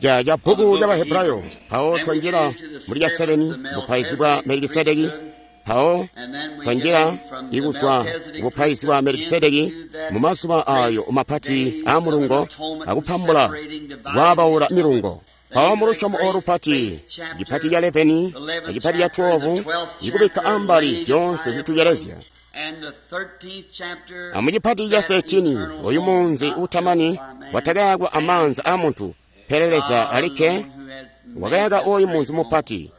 Ca bbuku lya Bahebrayo, mpawo twanjila muli ca 7 bupaizi bwa Melikisedeki, mpawo twanjila ikuzwa bupaizi bwa Melikisedeki mu mazuba ayo mapati a mulungo akupambula kwaabaula milungo. Mpawo mu lusyomo olu lupati, cipati ca 11 a cipati ca 12, ikubikka ambali zyoonse zitucelezya. Amucipati ca 13, oyu munzi utamani watakayakwa amaanza a muntu, pele Leza alikke wakayaka oyu munzi mupati,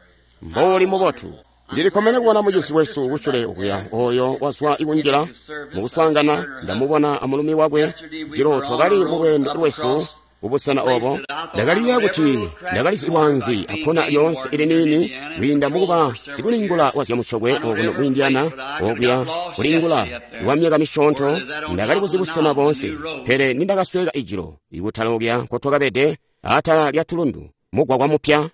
mbouli mubotu. Ndilikkomene kubona mucizi wesu kusyule okuya, oyo wazwa ikunjila mukuswaangana. Ndamubona amulumi wakwe jilo twakali mu lweendo lwesu kubusena obo. Ndakaliyeeya kuti ndakalizi lwaanzi akkona lyoonse iliniini kwiinda mukuba sikulingula wazyamusyokwe okuno ku Indiana, okuya kulingula kwa myaka misyoonto. Ndakali kuzi busena boonse, pele nindakasweeka ijilo ikutala okuya nkotwakabede atala lya tulundu, mugwagwa mupya.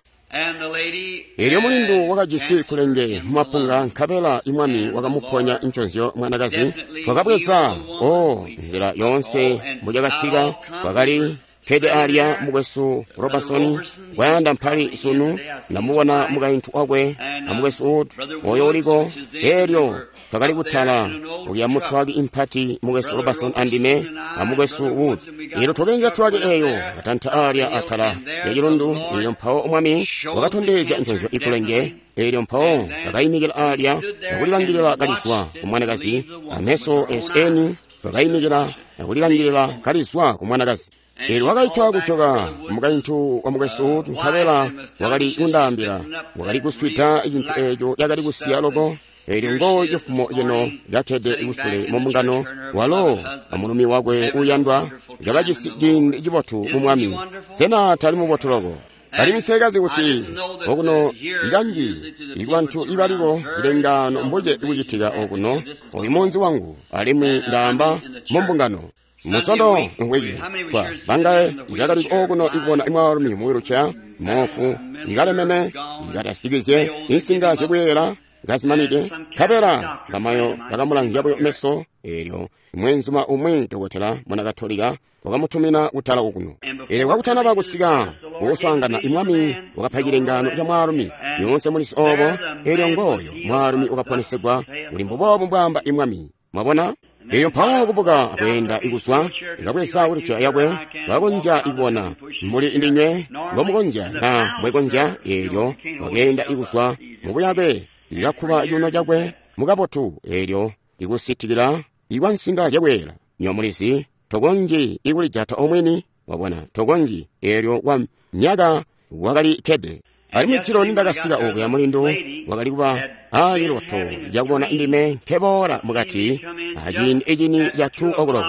Elyo mulindu wakajisi kulenge mumapunga, nkabela imwami wakamuponya nconzyo mwanakazi. Twakabweza o nzila yoonse mbucakasika, kwakali kkede alya mukwesu Robertson kwayanda mpali sunu. Ndamubona mukaintu wakwe a mukwesu Wood oyo uliko. Elyo twakali kutala okuya mu traki impati, mukwesu Robertson andime a mukwesu Wood. Elyo twakenja traki eyo, katanta alya atala lya cilundu. Elyo mpawo Mwami wakatondezya nconzyo ikulenge. Elyo mpawo twakaimikila alya akulilangilila kalizwa ku mwanakazi, ameso esu eni twakaimikila akulilangilila kalizwa ku mwanakazi. Elyo wakaitwa kujoka mukaintu wa mukwesu Wood, nkabela wakali kundaambila wakali kuswida cintu eco cakali kusiya loko. Elyo ngo cifumo cino kakkede kusule mu mbungano, walo amulumi wakwe uuyandwa kabajisi ciindi cibotu mu Mwami. Sena tali mubotu loko? Alimwi nsekazi kuti okuno ikanji ikubantu ibaliko zilengaano mbuce kucitika okuno, oyu munzi wangu, alimwi ndaamba mu mbungano. Musondo mvwiki twa bangaye ibakali okuno ikubona mwaalumi mu wheelchair, moofu, ikalemene, ikatasikizye insinga zyakuyeyela kazimanide, nkabela bamayo bakamulanzya buyo meso. Elyo mweenzuma umwi dokotela muna Katolika wakamutumina kutala okuno. Elyo kakutanaba kusika kukuswaangana, imwami wakapa cilengaano ca mwaalumi. Nyoonse mulizi obo. Elyo ngooyo mwaalumi wakaponesegwa, kuli mbuboobu mbwaamba imwami. Mwabona? Elyo mpawo kubuka kweenda kuzwa, kabweza wheelchair yakwe, kakonzya kubona mbuli ndinywe mbomukonzya na mbwekonzya. Elyo wakeenda kuzwa mubuyake, kakkuba cuuno cakwe mukabotu, elyo ikusitikila ikwa nsinga zyakweela. Nywebo mulizi, tokonzyi ikulijata omwini, wabona, tokonzyi. Elyo kwa myaka wakali kkede. Alimwi jilo nindakasika okuya, mulindu wakali kuba a ciloto cakubona ndime nkeboola mukati aciindi ecini ca 2 o'clock,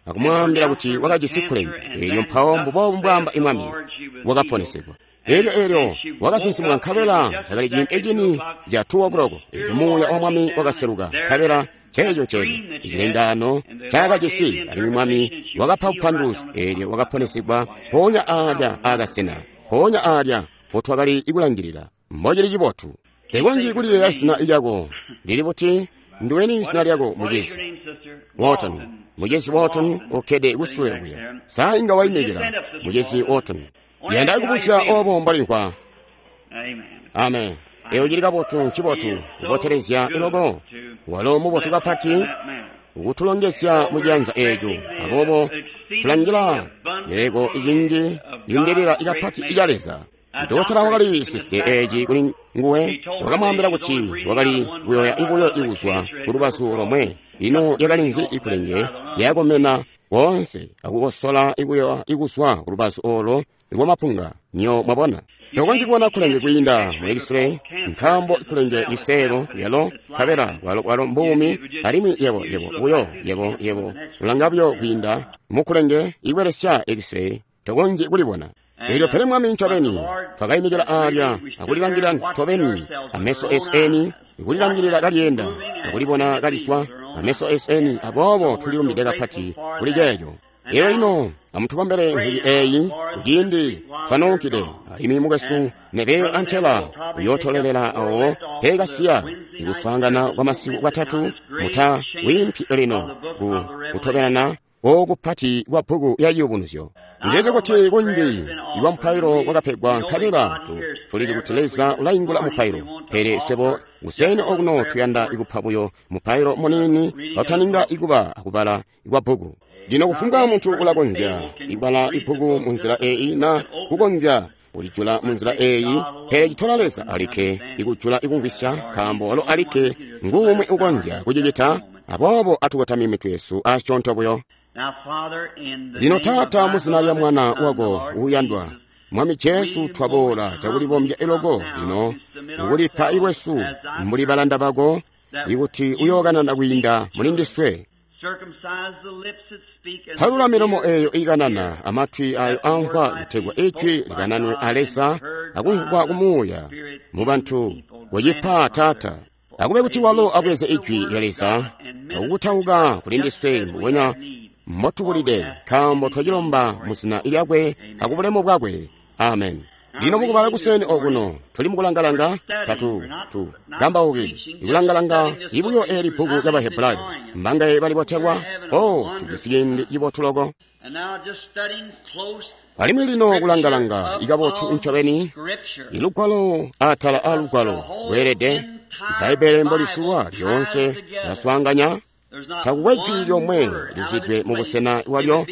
akumwaambila kuti wakajisi kkulenge. Elyo mpawo mbuboobu mbwaamba imwami, wakaponesegwa. Elyo, elyo wakasinsimuka, nkabela cakali ciindi ecini ca 2 o'clock. Elyo Muuya wa Mwami wakaseluka, nkabela ceeco nceeco cilengaano ncaakajisi, alimwi Mwami wakapa bupanduluzi. Elyo wakaponesegwa mpoonya aalya aakasena, mpoonya aalya mpotwakali kulangilila. Mbocili cibotu! Nsekonzyi kuliyeeya zina lyako. Lili buti? Nduweni zina lyako, mucizi? Walton. Mucizi Walton ukkede kusule okuya. Sa inga waimikila, Mucizi Walton? Yanda kubuzya obo mbolimvwa. Amen. Eyo cili kabotu, ncibotu, kubotelezya loko. Walo mubotu kapati kutulongezya mu ciyanza eco. Aboobo tulangila cileleko cinji yindilila kapati ica Leza. Dokotela wakali siside eci kuli nguwe, wakamwaambila kuti wakali kuyoya buyo ikuzwa ku lubazu lomwe. Ino lyakali nzi ikulenge lyakomena koonse akukosola ikuyoya ikuzwa ku lubazu olo lwamapunga? Nyo mwabona, tokonzyi kubona kulenge kwiinda mu x-ray, nkaambo kulenge liseelo lyalo, nkabela bwalo, bwalo mbuumi, alimwi yebo, yebo buyo, yebo, yebo ulanga buyo kwiinda mu kulenge ikubelesya x-ray, tokonzyi kulibona. Elyo pele Mwami ncobeni, twakaimikila aalya akulilangilila ncobeni ameso esu eni, kulilangilila kalyeenda akulibona kaliswa ameso esu eni, aboobo tulilumbide kapati kuli ceeco. Elyo lino amutukombele mvwiki eyi kuciindi twanoonkide, alimwi mukwesu Neville antela uyootolelela awo peekasiya ikuswaangana kwa masiku kwatatu, muta wiimpi lino ku kutobelana. oku pati kwa bbuku ya Ciyubunuzyo. Ndizi kuti kunji iwa mupailo wakapegwa nkabela tulizi kuti Leza ulaingula mupailo, pele swebo kuseni okuno tuyanda ikupa buyo mupailo muniini kautaninga ikuba akubala kwa bbuku. Lino kufumbwa muntu ulakonzya ikubala ibbuku munzila eyi na kukonzya kulijula munzila eyi, pele citola Leza alikke ikujula ikumvwisya, nkaambo walo alikke nguumwi ukonzya kucicita. Aboobo atukotamye mitwe yesu asyoonto buyo. Lino Taata, muzina lya Mwana wako uuyandwa Mwami Jesu, twaboola cakulibombya iloko lino kukulipa ilwesu mbuli balanda bako, ikuti uyookanana kwiinda mulindiswe. Palula milomo eeyo ikanana, amatwi ayo amvwa, kutegwa ijwi likananwe a Leza akumvwa kumuuya mu bantu. Kucipa Taata, akube kuti walo abweze ijwi lya Leza akukutauka kulindiswe mbubwenya motubulide, nkaambo twacilomba muzina lyakwe akubulemu bwakwe. Amen. Lino mukubala kuseni okuno tuli mukulangalanga tatu tu kambauki ikulangalanga ibuyo eli bbuku lya Bahebrayo. Mbangaye balibotelwa? O, tujisi ciindi cibotu loko. Alimwi lino kulangalanga ikabotu ncobeni ilugwalo atala a lugwalo lweelede Bbaibbele mbolisulwa lyoonse laswaanganya. Takukwe jwi lyomwe lizidwe mu busena bwalyo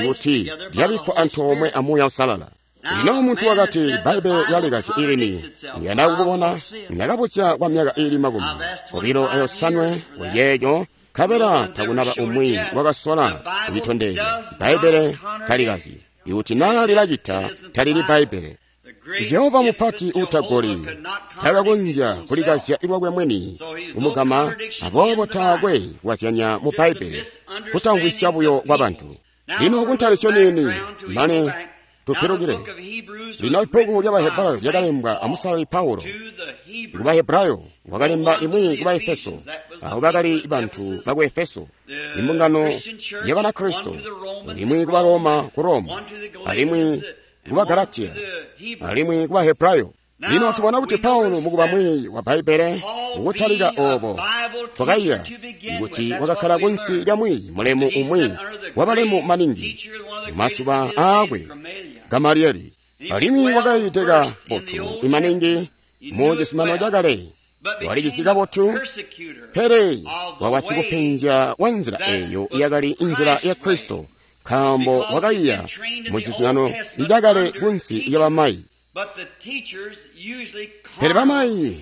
ikuti lyabikkwa antoomwe a Muuya Uusalala. Lino muntu wakati Bbaibbele lyalikazya ilini, ndiyanda kukubona. Ndakabuzya kwa myaka iili 25 kuliyeeyo, nkabela takunaba umwi wakasola kucitondezya. Bbaibbele talikazyi. Ikuti naa lilacita, talili Bbaibbele. Jehova mupati uutagoli takakonzya kulikazya lwakwe mwini kumugama, aboobo taakwe kukazyanya mu Bbaibbele, kutamvwisya buyo kwa bantu. Lino kuntalisyo niini mane tupilukile. Lino ibbuku lya Bahebrayo lyakalembwa amusalali Paulo ku Bahebrayo, wakalemba limwi ku Baefeso. Abo bakali bantu baku Efeso, imbungano ya Banakristo, limwi ku Baroma ku Roma, alimwi ku Bagalatiya, alimwi ku Bahebrayo. Lino tubona kuti Paulo mukuba mwiiyi wa Bbaibbele, mukutalika obo twakaiya kuti wakakkala kunsi lya mwiiyi mulemu umwi wabalemu maningi masuba aakwe, Gamalieli, alimwi wakayiide kabotu imaningi mu cisimano cakale, walicisi kabotu, pele wakaba sikupenzya wa nzila eyo yakali nzila ya Kristo, nkaambo wakaiya mu cisimano cakale kunsi lya bamayi. Pele bamayi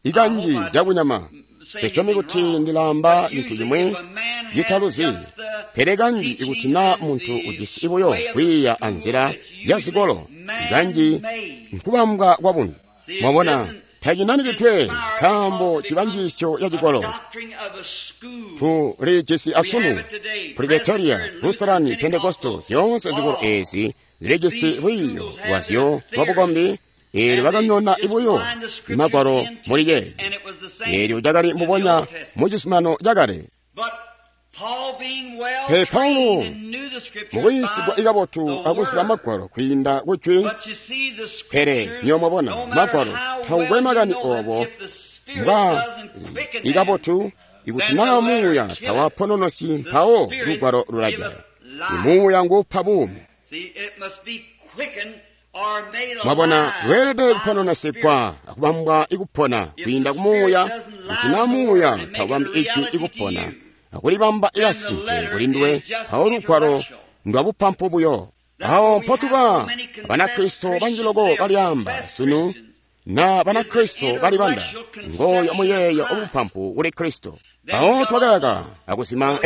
ikanji cakunyama, sisyomi kuti ndilaamba cintu cimwi citaluzi, pele kanji ikuti naa muntu ujisi buyo kwiiya anzila ya zikolo, kanji nkubambwa kwa buntu. Mwabona, tacinanikidwe nkaambo cibanjisyo ya cikolo. Tulijisi asunu Presbyteria, Lutheran, Pentecostal, zyoonse zikolo ezi zilijisi lwiiyo lwazyo lwabukombi, eelyo bakanyona ibuyo magwalo muli yeeyo. Eelyo cakali mbubonya mu cisimano cakale. Pele Paulo mukuyiisigwa ikabotu akuziba magwalo kwiinda kujwi, pele nywebo mwabona magwalo takukwe makani obo mbwa ikabotu, ikuti naa muuya tawapononosyi, mpawo lugwalo lulajaya. Imuuya nguupa buumi. Mwabona, lweelede kupononosekwa akubambwa ikupona kwiinda kumuuya. Kuti naa muuya taubambi ijwi ikupona akulibamba ikasimpe kulinduwe, mpawo lugwalo ndwabupampu buyo. Awo mpotuba Banakristo banji loko balyaamba sunu na Banakristo balibanda, ngooyo muyeeyo obupampu kuli Kristo. Awo twakayaka akusima,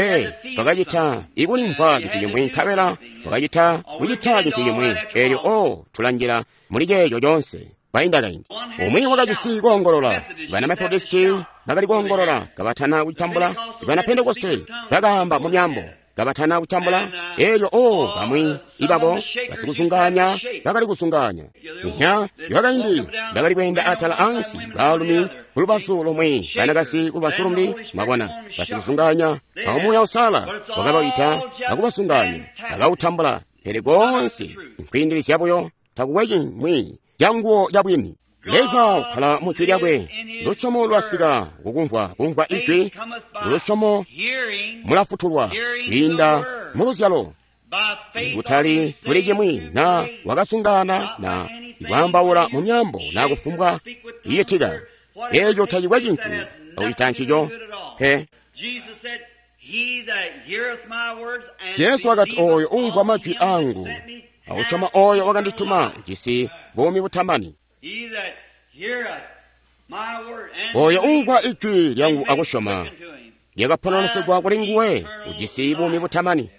twakacita ikulimvwa cintu cimwi, nkabela twakacita kucita cintu cimwi, eelyo o tulanjila muli ceeco coonse. Kwainda kaindi umwi wakajisi koongolola, bana Methodisti bakali koongolola kabatana kutambula, bana Pentekoste bakaamba mu myaambo kabatana kutambula, eelyo o bamwi ibabo basikuzungaanya bakali kuzungaanya. Nya bakaindi bakali kweenda atala ansi, baalumi kulubazu lomwe, banakazi kulubazu lumbi. Mwabona, basikuzungaanya awo Muuya Uusalala wakabaita akubasunganya, akawutambula, pele koonse nkwiindilizya buyo, takukwe cimwi canguwo cabwini. Leza ukkala mu jwi lyakwe. Lusyomo lwasika kukumvwa, kumvwa ijwi. Lusyomo mulafutulwa kwiinda muluzyalo. Kutali kuli cimwi na wakasungana na ikwaambaula mu myambo na kufumbwa iyitika. Eeco tacikwe cintu akucita ncico pe. Jesu wakati, ooyo umvwa majwi angu akusyoma ooyo wakandituma ujisi buumi butamani. Ooyo umvwa ijwi lyangu akusyoma lyakapononesegwa kuli nguwe ujisi buumi butamani.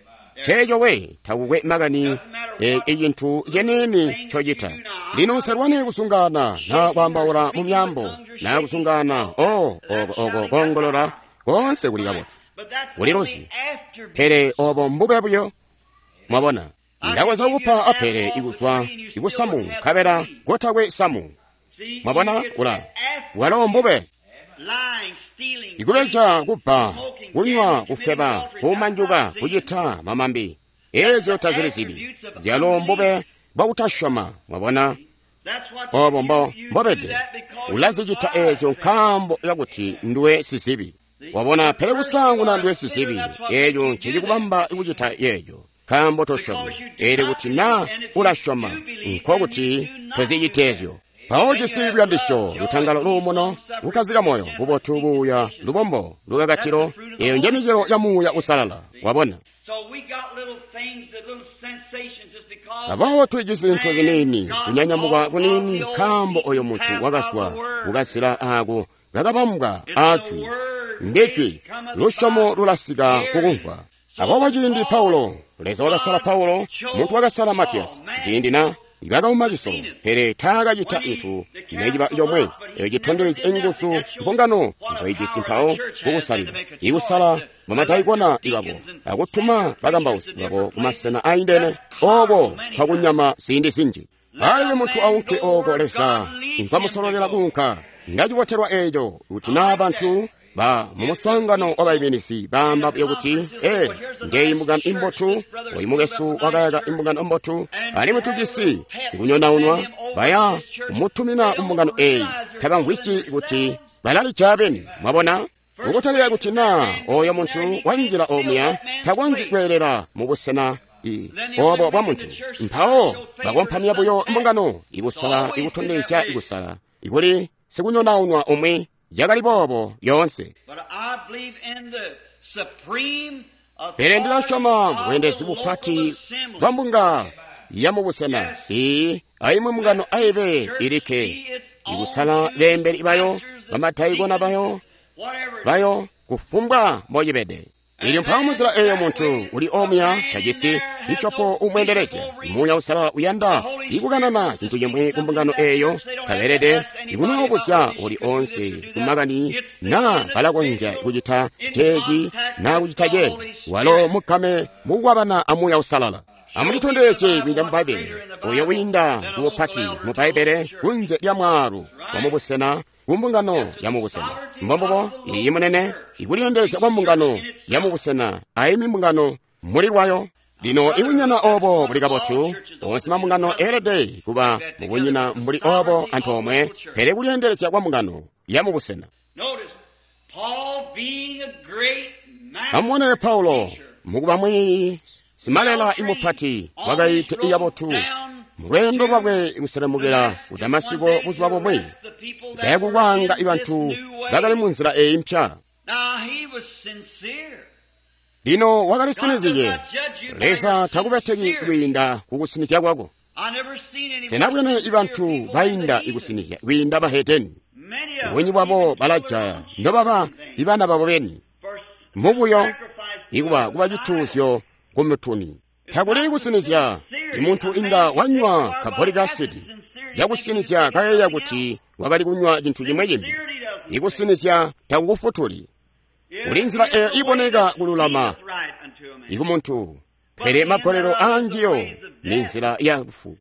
Ceeco we takukwe makani icintu ceniini ncocita. Lino usalwane kusungana na kwaambaula mu myambo na kusungana oko koongolola koonse kuli kabotu, kuli luzi, pele obo mbube buyo. Mwabona, ndakonzya kupa apele ikuzwa ikusamu nkabela kotakwe samu. Mwabona, ula walo mbube. Ikubeja, kubba, kunywa, kufweba, kumanjuka, kucita mamambi, eezyo tazili zibi, zyalo mbube bwakutasyoma. Mwabona, obo mbobede. Ulazicita eezyo nkaambo kakuti nduwe sizibi. Wabona, pele kusaanguna nduwe sizibi, eeco ncecikubamba kucita yeeco, nkaambo tosyomi. Eelyo kuti na ulasyoma, nkokuti tozicita eezyo. Mpawo jisi luyandisyo, lutangalo, luumuno, kukkazika moyo, bubotu, buuya, lubombo, lukakatilo. Eyo nje micelo ya Muuya Usalala. Wabona, aboobo tulijisi zintu ziniini, kunyanyamuka kuniini, nkaambo oyo muntu wakazwa kukazila aako kakabambwa aajwi. Ndijwi, lusyomo lulasika kukumvwa. Aboobo ciindi Paulo, Leza wakasala Paulo, muntu wakasala Matiyasi, ciindi na bakauma cisolo, pele taakacita cintu neciba comwe eco citondezya inguzu mbungano nzoijisi mpawo kukusalila, ikusala bamadaikona babo akutuma bakambausi babo kumasena aindene, oko kwakunyama ziindi zinji. Alile muntu aunke oko Leza nkwamusololela kuunka. Ndacibotelwa eeco kuti naa bantu ba mumuswaangano wabaiminizi baamba buyo kuti, njeyi imbungano imbotu, oyu mukwesu wakayaka imbungano mbotu, alimwi tujisi zikunyonaunwa, baya kumutumina kumbungano eeyi. Tabamvwisyi kuti balalija beni. Mwabona, ukutalika kuti naa oyo muntu wanjila omuya takonzyi kweelela mu busena obo bwa muntu. Mpawo bakompamya buyo mbungano ikusala ikutondezya ikusala ikuli sikunyonaunwa umwi. Yakali boobo yoonse. Pele ndilasyoma bweendelezi bupati bwa mbunga ya mubusena iyi aimwi mbungano aibe ilikke ikusala beembeli bayo, bamadaikona bayo, kufumbwa mbocibede. Ilyo mpawo munzila eeyo muntu uli omuya tajisi bishopo umweendelezya. Muuya Usalala uyanda ikukanana cintu cimwi kumbungano eeyo, tabeelede ikunoobuzya uli onse kumakani naa balakonzya kucita ceeci naa kucita ceeci. Walo mukame mukukwabana a Muuya Usalala. Amulitondezye kwiinda mu Bbaibbele, oyo wiinda kubupati mu Bbaibbele kunze lya mwaalu wamubusena kumbungano ya mubusena. Mbombubo iyi munene ikulyeendelezya kwa mbungano ya mubusena aimwi mbungano muli lwayo. Lino ibunyina obo buli kabotu, onse mambungano eelede kuba mubunyina mbuli obo antoomwe, pele kulyeendelezya kwa mbungano ya mubusena. Amubone Paulo mukuba mwiiyi simalela imupati wakaite ikabotu mulweendo lwakwe kuselemukila ku Damasiko buzuba bumwi, kayakukwanga ibantu bakali mu nzila eyi mpya. Lino wakalisinizye. Leza takubeteki kwiinda kukusinizya kwako. Senabwene ibantu bainda ikusinizya kwiinda bahedeni. Bunyi bwabo balajaya nobaba ibana babo beni mubuyo ikuba kuba cituuzyo ku mutuni. Takuli kusinizya. Imuntu inga wanywa kaboli kasidi cakusinizya kayeeya kuti wakali kunywa cintu cimwe cimbi. Ikusinizya takukufutuli. Kuli nzila eyo iboneka kululama ikumuntu, pele magolelo aanjiyo ni nzila ya lufu.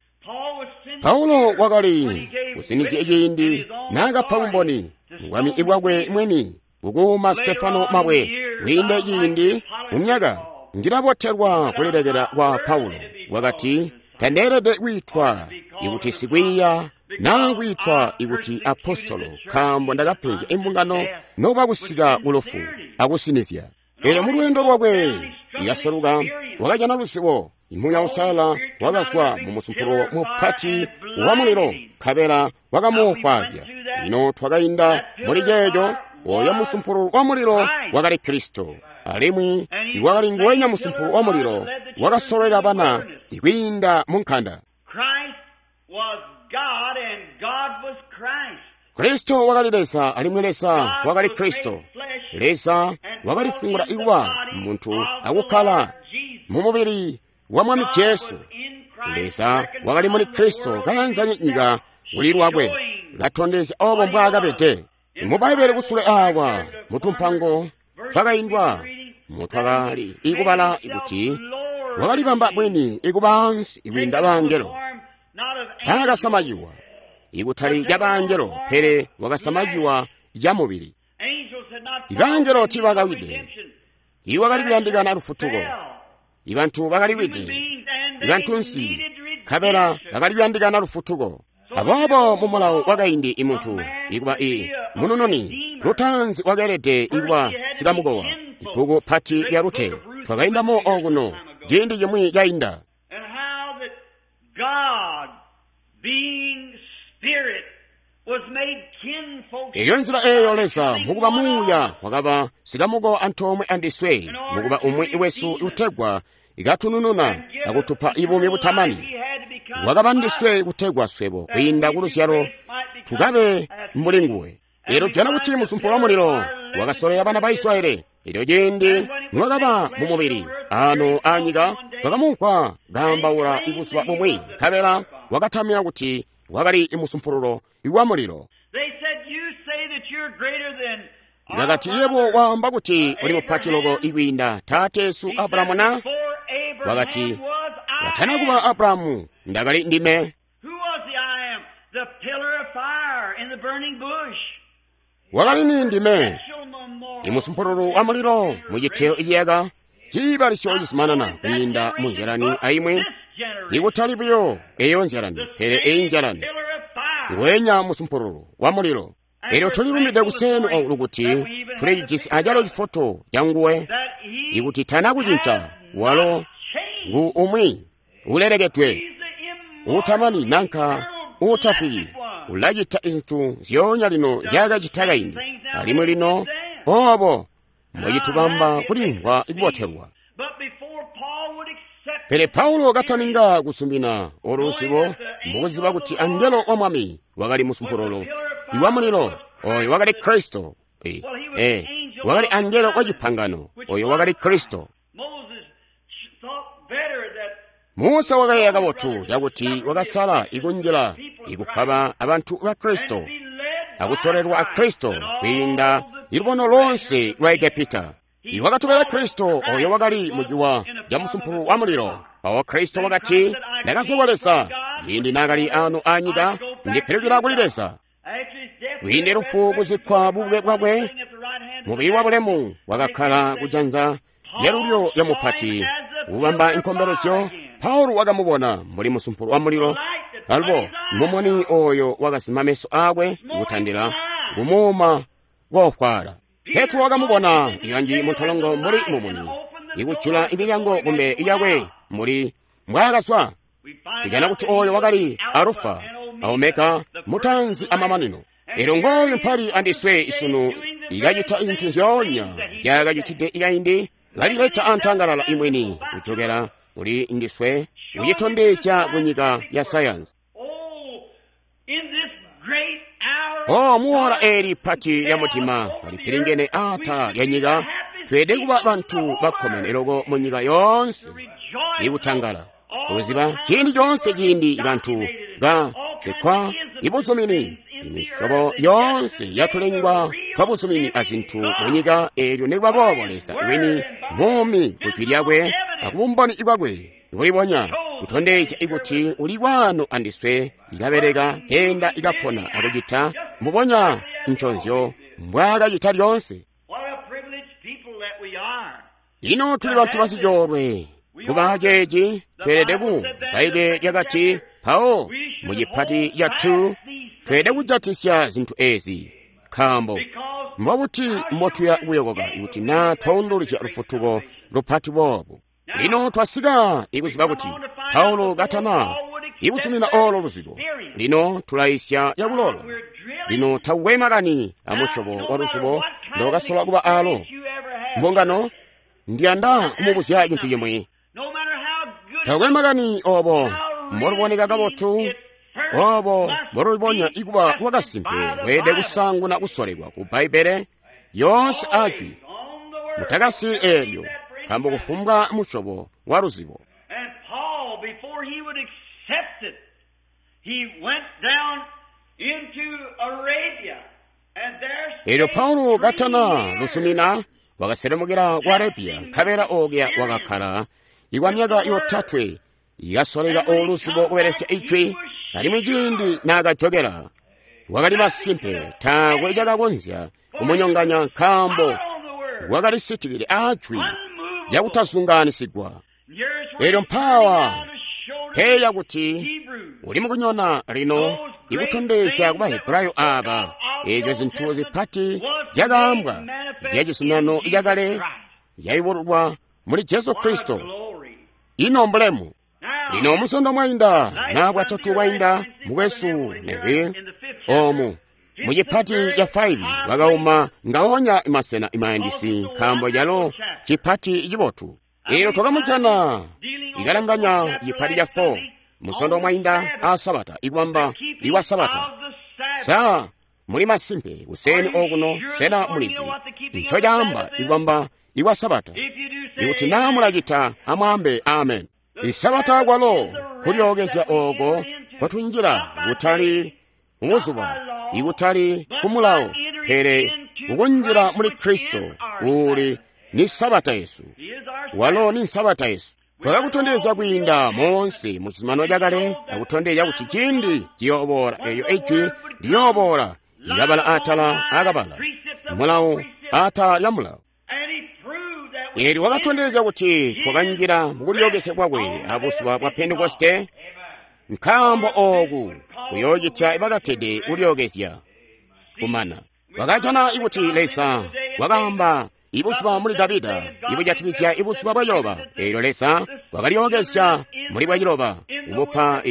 Paulo wakali kusinizya ciindi naakapa bumboni bwami bwakwe mwini kukuuma Stefano mabwe. Kwiinde ciindi mu myaka ndilabotelwa kulilekela kwa Paulo. Wakati, tandeelede kwiitwa ikuti sikwiiya naa kwiitwa ikuti apostolo, nkaambo ndakapenzya imbungano nokuba kusika kulufu akusinizya. Elyo mu lweendo lwakwe lyaseluka wakajana luzibo. Muuya Uusalala wakazwa mu musumpululu mupati wa mulilo, nkabela wakamuofwaazya. Lino twakainda muli ceeco. Oyo musumpululu wa mulilo wakali Kristo, alimwi wakali nguwenya musumpululu wa mulilo wakasololela bana kwiinda mu nkanda. Kristo wakali Leza, alimwi Leza wakali Kristo. Leza wakalifungula ikuba muntu akukkala mu mubili wa Mwami Jesu. Leza wakali muli Kristo kayanzanya nyika kuli lwakwe, katondezya obo mbwaakabede. Mu Bbaibbele kusule awa mutumpango twakaindwa mutwakali ikubala kuti wakalibamba bwini ikuba ansi ikwiinda bangelo. Taakasamajiwa ikutali ca bangelo, pele wakasamajiwa ca mubili. Ibangelo tiibakawide, iwakali kuyandikana lufutuko. Ibantu bakaliwide, ibantunsi, nkabela bakali kuyandikana lufutuko. Aboobo mu mulawo wakaindi imuntu ikuba i munununi lutaanzi wakeelede ikuba sikamukowa. Ibbuku pati lya Rute twakaindamo okuno ciindi cimwi cainda. Elyo nzila eeyo Leza mukuba muuya wakaba sikamukowa antoomwe andiswe, mukuba umwi wesu utegwa ikatunununa akutupa ibuumi butamani. Wakaba ndiswe kutegwa swebo kwiinda kuluzyalo tukabe mbuli nguwe. Elyo tujana kuti musumpululu wa mulilo wakasolera bana ba Israeli. Elyo ciindi niwakaba mu mubili ano anyika, twakamumvwa kaambaula ibuzuba bumwi, nkabela wakatamya kuti wakali musumpululu wa mulilo. Bakati, yebo waamba kuti uli mupati loko ikwiinda taateesu Abrahamu na? Wakati, katana kuba Abrahamu ndakali ndime. Wakali ni ndime, imusumpululu wa mulilo muciteyo iciyaka ciibalisyo cizumanana kwiinda mu nzyalani aimwi, ikutali buyo eyo nzyalani, pele eyi nzyalani ngwenya musumpululu wa mulilo. Elyo tulilumide kuseni oku kuti tulijisi acalo cifoto ca nguwe, ikuti tana kucinca, walo ngu umwi ulelekedwe, utamani nanka uutafwiki, ulacita zintu zyoonya lino zyakacita kaindi, alimwi lino obo mbwecitubamba kulimvwa kubotelwa. Pele Paulo kataninga kusumina olu luzibo, mukuziba kuti angelo wa Mwami wakali musumpululu wa mulilo, oyo wakali Kristo. Wakali angelo wa cipangano, oyo wakali Kristo. Musa wakayeeya kabotu cakuti wakasala ikunjila ikukwaba abantu ba Kristo akusolelwa a Kristo kwiinda ilubono lonse lwa Egepita. Iwakatobela Kristo oyo wakali muciwa ca musumpululu wa mulilo. Mpawo Kristo wakati, ndakazwa kwa Leza ciindi naakali ano anyika, ndipilukila kuli Leza. Kwiinde lufu kuzikkwa bubuke bwakwe, mubili wa bulemu wakakkala kujanza lyalulyo lya mupati kubamba inkombelezyo. Paulo wakamubona mbuli musumpululu wa mulilo, alubo mumuni oyo wakazima meso akwe kutandila kumuuma koofwaala. Petro wakamubona ikanji muntolongo mbuli mumuni ikujula imilyango kumbe yakwe mbuli mbwaakazwa. Tujana kuti oyo wakali Alufa a Omega, mutanzi amamanino. Elyo ngooyu mpali andiswe isunu ikacita zintu zyoonya zyakacitide ikaindi, kalileta antangalala imwini kujokera kuli ndiswe, kucitondezya kunyika ya sayansi. O muola eli pati lya mutima kalipilingene ata lya nyika, tweede kuba bantu bakkomene loko mu nyika yoonse ikutangala kuziba ciindi coonse ciindi bantu basekwa ibuzumini, imisyobo yoonse yatulengwa twabuzumini azintu mu nyika. Eelyo nikuba boobo Leza wini muumi kujwi lyakwe akubumboni bwakwe kulibonya kutondezya ikuti uli kwano andiswe, ikabeleka kenda ikapona akucita mbubonya nconzyo mbwaakacita lyoonse. Lino tuli bantu basicoolwe kuba ceeci tweelede ku Bbaibbele lyakati mpawo mu cipati ca 2 tweelede kujatisya zintu ezi. Nkaambo mbobuti mbotuya kuyokoka ikuti naa twaunduluzya lufutuko lupati boobu? Lino twasika ikuziba kuti Paulo katana ikusumina olo luzibo. Lino tulaisya yakulolo. Lino takukwe makani amusyobo wa luzibo ndokasola kuba alo. Mbungano, ndiyanda kumubuzya cintu cimwi. Takukwe makani obo mboluboneka kabotu, obo mbolulibonya ikuba lwakasimpe, lweelede kusaanguna kusolekwa ku Bbaibbele yoonse ajwi. Mutakasi eelyo, nkaambo kufumbwa musyobo wa luzibo. And Paul, before he would accept it, he went down into Arabia. And there Eelyo stayed Paulo 3 katana years. lusumina wakaselemukira ku Arabiya, nkabela okuya wakakhala ikwa myaka yotatwe ikasoleka oluzibo kubelesya ijwi. Alimwi ciindi naakajokela wakali masimpe taakwe cakakonzya kumunyonganya, nkaambo On the word. wakali sitikile ajwi Unmovable. lyakutazunganisigwa. Here's where Eelyo he's mpawa turning down to show to peya the kuti Hebrews. uli mukunyona lino ikutondezya ku Bahebrayo aba eezyo zinthu zipati zyakaambwa zya cizuminano cakale zyayubululwa muli Jesu Kristo. Glory. Ino mbulemu. Now, Lino musondo mwainda na bwatatu bwainda mukwesu Neville omu mucipati ca 5 wakauma ngaonya masena imayandisi, nkaambo calo cipati cibotu. Eelyo twakamujana ikalanganya cipati ca 4 musondo mwainda a sabata ikubamba iwa sabata. of the Sabbath. Sa muli masimpe kuseni okuno sena mulizi nco caamba ikubamba iwa sabata? If you do say Ikuti naa mulacita, amwaambe amen. Isabata kwalo kulyookezya oko kwatunjila kutali mubuzuba, ikutali kumulawo, pele kukunjila muli Kristo uli ni sabata yesu. He is our Walo ni nsabata yesu. Twakakutondezya kwiinda monse mu cizuminano cakale, akutondezya kuti ciindi ciyooboola eeyo ijwi liyooboola likabala atala akabala, mulawo atala lya mulawo. And he proved that we Eelyo wakatondezya kuti twakanjila mukulyookezya kwakwe abuzuba bwa Pentekoste, nkaambo ooku kuyoocitya bakatede kulyookezya kumana. Wakajana ikuti Leza wakaamba ibuzuba muli Davida ibujatikizya ibuzuba bwa Yoba. Eelyo Leza wakalyookezya muli bwa ciloba kubupa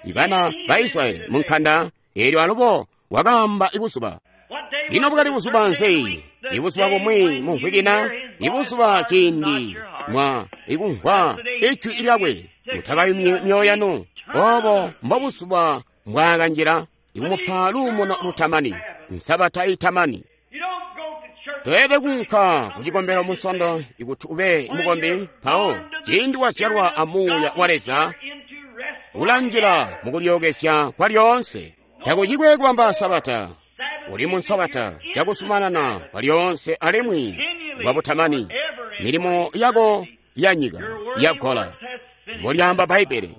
ibana ba Israyeli mu nkanda. Eelyo alubo wakaamba ibuzuba. What day Lino was bukali it? buzuba The first day of the nzi? week, the Ibuzuba day bumwi when mu you mvwiki na hear his voice, ibuzuba harden not ciindi your heart. mwa ikumvwa ijwi lyakwe, mutakayumye myoyo yanu. Obo mbobuzuba mbwaakanjila ikumupa luumuno lutamani, nsabata itamani. You don't go to church Toyede kunka kucikombelo musondo ikuti ube mukombi. Mpawo ciindi wazyalwa amuuya wa Leza into rest ulanjila mukulyookezya kwa lyoonse. Takucikwe kubamba sabata, Sabbath uli mu nsabata cakusumanana kwa lyoonse alimwi bwabutamani. Milimo yako ya nyika yagola, works has finished. mbolyaamba Bbaibbele.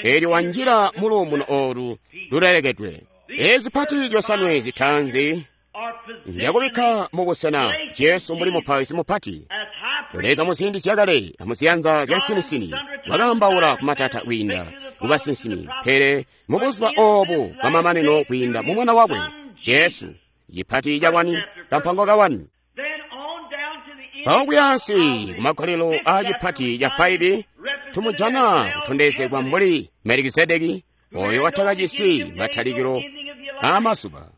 Eelyo wanjila muluumuno olu lulelekedwe. Ezi pati zyosanwe zitaanzi Are positioned njakubikka mubusena Jesu mbuli mupaizi mupati. as high priest Leza muziindi zyakale amuziyanza zya nsinisini wakaambaula kumatata kwiinda kubasinsimi, pele mubuzuba obu bwamamanino kwiinda mu mwana wakwe Jesu. Cipati ca wani kampango ka wani. Then on down to the end Mpawo kuyansi of the kumakolelo fifth a chapter, cipati we ca find 5 represented tumujana as kutondezegwa mbuli Melikisedeki oyo watakajisi matalikilo aamazuba,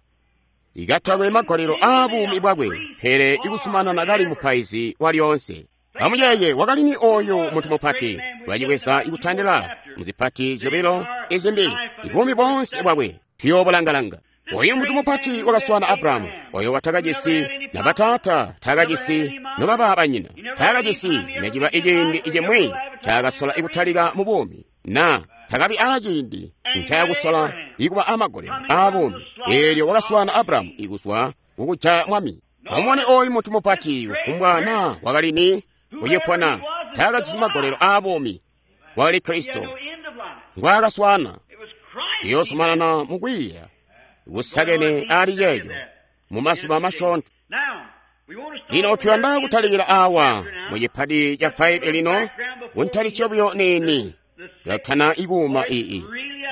ikatakwe magolelo aa buumi bwakwe, pele ikusumanana kali mupaizi wa lyoonse. Amuyeeye wakalini oyu muntu mupati lwacikweza ikutandila muzipati zyobilo izimbi ibuumi boonse bwakwe tuyoobulangalanga. Oyu muntu mupati wakaswana Abrahamu, oyo watakajisi na bataata, taakajisi nobaba banyina, taakajisi neciba iciindi icimwi caakasola ikutalika mu buumi, na takabi aaciindi ncayakusola ikuba amagolelo aa buumi. Eelyo wakaswana Abrahamu ikuzwa kukujaya mwami. Amubone oyu muntu mupati kufumbwa na wakalini kucipona, taakajisi magolelo aa buumi. Wakali He had Kristo no end of life. ngwaakaswana. It was Christ. Iyoosumanana mukwiiya kusakene ali ceeco mu mazuba masyoonto. Now, we want to start Lino over tuyanda here in kutalikila the awa chapter now. mu cipati ca 5 lino kuntalisyo buyo niini latana ikuuma iyi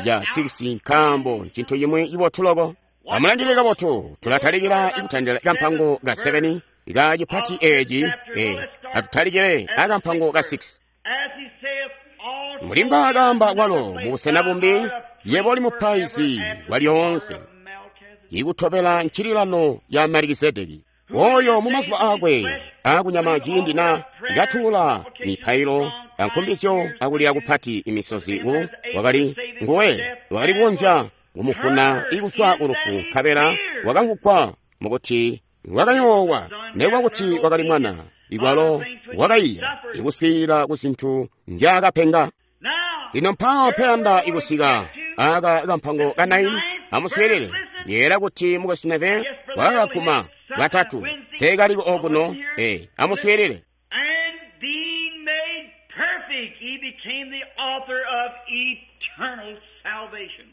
ya 6, nkaambo ncintu cimwi cibotu loko. Amulangilile kabotu, tulatalikila ikutandila kampango ka 7 ka cipati eeci, atutalikile akampango ka 6. Mbuli mbwaakaamba kwalo mubusena bumbi, yebo uli mupaizi walyoonse, ikutobela ncililano ya Melikisedeki. Oyo mumazuba aakwe aakunyama ciindi na katuula mipailo ankumbizyo akulila kupati imisozi wakali nguwe wakali kukonzya kumuvuna ikuswa kulufu, nkabela wakamvugwa mukuti wakayoowa nekuba kuti wakali mwana, ikwalo wakaiya ikuswiilila ku zintu nzyaakapenga. Lino mpawo mpeyanda ikusika aka kampango ka 9. Amuswiilile. Yeera kuti mukwesu Neville wakakakuma katatu seekaliko okuno. Amuswiilile. And being made perfect, he became the author of eternal salvation.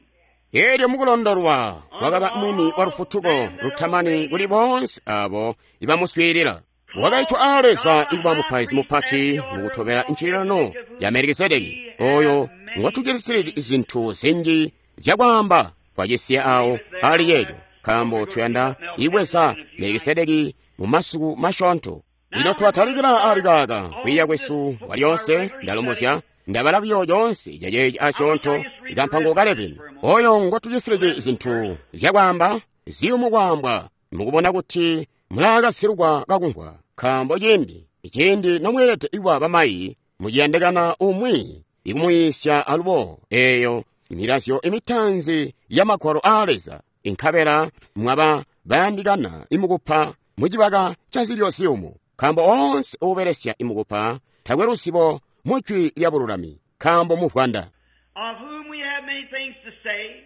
Elyo mukulondolwa wakaba mwini wa lufutuko lutamani kuli boonse abo ibamuswiilila. Wakaitwa a Leza ikuba mupaizi mupati mukutobela ncililano ya Melikisedeki, oyo ngotucilisili zintu zinji zyakwaamba twacisiya awo ali yeeyo, nkaambo tuyanda ibweza Melikisedeki mu masiku masyoonto. Lino twatalikila ali kaaka kwiiya kwesu kwalyoonse. Ndalombozya ndabala buyo yoonse caceeci asyoonto ikampango ka 11, oyo ngotucisiliji zintu zyakwaamba ziyumu kwaambwa, mukubona kuti mulaakasilukwa kakumvwa, nkaambo ciindi nomweelede kuba bamayi muciyandikana umwi ikumuyiisya alubo eeyo milazyo imitanzi ya magwalo aa Leza, inkabela mwaba bayandikana imukupa mucibaka ca zilyo ziyumu, nkaambo oonse uubelesya imukupa takwe luzibo mujwi lya bululami, nkaambo muvwanda. Of whom we have many things to say,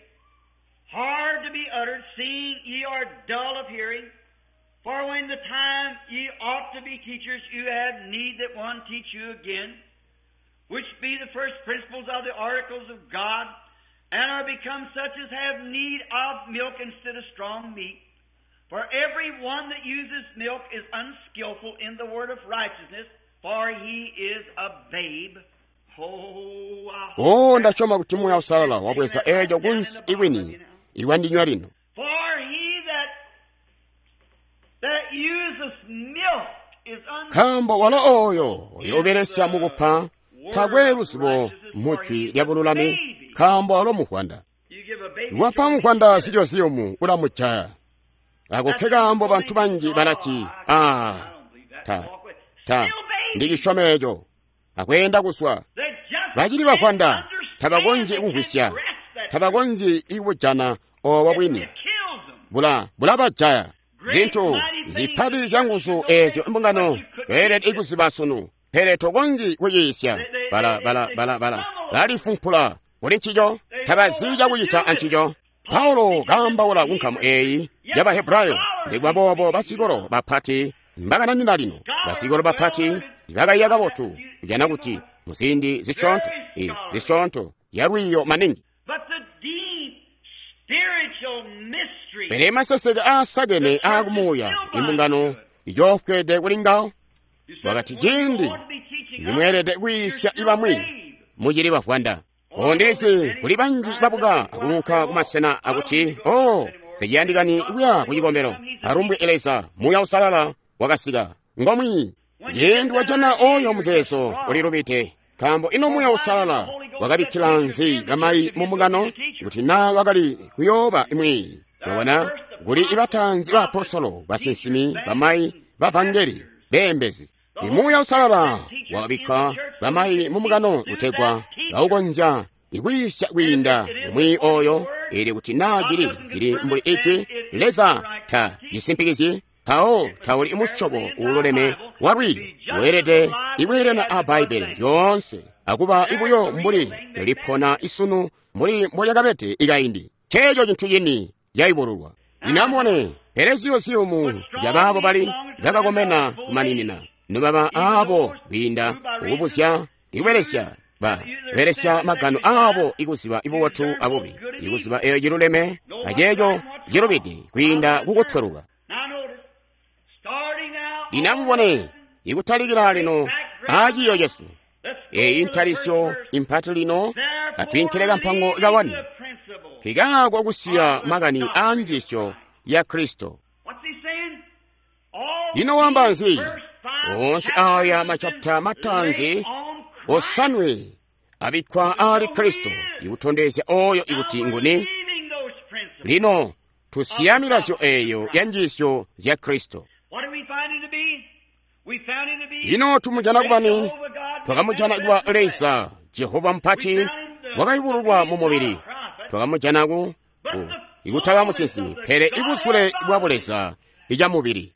hard to be uttered, seeing ye are dull of hearing. For when the time ye ought to be teachers, you have need that one teach you again, which be the first principles of the oracles of God, and are become such as have need of milk instead of strong meat. For every one that uses milk is unskillful in the word of righteousness, for he is a babe. Oh, I hope O, ndasyoma kuti Muuya Uusalala wabweza eeco kunsi ikwini iwandinywa lino. For he that uses milk is Nkaambo walo oyo uyoobelesya mukupa takwe luzibo mujwi lya bululami, nkaambo walo muvwanda. You give a baby Wapa muvwanda zilyo ziyumu ulamujaya. Ako nke kaambo bantu banji balati, ta ndicisyome eco, akweenda kuswa. Bacili bavwanda tabakonzyi kumvwisya, tabakonzyi ikujana obo bwini, bulabajaya. Zintu zipati zyanguzu eezyo imbungano beelede ikuziba sunu, pele tokonzyi kuyiisya. Balifumpula kuli ncico, tabazi cakucita ancico. Paulo kaambaula ku nkamu eeyi ya Bahebrayo, nikuba boobo basikolo bapati mbakananina lino, basikolo bapati bakaiya kabotu kujana kuti muziindi zisyoonto, zisyoonto yalwiiyo maningi. But the deep spiritual mystery Pele maseseke aasakene aakumuuya imbungano ijoofwede kuli ngawo. Wakati ciindi nimweelede kwiisya ibamwi mucili bavwanda. Ondilisi kuli banji babuka akuunka kumasena akuti, o, siciyandikani kuya ku cikombelo. Alumbwe Leza, Muuya Uusalala wakasika ngomwi. Ciindi wajana oyo muzeezo ulilubide, nkaambo ino Muuya Uusalala wakabikkila nzi bamayi mu mbungano kuti naa wakali kuyooba imwi. Wabona kuli ibatanzi baapostolo, basinsimi, bamayi, bavangeli, beembezi. Muuya Uusalala wakabikka bamayi mu mbungano kutegwa baukonzya ikwiisya kwiinda umwi oyo, ili kuti naa cili mbuli ijwi Leza ta cisimpikizyi, mpawo tauli musyobo uululeme wa lwiiyo, weelede ikweelana a Bbaibbele lyoonse akuba ibuyo mbuli lipona isunu mbuli mbolyakabede ikaindi. Nceeco cintu cini cayubululwa. Lino amubone, pele ziyo ziyumu zyabaabo bali bakakomena kumaninina, nobaba aabo kwiinda kukubuzya ikubelesya belesya magano aabo ikuziba ibubotu abubi, ikuziba eeyo ciluleme aceeco cilubide kwiinda kukutweluka. Now notice, starting now Lino amubone, ikutalikila lino aaciiyo cesu, Eyi ntalisyo impati lino atwiinkile kampango kawani kikaako kusiya makani a njiisyo ya Kristo. Ino wamba nzi? Onse aya machapita matanzi osanwe abikkwa ali Kristo ikutondezya oyo ikuti nguni. Lino tusiya milazyo eyo ya njiisyo zya Kristo. Ino tumujana kubani? Twakamujana kuba Leza Jehova mpati wakayubululwa mu mubili. Twakamujana ku ikutaba musinsimi, pele ibusule bwa buleza ica mubili.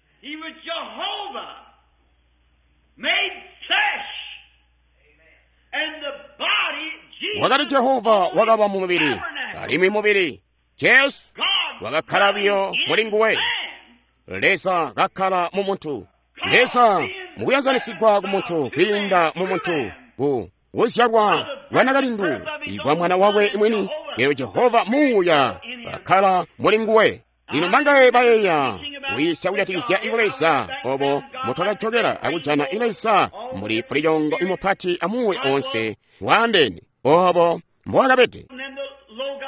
Wakali Jehova wakaba mu mubili, alimwi mubili Jesu wakakkala biyo muli nguwe. Leza kakkala mu muntu. Leza mukuyanzanisigwa ku muntu kwiinda mu muntu ku kuzyalwa bwanakalindu ikwa mwana wakwe mwini. Lero Jehova muuya kakkala muli nguwe. Lino mangaye bayeeya kuyisya kujatikizya ikuleza obo mutwakajokera akujana ileza muli fulichongo imupati amuwe onse waandene obo mbowakabede.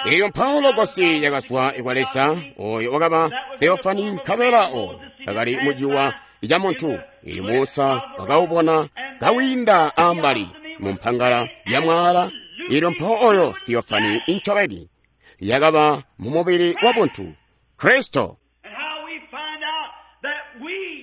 Eyo mpawo logosi yakazwa ikwa Leza oyo wakaba theofani nkabela oyo akali muciwa ica muntu. Ili Musa wakawubona kawinda ambali mu mpangala ya mwala. Ilyo mpawo oyo theofani incobeni yakaba mu mubili wa buntu Kristo.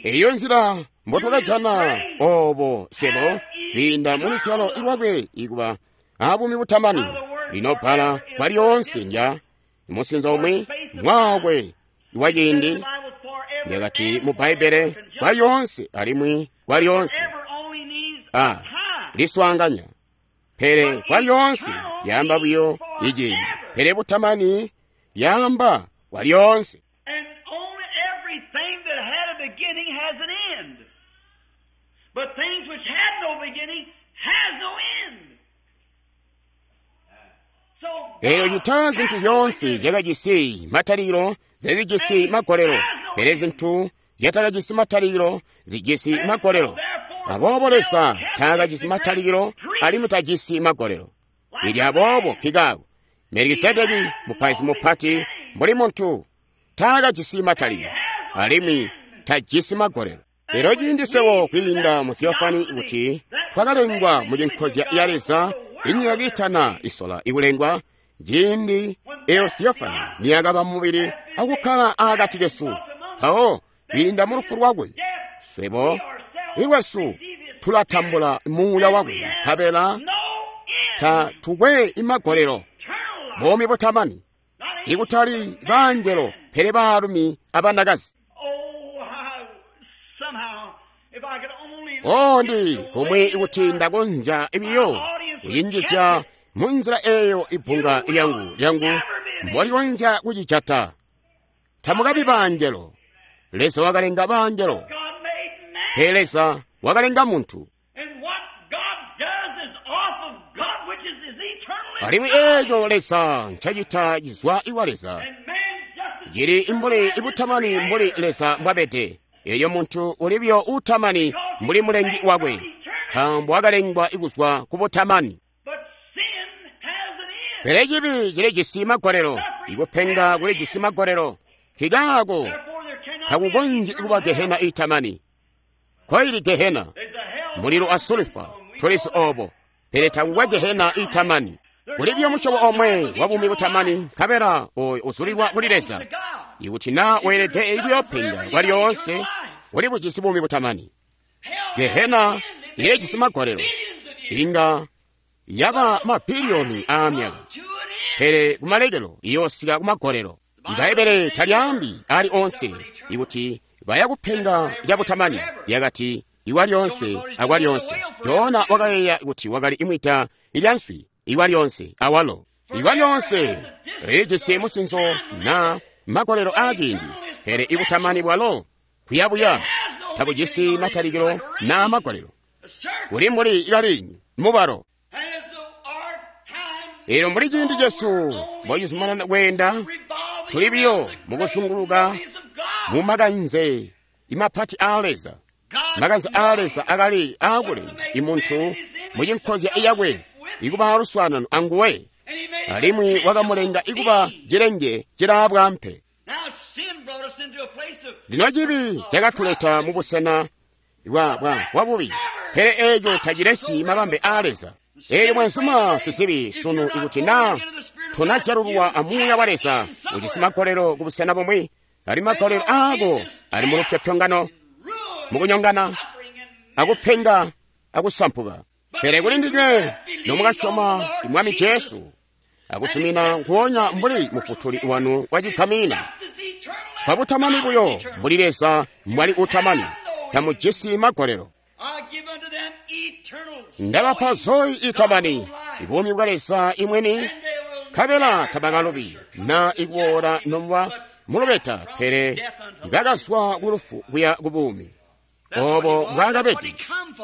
Eyo nzila mbotwakajana obo swebo kwiinda mu luzyalo lwakwe ikuba abuumi butamani. Lino bbala kwa lyonse ndya musinzo umwi mwakwe wa ciindi lyakati mu Bbaibbele kwa lyonse alimwi kwa lyonse a liswaanganya, pele kwa lyonse lyamba buyo iciindi, pele butamani lyamba kwa lyonse. Lero chita zinthu zonse zyakajisi mataliro zazijisi magolero, pele zinthu zyatakajisi mataliro zijisi magolero. Aboobo Leza taakajisi mataliro alimwi tajisi magolero. Ili aboobo kikaako Melikisedeki mupaizi mupati mbuli muntu taakajisi mataliro alimwi tajisi magolero. Lero ciindi swebo kwiinda mu theofani kuti twakalengwa mu cinkozya ya Leza inyika kiitana isola ikulengwa, ciindi eyo theofani niyakaba mubili akukkala akati kesu, mpawo kwiinda mu lufu lwakwe swebo ilwesu tulatambula muuya wakwe nkabela tatukwe imagolero, buumi butamani, ikutali baangelo pele baalumi abanakazi. O ndi komwe ikuti ndakonzya ibiyo kuyinjizya mu nzila eyo ibunga lyangu mbolikonzya kucijata. Tamukabi baangelo. Leza wakalenga baangelo, pele Leza wakalenga muntu. Alimwi eeco Leza ncacita cizwa iwa Leza cili imbuli ibutamani mbuli Leza mbwabede. Eyo muntu ulibyo utamani mbuli mulengi wakwe, nkaambo wakalengwa ikuzwa ku butamani. Pele cibi cilijisi magolelo, ikupenga kulijisi magolelo. Kikaako takukonzyi kuba gehena itamani. Koili gehena mulilo a sulfa tulisi obo, pele takukwa gehena itamani. Kulibyo musyobo omwe wa buumi butamani, nkabela oyo uzulilwa kuli Leza. Ikuti na weelede ikuyopenga kwa lyonse, uli bujisi buumi butamani. Gehena ilijisi magolelo, inga yaba mabiliyoni aamyaka, pele kumalekelo iyoosika kumagolelo. Ibbaibbele talyaambi ali onse ikuti bayakupenga cabutamani, lyakati iwa lyonse akwa lyonse. Jona wakayeeya kuti wakali imwita ilya nswi iwa lyonse awalo. Iwa lyonse lilijisi musinzo na magolelo aaciindi, pele ibutamani bwalo kuyabuya tabujisi matalikilo na magolelo. Kuli mbuli ikalinyi mubalo. Elo mbuli ciindi cesu mbocizumanana kweenda, tuli biyo mukuzunguluka mu makanze imapati aa Leza. Makanze aa Leza akali aakulenga imuntu mucinkozya iyakwe, ikuba luswaanano anguwe, alimwi wakamulenga ikuba cilenge cilaabwaampe. Lino cibi cakatuleta mubusena bwa bubi, pele eeco tacilesi mabambe aa Leza. Eelyo mwenzuma sisibi sunu, ikuti naa tunazyalulwa amuuya wa Leza, ujisi magolelo kubusena bumwi, ali magolelo aako ali mu lupyopyongano, mukunyongana, akupenga, akusampuka. Pele kuli ndinywe nomukasyoma Mwami Jesu akusumina nguonya mbuli mufutuli wanu wacigamina, kwabutamani buyo mbuli Leza mbwali utamani, tamujisi magolelo. Ndabapa zoyi itamani, ibuumi bwa Leza imweni, nkabela tabakalubi na ikuwola nomuba mulubeta, pele bakazwa kulufu kuya kubuumi. Obo mbwaakabede,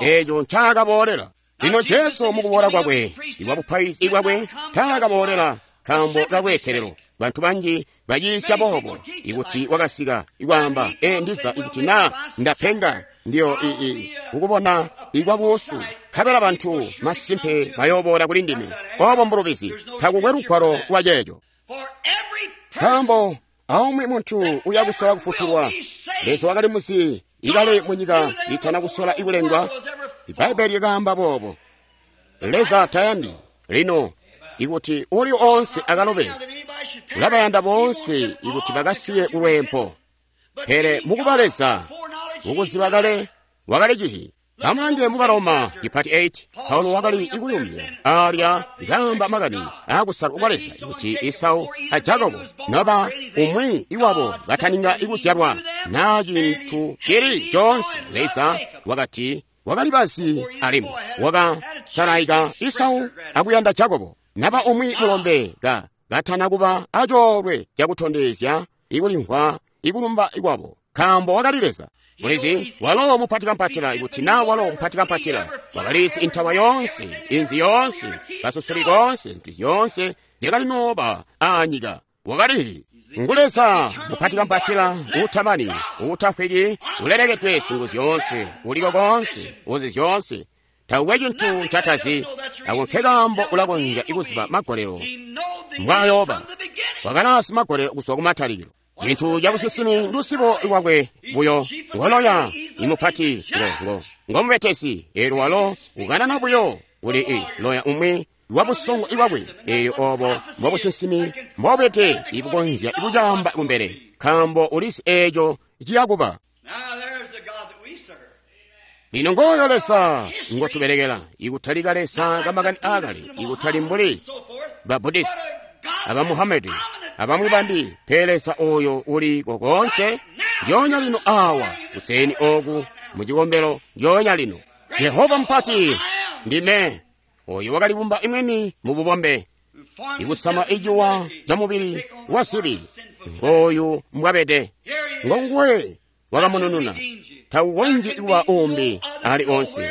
eeco ncaakaboolela. Lino Jesu mukuboola kwakwe ibwabupaizi bwakwe taakaboolela nkaambo kalweetelelo. Bantu banji bayiisya boobo, ikuti wakasika ikwaamba, ndiza ikuti naa ndapenga ndiyo kukubona ikwabuusu, nkabela bantu masimpe bayooboola kuli ndime. Obo mbulubizi, takukwe lugwalo lwa ceeco. Nkaambo aumwi muntu uya kusola kufutulwa, Leza wakali muzi ikale munyika itana kusola ikulengwa. Ibbaibeli likaamba boobo. Leza tayandi lino ikuti uli onse akalobe, ulabayanda boonse ikuti bakasiye kulwempo. Pele mukuba Leza mukuziba kale wakalicizi. Amulange mu Baroma cipati 8, Paulo wakali ikuyumya alya ikaamba makani aakusalwa kwa Leza kuti Esau a Jakobo noba umwi iwabo bataninga ikuzyalwa na cintu cili coonse. Leza wakati wakali bazi alimwi wakasalaika Esau akuyanda Jakobo, naba umwi mulombe katana kuba acoolwe cakutondezya ikulimvwa ikulumba ikwabo, nkaambo wakali Leza. Mulizi walo mupati kampatila, ikuti naa walo mupati kampatila wakalizi intawa yoonse, inzi yoonse, kasusuli koonse, zintu zyoonse zyakali nooba aanyika. Wakali ngu Leza mupati kampatila, uutamani, uutafwiki, ulelekedwe singu zyoonse, uliko koonse, uzi zyoonse. Takukwe cintu ncatazi, ako nkekaambo ulakonzya ikuziba magolelo mbwayooba. Wakalaasi magolelo kuzwa kumatalikilo. Cintu cabusinsimi ndusibo lwakwe buyo, ngoloya imupati ngomubetesi. Eelyo walo ukanana buyo kuli loya umwi wabusongo iwakwe. Eelyo obo mbobusinsimi mbobwete ibukonzya ikucaamba kumbele, nkaambo ulizi eeco ciyakuba. Lino ngooyo Leza ngotubelekela, ikutalika Leza kamakani aakale, ikutali mbuli ba Buddhist, aba Muhammad, abamwi bambi, pele Leza oyo uli kokonse ndyoonya lino awa kuseni oku mucikombelo ndyoonya lino. Jehova mupati ndime oyo wakalibumba imweni mu bubombe, ikusama icuwa ca mubili wa sibi. Ngooyu mbwabede, ngonguwe wakamunununa. Taukonzyi kuba umbi ali onse,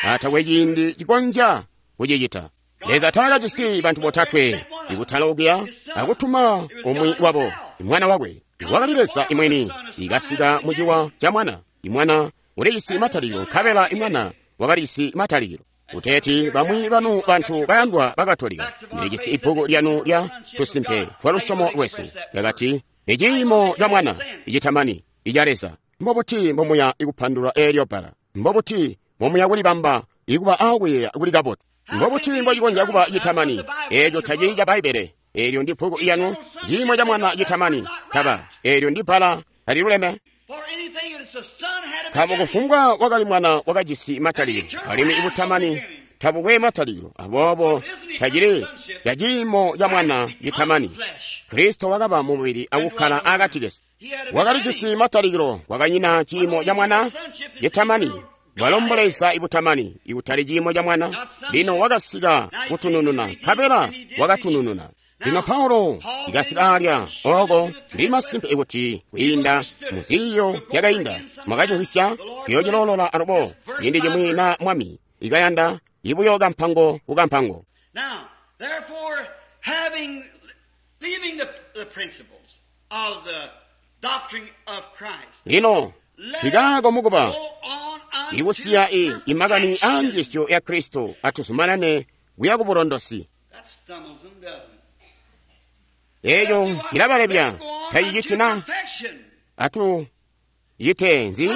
atakwe ciindi cikonzya kucicita. Leza taakajisi bantu botatwe ikutala okuya akutuma umwi wabo, mwana wakwe. Wakali Leza imweni ikasika muciwa ca mwana. Imwana ulijisi matalikilo, nkabela imwana wakalijisi matalikilo. Kuteeti bamwi banu bantu bayandwa bakatolika, ndilijisi ibbuku lyanu lya tusimpe twa lusyomo lwesu, lyakati iciimo ca mwana icitamani ica Leza. Mbobuti mbomuya ikupandulula eelyo bbala? Mbobuti mbomuya kulibamba ikuba aakuyeeya kuli kabotu? Mbobuti mbocikonzya kuba citamani? Eeco tacili ca Bbaibbele. Eelyo ndi bbuku lyanu, ciimo ca mwana citamani. Kaba eelyo ndi bbala taliluleme. Nkaambo kufumbwa wakali mwana wakajisi matalikilo, alimwi ibutamani tabukwe matalikilo, aboobo tacili ca ciimo ca mwana citamani. Kristo wakaba mumubili akukkala akati kesu. Wakalijisi matalikilo, kwakanyina ciimo ca mwana citamani. Bwalo mbuleza ibutamani, ikutali ciimo ca mwana. Lino wakasika kutunununa, nkabela wakatunununa. Lino Paulo ikasika alya oko, ndi masimpe ikuti kwiinda muziiyo zyakainda mwakacimvwisya, tuyoocilolola alubo ciindi cimwi na Mwami ikayanda ibuyo kampango ku kampango. Lino tikaako mukuba Ikusiya imakani aa njiisyo ya Kristo, atuzumanane kuya ku bulondosi. Eco cilabalebya, taciciti na? Atu cite nzi?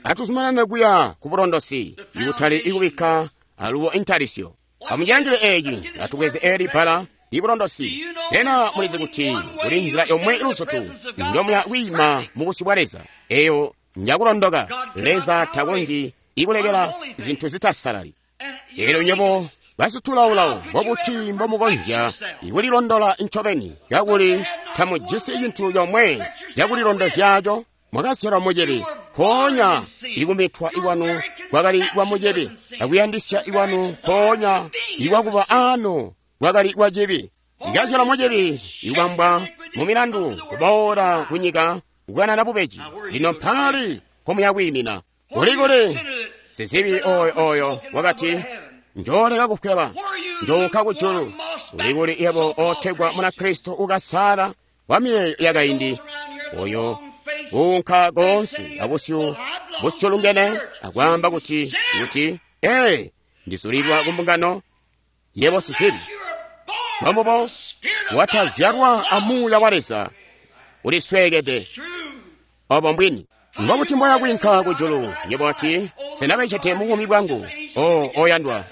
Atuzumanane kuya ku bulondosi, ikutali ikubikka alubo intalisyo. Amujangile eeci, atubweze eli bbala ibulondosi. Sena mulizi kuti kuli nzila yomwe iluzutu njomuya kwiima mu busyu bwa Leza? Eyo njakulondoka. Leza takonzyi ikulekela zintu zitasalali. Elyo nywebo basitulaolao, mbobuti mbomukonzya ikulilondola ncobeni kakuli tamujisi cintu comwe cakulilondozyaco? Mwakazyalwa mucibi, mpoonya ikumitwa ikwanu kwakali kwa mucibi, akuyandisya ikwanu mpoonya ikwakuba aano kwakali kwa cibi. Ikazyalwa mucibi, ikubambwa mu milandu, kuboola kunyika, kukanana bubeji. Lino mpaali nkomuya kwiimina? Kuli-kuli sizibi oyo oyo wakati, njooleka kufweba, njounka kujulu. Kuli-kuli yebo ootegwa Munakristo ukasala wa miyeeyo yakaindi, oyo uunka koonse abusyu busyulungene akwaamba kuti, ee, ndizulilwa ku mbungano, yebo sizibi. Mbomubo watazyalwa a Muuya wa Leza, ulisweekede. Obo mbwini. Mbobuti mboya kwiinka kujulu? Yebo ati, sena becete mu buumi bwangu? O, oyandwa,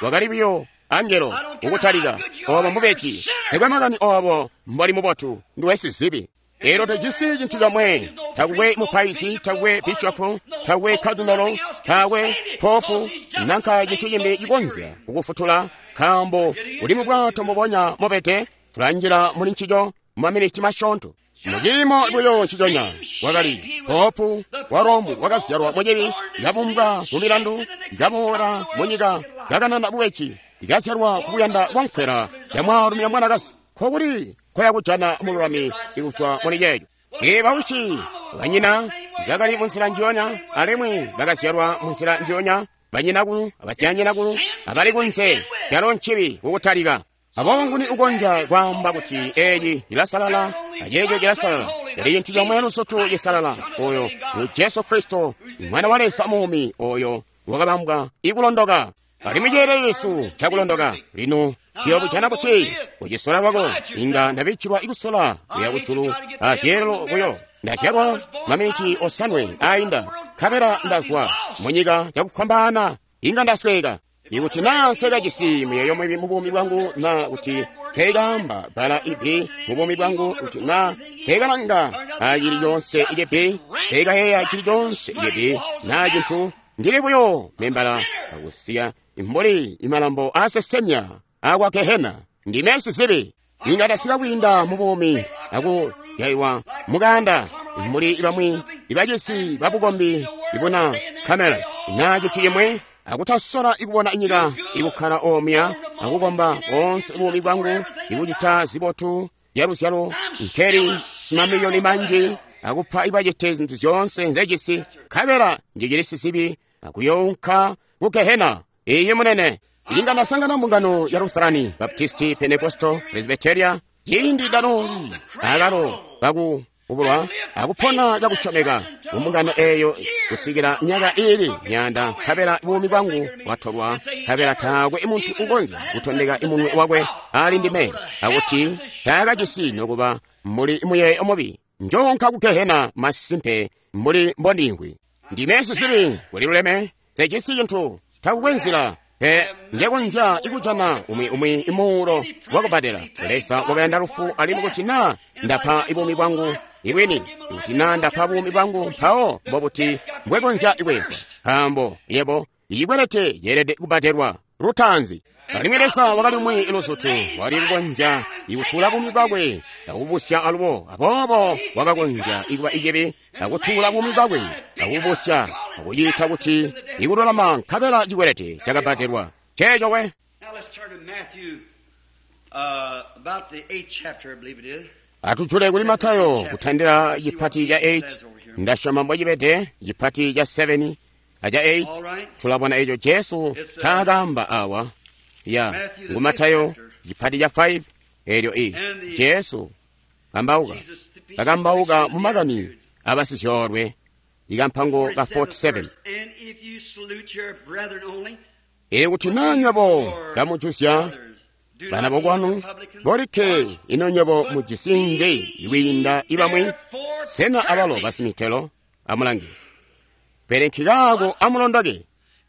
wakali buyo angelo ukutalika. Obo mbubeji. Sekwe makani obo mboli mubotu, nduwe sizibi. Elyo tojisi cintu comwe, takwe mupaizi, takwe bishopu, takwe kardinalo, takwe popu, nanka cintu cimbi cikonzya kukufutula, nkaambo uli mu bwato mbubonya mobede. Tulanjila muli ncico mumaminiti masyoonto. Muciimo buyo nciconya, wakali popu wa Romu wakazyalwa mucibi, kabumbwa mu milandu, kaboola mu nyika, kakanana bubeji, kazyalwa kukuyanda kwa nkwela ya mwaalumi a mwanakazi. Nkokuli nkoya kujana mululami ikuzwa muli ceeco? Ee, bausyi banyina bakali munzila njiyonya, alimwi bakazyalwa munzila njiyonya, banyinakulu abasyaanyinakulu abali kunze, calo ncibi kukutalika. Aboobo nguni ukonzya kwaamba kuti eeci cilasalala aceeco cilasalala? Pele cintu comwe luzutu cisalala, oyo ngu Jesu Kristo, Mwana wa Leza muumi, oyo wakabambwa ikulondoka. Alimwi ceelelo cesu cakulondoka. Lino tuyobujana buti? Kucisola lwako, inga ndabikkilwa ikusola kuya kujulu azyeelelo buyo. Ndazyalwa maminiti 7 ainda, nkabela ndazwa munyika cakufwambaana, inga ndasweeka. Ikuti naa nsekajisi muyeeyo mubi mu buumi bwangu, naa kuti nsekaamba bbala ibbi mu buumi bwangu, kuti naa nsekalanga acili coonse icibi, nsekayeeya cili coonse icibi, naa cintu, ndili buyo membala akusiya mbuli imalambo aasesemya akwa Gehena. Ndime sizibi. Inga ndasika kwiinda mu buumi akuyaiwa mukanda mbuli bamwi ibacisi babukombi ibuna kamela, naa cintu cimwi, akutasola ikubona nyika ikukkala omya akukomba boonse buumi bwangu, ikucita zibotu zyaluzyalo, nkeli simamiliyoni manji, akupa ibacete zintu zyoonse nzejisi, nkabela njicili sizibi akuyounka ku Gehena. Iye munene. Inga ndasangana mbungano ya Lutherani, Baptisti, Pentecostal, Presbyteria, ciindi danoli akalo kaku ubulwa akupona cakusyomeka mumbungano eyo kusikila myaka iili myanda, nkabela buumi bwangu bwatolwa, nkabela taakwe muntu ukonzya kutondeka imunwe wakwe ali ndime akuti taakajisi nokuba mbuli muyeeyo mubi. Njoonka ku Gehena masimpe mbuli mbondimvwi. Ndime sizibi, kuliluleme, sejisi cintu, takukwe nzila pe njekonzya ikujana umwi imuulo wakubadela. Leza wakayanda lufu, alimwi kuti naa ndapa buumi bwangu ibwini, kuti naa ndapa buumi bwangu, mpawo mbobuti mbwekonzya ikwempwa? Nkaambo yebo icikwelete ceelede kubadelwa lutaanzi. Alimwi Leza wakali umwi luzutu wali kukonzya ikutuula buumi bwakwe akubusya alubo, aboobo wakakonzya ikuba icibi akutuula buumi bwakwe akubusya akuciita kuti ikululama, nkabela cikwelete cakabadelwa. Ceeco we. Atujule kuli Matayo kutandila cipati ca 8, ndasyoma mbocibede cipati ca 7 aca 8. Tulabona eco Jesu ncaakaamba awa. Ya ngu Matayo cipati ca 5 elyo i Jesu kambauka kakambauka mu makani abasizyoolwe. ikampango ka 47. And if you salute your brethren only, Ikuti naa nywebo kamujuzya bana bokwanu bolikke, ino nywebo mujisi nzi ikwiinda ibamwi? Sena abalo basimitelo? Amulange. Pele nkikaako amulondoke.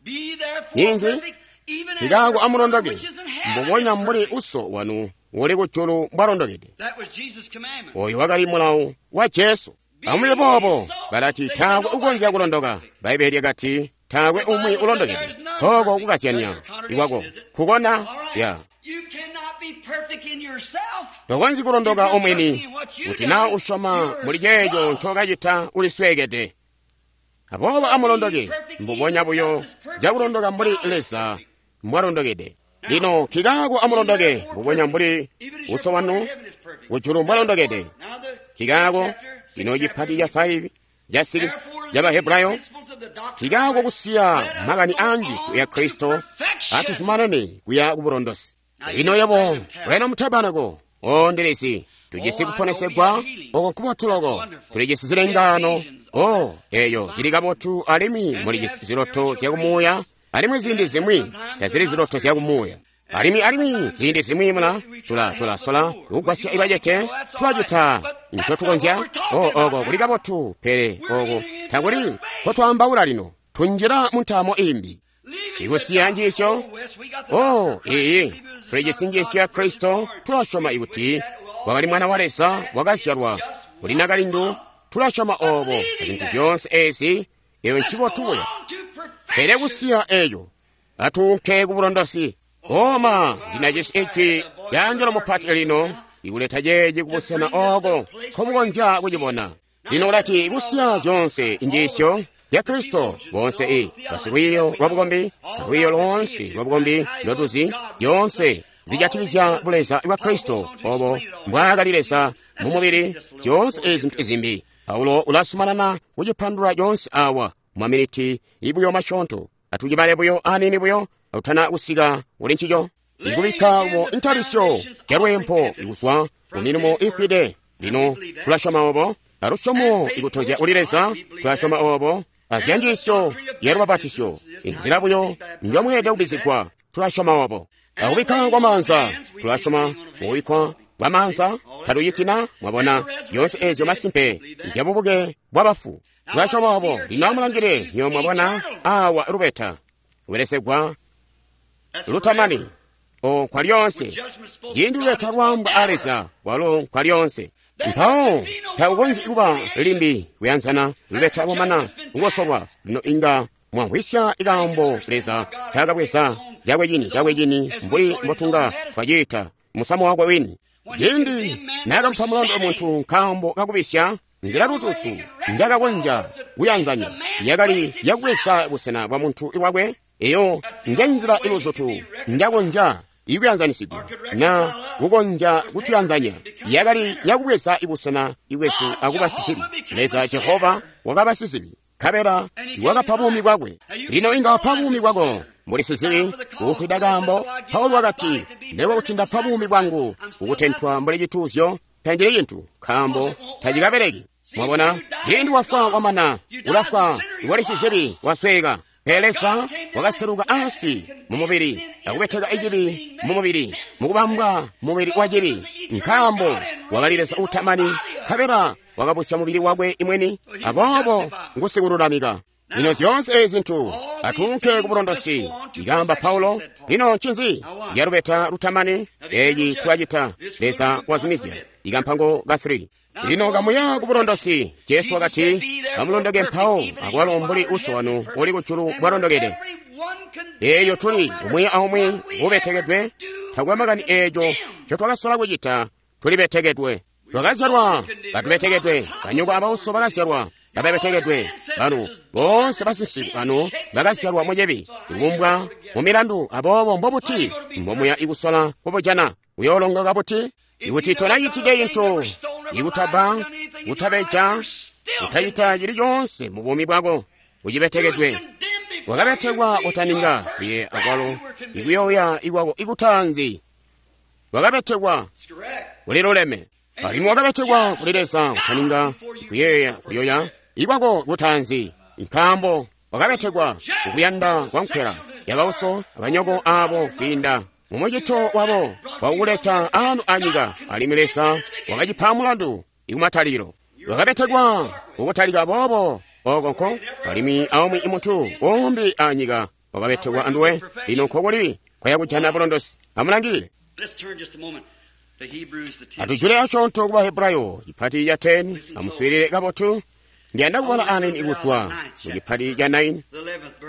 be therefore Ninzi? perfect, even as Nkikaako your Father amulondoke which is in heaven mbubonya is mbuli perfect. uso wanu uli kujulu mbwalondokede. That was Jesus' commandment. Oyo wakali mulawo wa Jesu. Amuye boobo balati taakwe ukonzya kulondoka. Bbaibeli lyakati taakwe umwi ulondokede. Koko kukazyanya ikwako kukona All right. ya. You cannot be perfect in yourself. Tokonzyi kulondoka omwini kuti naa usyoma muli ceeco ncokacita ulisweekede. Aboobo amulondoke mbubonya buyo cakulondoka mbuli Leza mbwalondokede. Lino nkikaako amulondoke mbubonya mbuli Even as your uso Father wanu in heaven is perfect. kujulu mbwalondokede. Now the Nkikaako chapter, lino sixth chipati chapter, cha 5 cha 6 Therefore, cha Bahebrayo leaving the principles of the doctrine of nkikaako Christ, kusiya let us makani go a njiisyo ya on to Kristo perfection. atuzumanane kuya kubulondosi. Lino yebo Branham Tabernacle o ndilisi tujisi kuponesegwa oko nkubotuloko tulijisi zilengano o eyo cili kabotu alimwi mulijisi ziloto zyakumuuya alimwi ziindi zimwi tazili ziloto zyakumuuya alimwi ziindi zimwi mula tulasola kugwasya ibacete tulacita ncotukonzya o oko kuli kabotu pele oko takuli nkotwaambaula lino tunjila mu ntaamo imbi. Leaving Ikusiya the njiisyo doctrine- Oh, yes, we got the o doctrine of Christ. iyi We believe it was the tulijisi Son of njiisyo God, ya Kristo born. tulasyoma ikuti wakali mwana wa Leza wakazyalwa kuli nakalindu tulasyoma obo zintu zyoonse ezi eyo Let's go ncibotu buya. on to perfection. Pele kusiya eyo atuunke ku bulondosi. Oma ndinajisi ijwi lya angelo mupati lino ikuleta ceeci kubusena oko nkomukonzya kucibona. Lino ulati kusiya zyoonse njiisyo ya Kristo bonse i basilwiiyo lwa bukombi lwiiyo loonse lwa bukombi ndotuzi zyoonse zijatikizya buleza bwa Kristo obo mbwaakali Leza mu mubili zyoonse ezi zintu izimbi. Paulo ulazumanana kucipandulula coonse awa mwaminiti ibuyo masyoonto. Atucibale buyo aniini buyo akutana kusika kuli ncico. Ikubikka mu ntalisyo ya lweempo ikuzwa ku milimo iifwide. Lino tulasyoma obo alusyomo ikutozya kuli Leza tulasyoma obo azya njiisyo ya lubapatisyo inzila buyo njomweelede kubizigwa tulasyoma obo. Akubikka kwa maanza tulasyoma mukubikkwa kwa maanza tatucitina mwabona zyoonse ezyo masimpe nzyabubuke bwa bafu tulasyoma obo. Lino amulangile nyo mwabona awa lubeta kubelesegwa That's lutamani forever. o kwa lyonse Judgment spoken ciindi God lubeta is lwaambwa a forever. Leza walo kwa lyonse. Mpawo takukonzyi kuba limbi kuyanzana lubeta lwamana kukosolwa. Lino inga mwamvwisya ikaambo Leza ncaakabweza cakwe cini mbuli mbotunga twaciita musamu wakwe wini. Ciindi naakamupa mulandu muntu nkaambo kakubisya nzila lututu njakakonzya kuyanzanya yakali yakubweza busena bwa muntu lwakwe. Eyo njenzila iluzutu njakonzya ikuyanzanisigwa na kukonzya kutuyanzanya yakali yakubweza ibusena ibwesu akuba sizibi. Leza Jehova wakaba sizibi nkabela wakapa buumi bwakwe. Lino inga wapa buumi bwako mbuli sizibi kufwida kaambo. Paulo wakati ndekwa kuti ndapa buumi bwangu kukutentwa mbuli cituuzyo tanjili cintu nkaambo tacikabeleki. Mwabona ciindi wafwa wamana ulafwa iwali sizibi wasweeka. Pele Leza wakaseluka ansi mu mubili akubeteka icibi mu mubili mukubambwa mubili wa cibi nkaambo wakali Leza utamani nkabela wakabusya mubili wakwe imweni aboobo ngusikululamika. Lino zyoonse ezi zintu atuunke ku bulondosi ikaamba Paulo. Lino ncinzi ya lubeta lutamani eci tulacita Leza wazumizya ikampango ka 3. Lino kamuya ku bulondosi. Jesu wakati amulondoke mpawo akwalo mbuli uso wanu uli kujulu mbwalondokede. Eeyo tuli umwi aumwi ubetekedwe takwe makani eeco ncotwakasola kucita tulibetekedwe. Twakazyalwa katubetekedwe, banyoko abauso bakazyalwa kababetekedwe, banu boonse basinsiku banu bakazyalwa mucibi ikubumbwa mu milandu. Aboobo mbobuti mbomuya ikusola kubujana uyoolongoka buti? Ikuti tonacitide cintu ikutaba, kutabeja, kutacita cili coonse mu buumi bwako, ucibetekedwe. Wakabetekwa kutaninga iye akwalo ikuyoya ikwako ikutanzi. Wakabetekwa kuli luleme alimwi wakabetekwa kuli Leza kutaninga kuyeeya kuyoya ikwako kutaanzi, nkaambo wakabetekwa kukuyanda kwa nkwela yabauso abanyoko abo kwiinda mumucito wabo wakukuleta anu anyika, alimwi Leza wakacipa mulandu ikumatalilo. Wakabetekwa kukutalika boobo oko nko, alimwi aumwi muntu umbi anyika wakabetekwa anduwe. Lino nkokuli kwaya kujana bulondosi. Amulangilile. Atujule asyoonto ku Bahebrayo cipati ca 10. Amuswiilile kabotu. Ndiyanda kubala aneni kuzwa mu cipati ca 9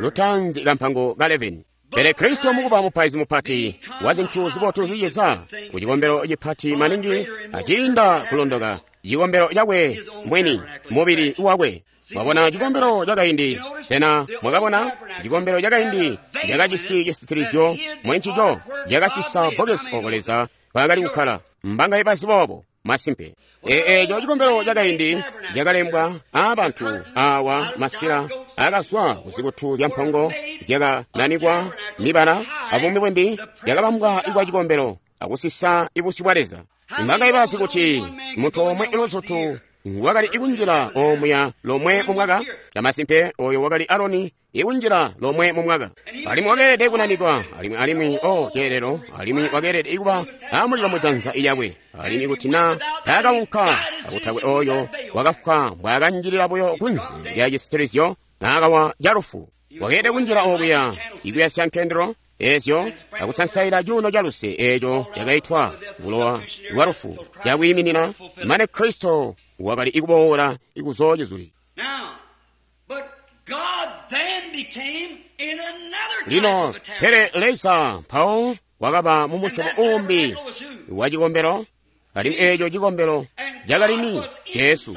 lutanzi kampango ka 11. Pele Kristo mukuba mupaizi mupati wa zintu zibotu ziciza ku cikombelo cipati maningi aciinda kulondoka, cikombelo cakwe mwini, mubili wakwe. Mwabona cikombelo cakaindi? Sena mwakabona cikombelo cakaindi cakajisi cisitilizyo muli ncico cakasisa bbokesi oko Leza kwakali kukkala? Mbangaye bazi boobo? Masimpe. Eeco cikombelo cakaindi cakalembwa aabantu awa masila akazwa kuzikutu zya mpongo zyakananikwa mibala abumwi bwimbi, yakabambwa ikwa cikombelo akusisa ibusyu bwa Leza. Mbangaye bazi kuti muntu omwe iluzutu wakali ikunjila omuya lomwe mu mwaka? Camasimpe, oyo wakali Aroni ikunjila lomwe mu mwaka, alimwi wakeelede kunanikwa, alimwi o ceelelo, alimwi wakeelede ikuba amulilo mujanza lyakwe, alimwi kuti na taakaunka akutakwe oyo wakafwa mbwaakanjilila buyo kunze lya cisitilizyo naakawa calufu. Wakeelede kunjila okuya ikuyasya nkendelo ezyo akusansaila cuuno ca luse eeco cakaitwa bulowa bwa lufu cakwiiminina mane Kristo wakali ikuboola ikuzoocizulizya. Lino pele Leza mpawo wakaba mu musyobo uumbi wa cikombelo, alimwi eeco cikombelo cakali ni Jesu.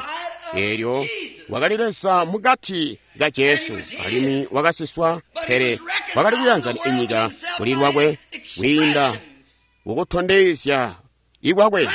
Eelyo wakali Leza mukati ka Jesu, alimwi wakasiswa, pele wakali kuyanzana inyika kuli lwakwe kwiinda kukutondezya ikwakwe.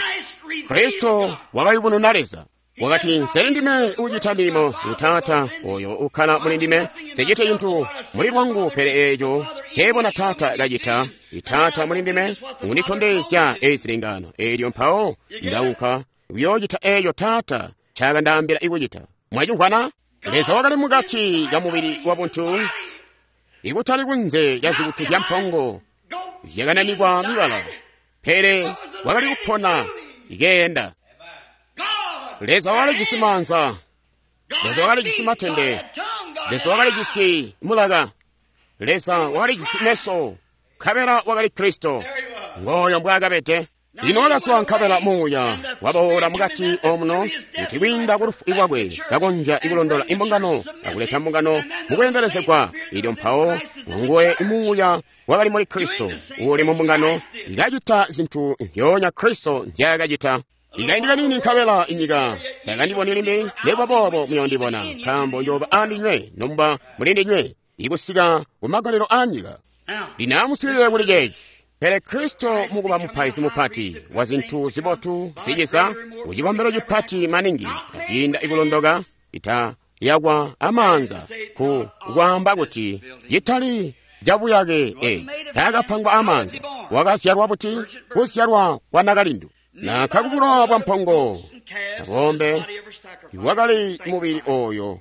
Kristo wakayubununa Leza. Wakati, nseli ndime ucita milimo, ngu Taata oyo ukkala muli ndime. Nsecite cintu muli lwangu, pele eeco nceebona Taata kacita. Taata muli ndime unditondezya ezi zilengano. Eelyo mpawo ndaunka kuyoocita eeco Taata ncakandaambila ikucita. Mwacimvwana? Leza wakali mukati ka mubili wa buntu, ikutali kunze lya zikutu zya mpongo zyakananikwa mibala, pele wakali kupona ikeenda. Leza wakalijisi maanza, Leza wakalijisi matende, Leza wakalijisi mulaka, Leza wakalijisi meso, nkabela wakali Kristo. Ngooyo mbwaakabede. Lino wakazwa nkabela muuya waboola mukati omuno kuti kwiinda ku lufu lwakwe kakonzya ikulondola imbungano akuleta mbungano mukweendelezegwa. Ilyo mpawo nguwe muuya wakali muli Kristo uuli mu mbungano ikacita zintu nzyoonya Kristo nzyaakacita. Ikaindi kanini nkabela inyika takandiboni limbi, nekuba boobo muyoondibona, nkaambo njooba andinywe nomuba mulindinywe ikusika kumagalelo aanyika. Lino amuswiilile kuli ceeci. Pele Kristo mukuba mupaizi mupati wa zintu zibotu ziciza ku cikombelo cipati maningi aciinda ikulondoka ita yakwa amaanza ku kwaamba kuti citali cabuyake taakapangwa amaanza. Wakazyalwa buti? Kuzyalwa kwa nakalindu nanka kubulowa bwa mpongo abombe. Wakali mubili oyo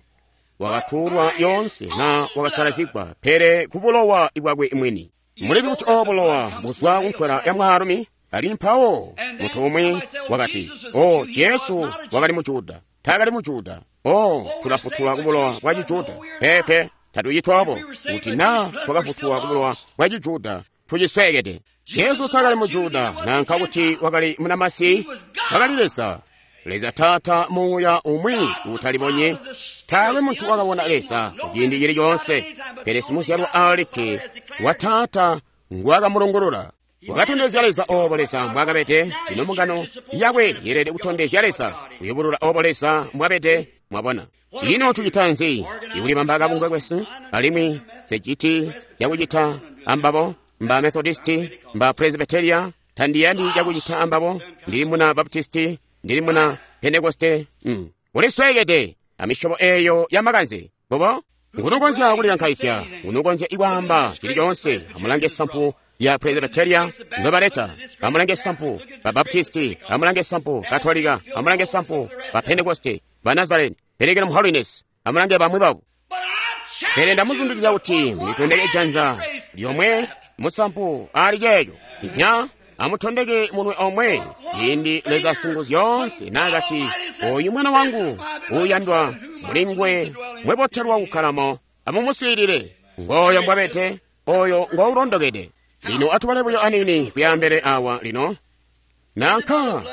wakatuulwa yoonse na wakasalazigwa, pele kubulowa bwakwe mwini. Mulizi kuti obo bulowa buzwa kunkwela ya mwaalumi? Ali mpawo muntu umwi wakati, o Jesu wakali Mujuda. Taakali Mujuda. O tulafutulwa kubulowa bwa Cijuda. Pepe, tatucitwa obo. Kuti na twakafutulwa kubulowa bwa Cijuda, tucisweekede. Jesu taakali Mujuda, nanka kuti wakali munamasi, wakali Leza. Leza Taata muuya umwi utalibonye. Taakwe muntu wakabona Leza kuciindi cili coonse, pele simuzyalwa alikke wa Taata nguwakamulungulula. Wakatondezya Leza obo Leza mbwaakabede. Lino mbungano yakwe yeelede kutondezya Leza, kuyubulula obo Leza mbwabede. Mwabona? Ino tucita nzi? Ikulibamba kabungwe kwesu, alimwi seciti cakucita ambabo mba Methodisti, mba Presbyteria, tandiyandi cakucita ambabo, ndili muna Baptisti, ndili muna Pentekoste. Ulisweekede amisyobo eeyo ya makanze. Bobo? Ngunukonzya kulikankaizya, ngunukonzya ikwaamba cili coonse. Amulange sampu ya Presbyteria ndobaleta, amulange sampu ba Baptisti, amulange sampu Katolika, amulange sampu ba Pentekoste, ba Nazarene, pelekela mu Holiness. Amulange bamwi babo. Pele ndamuzundikizya kuti mulitondeke janza lyomwe musampu ali ceeco. Nya amutondeke munwe omwe ciindi Leza Singuzyoonse naakati, oyu mwana wangu uuyandwa, mulingwe mwebotelwa kukkalamo, amumuswiilile. Ngooyo mbwabede, oyo ngoulondokede. Lino atubale buyo aniini kuyambele awa lino. Nanka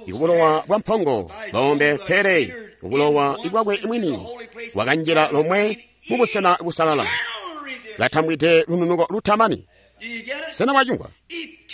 ibulowa bwa mpongo ng'ombe, pele ubulowa ibwakwe mwini wakanjila lomwe mu busena busalala, katambwide lununuko lutamani. Sena mwacimvwa?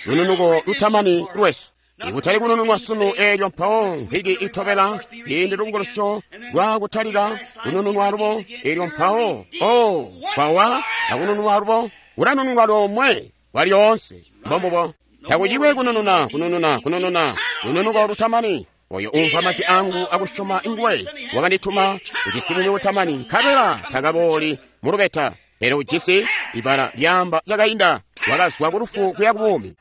Lununuko lutamani lwesu. Ikutali kunununwa sunu eelyo mpawo mvwiki itobela ciindi lubukulusyo lwa kutalika kunununwa lubo eelyo mpawo o kwawa akunununwa lubo ulanununwa lomwe kwalyoonse. Mbombubo. Takucikwe kunununa, kunununa, kunununa, lununuko lutamani. Oyo umva majwi angu akusyoma nguwe wakandituma ujisi buumi butamani, nkabela takabooli mu lubeta, pele ujisi ibala lyaamba lyakainda, wakazwa ku lufu kuya ku buumi.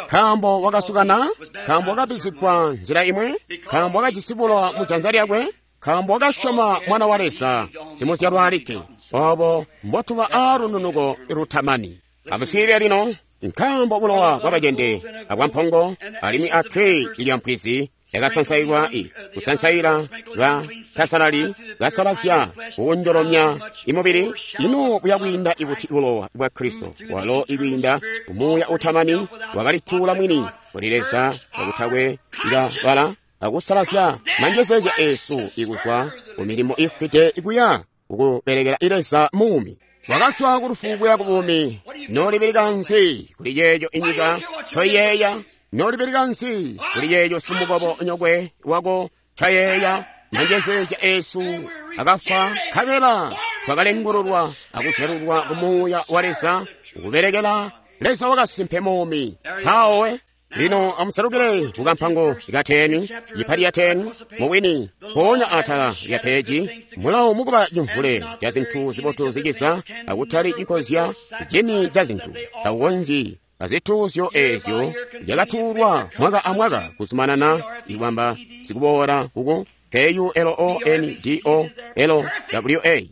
Nkaambo wakasukana, nkaambo wakabizigwa nzila imwe, nkaambo wakajisi bulowa mu janza lyakwe, nkaambo wakasyoma Mwana wa Leza simuzyalwa alikke. Obo mbotuba aa lununuko lutamani. Amuswiilile lino. Nkaambo bulowa bwabacende abwampongo alimwi atwe lya mpwizi yakasansailwa kusansaila ka tasalali kasalazya kuwonjolomya imubili, ino buyakwiinda ibuti bulowa bwa Kristo walo ikwiinda kumuuya utamani wakalituula mwini kuli Leza kakutakwe ikabala akusalazya manjezeezya esu ikuzwa ku milimo ifwide ikuya kukubelekela Leza muumi. Wakazwa ku lufu kuya ku buumi. Nolibeleka nzi kuli yeeyo inyika ncoiyeeya? Nolibeleka nzi kuli yeeyo simukobo nyokwe wako ncayeeya? Manjezeezya esu akafwa, nkabela twakalengululwa akuzyalulwa ku muuya wa Leza kubelekela Leza wakasimpe muumi. Mpawo lino amusalukile kukampango ka 10, cipati ya 10, mubwini, mpoonya atala lya peji, mulawo mukuba cimvule ca zintu zibotu ziciza, akutali cikozya cini ca zintu, takukonzyi azituuzyo eezyo zyakatuulwa mwaka amwaka kuzumanana ikwamba sikuboola kuku K-U-L-O-N-D-O-L-W-A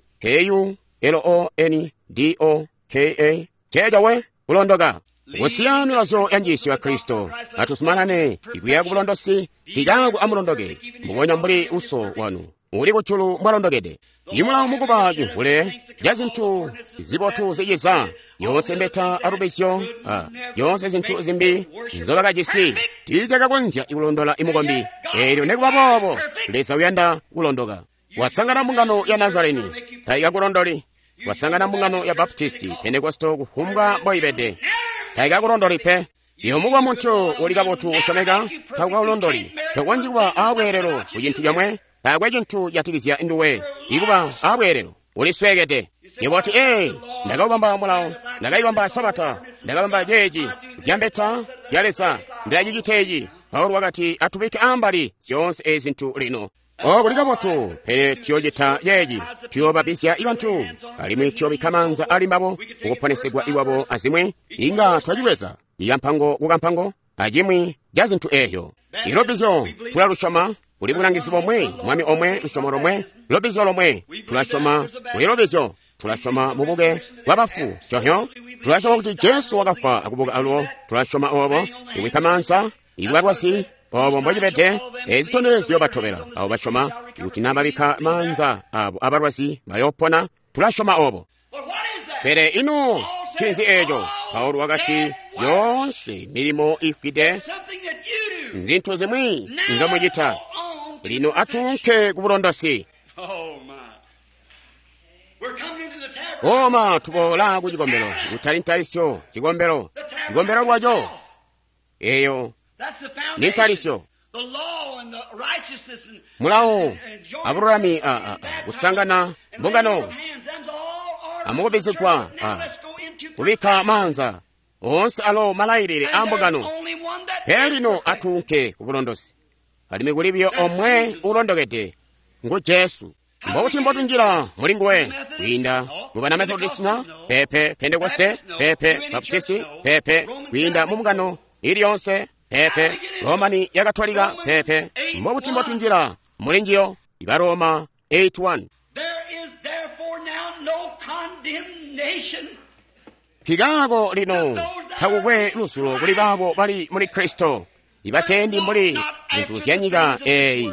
K-U-L-O-N-D-O-K-A ceeco we kulondoka. Kusiya milazyo ya njiisyo ya Kristo, atuzumanane ikuya ku bulondosi, hikaku amulondoke, mbubonya mbuli uso wanu uli kujulu mbwalondokede. Imulawo mukuba cimvule ca zintu zibotu ziciza, yoonse mbeta alubizyo, yoonse zintu zimbi nzobakajisi tiizyakakonzya kulondola imukombi. Eelyo nikuba boobo, Leza uyanda kulondoka. Wasangana mbungano ya Nazareni, taikakulondoli. Wasangana mbungano ya Baptisti, Pentekosto, kufumbwa mboibede, taikakulondoli pe. Iwe mukuba muntu uli kabotu usyomeka, takukakulondoli. Tokonzyi kuba aabweelelo ku cintu comwe, taakwe cintu catikizya nduwe. Ikuba aabweelelo, ulisweekede. Yebo wati, ee, ndakaubamba mulawo, ndakaibamba Sabata, ndakabamba ceeci, zyambeta zya Leza, ndilacicita eci. Paulo wakati, atubike ambali zyoonse ezi zintu lino. Oko kuli kabotu, pele tuyoocita ceeci, tuyoobabisya bantu, alimwi tuyoobikka maanza ali mbabo kukuponesegwa iwabo azimwi. Inga twacibweza ikampango kukampango acimwi ca zintu eeyo. Ilobizyo tulalusyoma, kuli bulangizi bomwe, Mwami omwe, lusyomo lomwe, lobizyo lomwe. Tulasyoma kuli lobizyo, tulasyoma mubuke bwa bafu cohyo, tulasyoma kuti Jesu wakafwa akubuka alubo, tulasyoma obo, ikubikka maanza, ikubalwazi, obo mbocibede, ezi zitondezyo batobela abo basyoma, ikuti na babikka maanza abo abalwazi bayoopona, tulasyoma obo. Pele ino ncinzi eeco? Paulo wakati, yoonse milimo ifwide nzintu zimwi nzomucita. Lino atuunke ku bulondosi. Oma tuboola ku cikombelo, kutali ntalisyo, cikombelo, cikombelo lwaco. Eyo ni ntalisyo. Mulawo abululami kusangana mbungano amukubizigwa kubikka maanza oonse alo malailile a mbungano. Pele lino atuunke ku bulondosi, alimwi kuli biyo omwe ulondokede, ngu Jesu. Mbobuti mbotunjila muli nguwe? Kwiinda mu bana Methodist na pepe Pentekoste pepe Baptisti pepe, kwiinda mu mbungano ili yonse pepe Romani ya Katolika pepe. Mbobuti mbotunjila muli njiyo? Iba Roma 8:1. There is therefore now no condemnation Nkikaako lino takukwe lusulo kuli baabo bali muli Kristo, ibatendi mbuli zinthu zya nyika eyi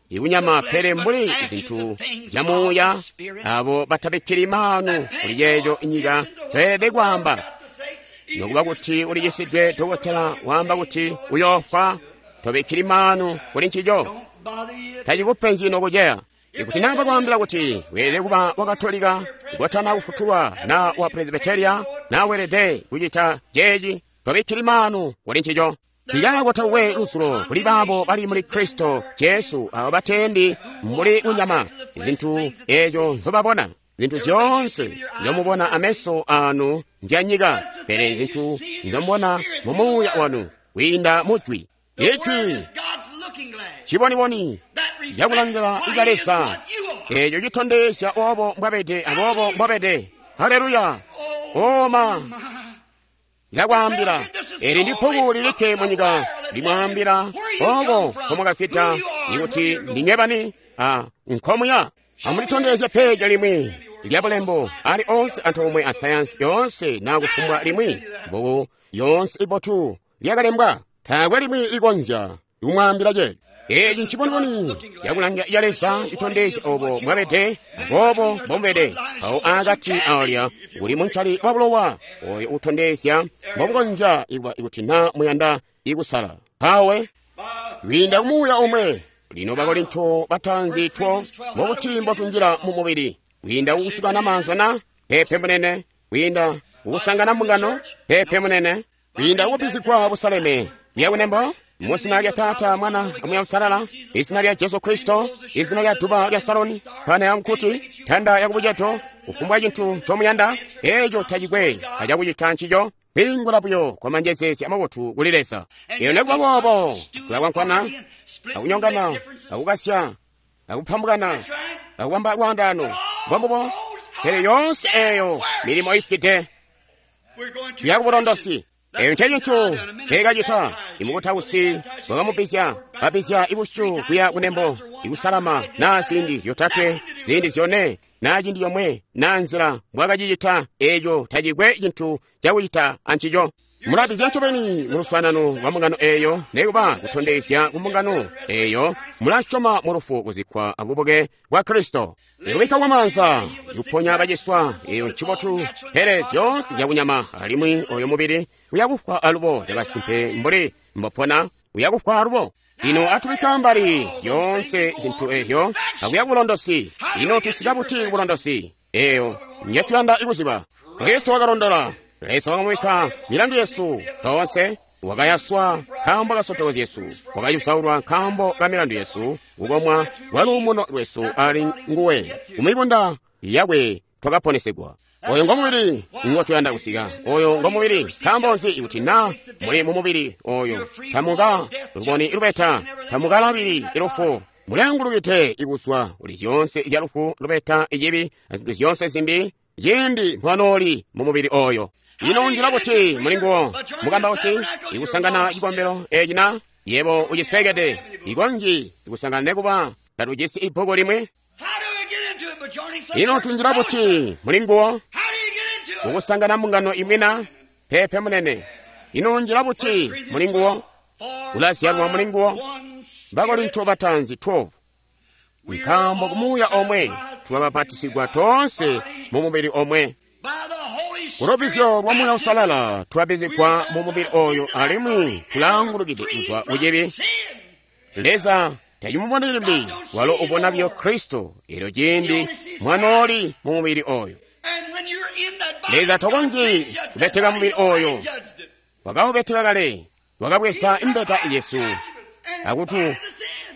ikunyama, pele mbuli zinthu zya muuya, abo batabikkili maanu kuli yeeyo inyika toyelede kwaamba. Nokuba kuti ulichisidwe, dokotela waamba kuti uyoofwa, tobikkili maanu kuli ncico, Don't bother you. tacikupenzi nokuceya. Ikuti naba kwaambila kuti weelede kuba wa Katolika kotana kufutulwa na wa Presbyteria, na weelede kucita ceeci, tobikkili maanu kuli ncico. Nkikaako takukwe lusulo kuli baabo bali muli Kristo Jesu, abo batendi mbuli kunyama, zinthu ezo nzobabona. Zinthu zyoonse nzomubona ameso anu nzya nyika, pele zinthu nzomubona mu muuya wanu kwiinda mu Jwi. The Word Ijwi is God's looking glass chiboniboni that reflects chakulangila what ika He is, Leza what you are. echo chitondezya obo mbwabede abobo mbwabede. Haleluya! Oma ndakwaambila, eli ndi bbuku lilikke mu nyika limwaambila oko nkomwakafita, ikuti ndinywe bani a nkomuya. Amulitondezye peja limwi lya bulembo ali onse antoomwe a sayansi yonse na kufumbwa limwi bbuku yonse ibotu lyakalembwa, taakwe limwi likonzya kumwaambila ceeco. Eeci nciboniboni yakulangila ya Leza chitondezya obo mwabede abobo mbomubede. Awo akati alya kuli muncali wa bulowa oyo utondezya mbobukonzya ikuba ikuti na muyanda ikusala pawe kwiinda kumuuya omwe. Lino Bakorinto batanzi 12 mbokuti mbotunjila mu mubili kwiinda kukusukana maanza na pepe munene, kwiinda kukusangana mbungano pepe munene, kwiinda kukubbizigwa busaleme lyakunembo muzina lya Tata, Mwana amuya Usalala, izina lya Jesu Kristo, izina lya duba lya Saloni, pana ya mkuti, tanda ya kubuceto, kufumbwa cinthu ncomuyanda, eco tacikwe acakucita ncico, kwingula buyo kwa manjezezya amabotu kuli Leza. Iyo nekuba boobo tulakwankwana, akunyongana, akukasya, akuphambukana, akubamba lwaandano, mbombubo, pele yonse eyo milimo ifukide We're going to tuya kubulondosi. Eyo nce cinthu teekacita. Imukutausi bwakamubizya, babizya ibusyu kuya kunembo, ikusalama naa ziindi zyotatwe, ziindi zyone, naa ciindi yomwe, naa nzila mbwakacicita eeco tacikwe cinthu cakucita ancico. Mulabizya ncobeni mu luswaanano lwa mbungano eeyo, nekuba kutondezya ku mbungano eeyo mulasyoma mu lufu, kuzikkwa abubuke bwa Kristo. Ikubikka kwa maanza, ikuponya baciswa, eyo ncibotu, pele zyoonse zyakunyama, alimwi oyo mubili uyakufwa alubo cakasimpe mbuli mbopona uyakufwa alubo. Lino atubikka mbali zyoonse zinthu ezyo akuya kubulondosi. Lino tusika buti kubulondosi? Eyo nyetuyanda ikuziba. Kristo wakalondola. Leza wakamubikka milandu yesu toonse, wakayaswa nkaambo ka nsotoko zyesu, wakayusaulwa nkaambo ka milandu yesu, kukomwa kwa luumuno lwesu ali nguwe, kumibunda yakwe twakaponesegwa. Oyo ngomubili ngotuyanda kusika, oyo ngomubili. Nkaambo nzi? Ikuti na muli mu mubili oyo, tamuka luboni lubeta, tamukalabili ilufu, mulangulukide ikuzwa kuli zyoonse zya lufu, lubeta, ichibi, azinthu zyoonse zimbi, ciindi mwanooli mu mubili oyo. Ino njila buti muli nguwo mukambausi ikusangana cikombelo eci na yebo uciswekede ikonji ikusangana nekuba tatujisi ibbuku limwi. How do we get into it? By joining some Ino church tunjila fellowship. buti muli nguwo How do you get into it? kukusangana mbungano imwi na pepe munene. Ino njila buti muli nguwo For ulazyalwa muli nguwo. by one Spirit Bakorinto batanzi 12 we are nkaambo all kumuuya omwe baptized twabapatisigwa tonse mu mubili omwe. by the Holy Spirit Kulubizyo lwa Muuya baptism. Usalala twabizigwa mu mubili oyo, alimwi tulangulukide kuzwa Free from kuchibi. sin. Leza tacimuboni limbi, walo ubona byo Kristo ero ciindi mwanooli mu mubili oyo. And when you're in that body, Leza God tokonji did judge that kubeteka body. mubili He already oyo. judged it. Wakawubeteka kale, wakabweza imbeta yesu akutu And the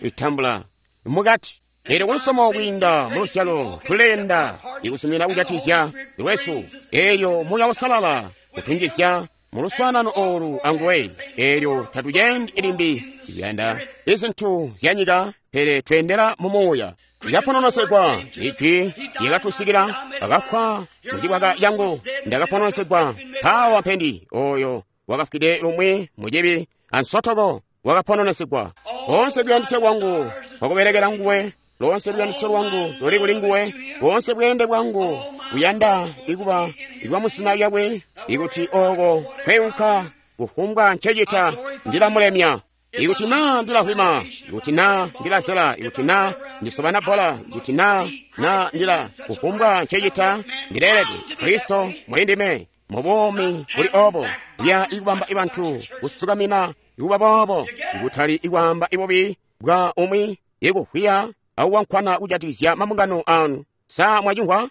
sin. itambula mukati. Ero kulusomo kwiinda mu lusyalo tulenda ikusumina kujatizya lwesu, elyo Muuya Usalala kutunjizya mu luswaanano olu anguwe. Elyo tatucendi limbi ikuyanda izinthu zya nyika, pele twendera mu muuya. Lyapononosegwa ijwi lyakatusikila, akafwa mucibwaka yangu ndakapononosegwa. Mpawa mpendi oyo wakafwide lumwi mucibi ansotoko wakapononosegwa. Konse kuyandisya kwangu kwakuberekera nguwe. Loonse luyandisyo lwangu luli kuli nguwe, boonse bweende bwangu buyanda ikuba ikwa musina lyakwe, ikuti oko kweunka kufumbwa ncecita ndilamulemya. Ikuti naa ndilahwima, ikuti naa ndilazela, ikuti naa ndisobana bbola, ikuti naa ndila kufumbwa ncecita ndileelede. Kristo muli ndime mubuumi buli obo lya ikubamba ibantu kusukamina ikuba boobo, ikutali ikwaamba ibubi bwa umwi ikuhwiya akuwankwana kujatikizya mabungano anu. Sa mwacimvwa?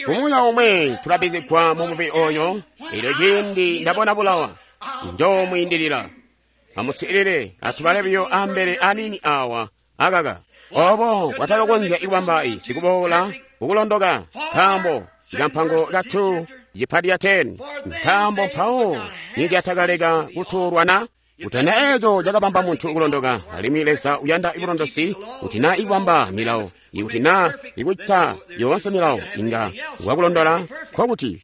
Kumuuya umwe tulabizigwa mu mubili oyo. Elyo ciindi ndabona bulawa njoomwiindilila. Amuswiilile, atubale buyo ambele aniini awa akaka. Obo bwatakakonzya ikubamba sikuboola kukulondoka, nkaambo ikampango katu cipati ya 10, nkaambo mpawo nizyatakaleka kutuulwana. Kutana eco cakabamba muntu kulondoka, alimwi Leza uyanda ibulondosi kuti naa ikubamba milawo, ikuti naa ikucita yoonse milawo inga wakulondola, nkokuti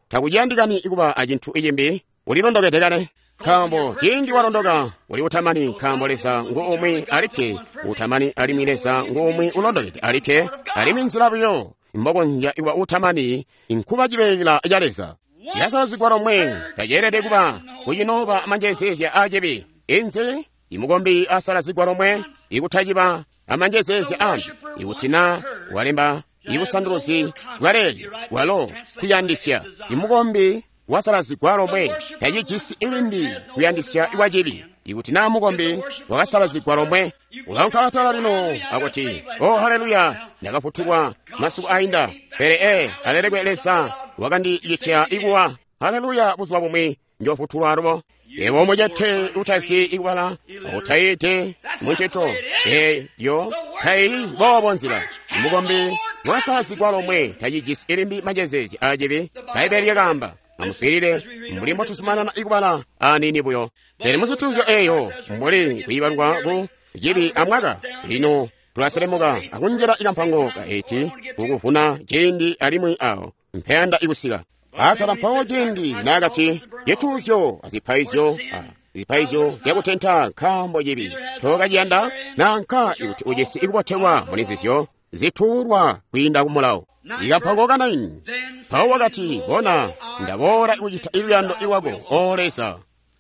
takuciyandikani ikuba acintu icimbi, ulilondokede kale. Nkaambo ciindi walondoka uli utamani, nkaambo Leza ngu umwi alikke utamani, alimwi Leza ngu umwi ulondokede alikke, alimwi nzila buyo mbokonzya ikuba utamani inkuba cibeela ca Leza. Yasalazigwa lomwe taceelede kuba kucinooba amanjezeezya aacibi. Inzi imukombi asalazigwa lomwe ikutaciba amanjezeezya ambi, ikuti naa walemba ibusanduluzi bwaleeli bwalo kuyandisya. Imukombi wasalazigwa lomwe tacijisi limbi kuyandisya kwacibi. Ikuti naa mukombi wakasalazigwa lomwe ulaunka atala lino akuti, "Oh, haleluya, ndakafutulwa masiku ainda, pele alelekwe Leza wakandicitya ikuwa. Haleluya, buzuba bumwi njofutulwa alubo." Yebo mucete utazi ikubala utaite muncito eyo taili boobo nzila. Mukombi wasalazigwa lomwe tacijisi limbi manjezeezi aacibi. Bbaibbele lyakaamba. Amuswiilile mbuli mbotuzumanana ikubala aniini buyo. Pele muzituuzyo eyo mbuli kuibalwa ku cibi amwaka, lino tulaselemuka akunjila ikampango ka 8 kukuvuna ciindi alimwi awo mpeyanda ikusika. Atala mpawo ciindi naakati cituuzyo azipaizyo zipaizyo zyakutenta nkaambo cibi tokaciyanda, nanka ikuti ujisi ikubotelwa muli nzizyo zituulwa kwiinda ku mulawo. Ikampango ka 9 mpawo wakati, "Bona, ndaboola ikucita iluyando lwako, O Leza."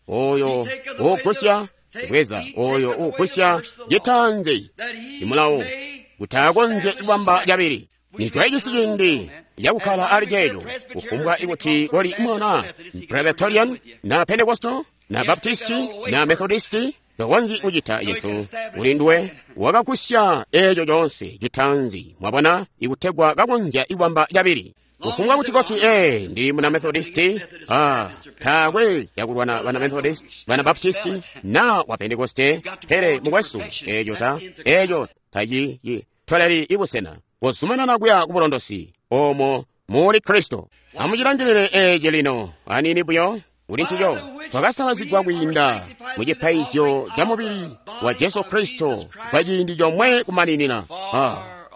Oyo uugusya bweza, oyo uugusya citanze imulawo kuti akonzye kubamba cabili. Nitwajisi ciindi cakukkala ali ceeco, kufumbwa ikuti koli mwana Presbyterian na Pentecostal na Baptisti na Methodisti, tokonzyi kucita cintu kuli nduwe wakagusya eeco coonse citanzi, mwabona, ikutegwa kakonzya ikubamba cabili. Kufumbwa kuti koti, ndili muna Methodisti, taakwe yakulwana bana Methodist, bana Baptisti na wa Pentekoste, pele mukwesu, eeco tacitoleli ibusena. Kozumanana kuya kubulondosi omo muli Kristo. Amucilangilile eeci lino aniini buyo kuli ncico. Twakasalazigwa kwiinda mu cipaizyo ca mubili wa Jesu Kristo kwa ciindi comwe kumaninina.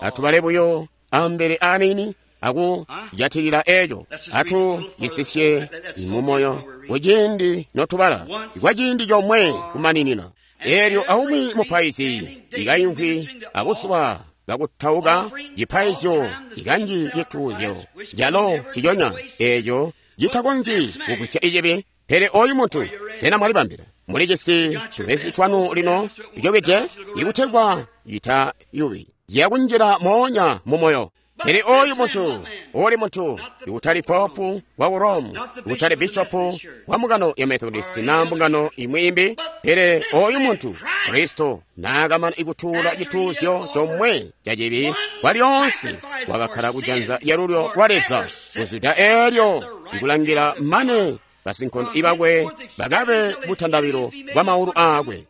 Atubale buyo ambele aniini akujatilila eeco, atucisisye mumoyo kuciindi notubala kwa ciindi comwe kumaninina. Eelyo aumwi mupaizi ikayimvwi abuzuba kakutauka cipaizyo ikanji cituuzyo calo ciconya eeco citakonzyi kugwisya icibi. Pele oyu muntu, sena mwalibambila? Mulijisi tubezi twanu lino icobede ikutegwa citayubi ciyakunjila moonya mumoyo. Pele oyu muntu, uli muntu ikutali popu wa ku Rome, ikutali bishopu wa mbungano ya Methodist na mbungano imwi imbi, pele oyu muntu Kristo naakamana ikutuula cituuzyo comwe ca cibi kwa lyoonse, wakakkala kujanza lyalulyo lwa Leza kuzwida eelyo ikulangila mane basinkondo ibakwe bakabe butandabilo bwa maulu aakwe.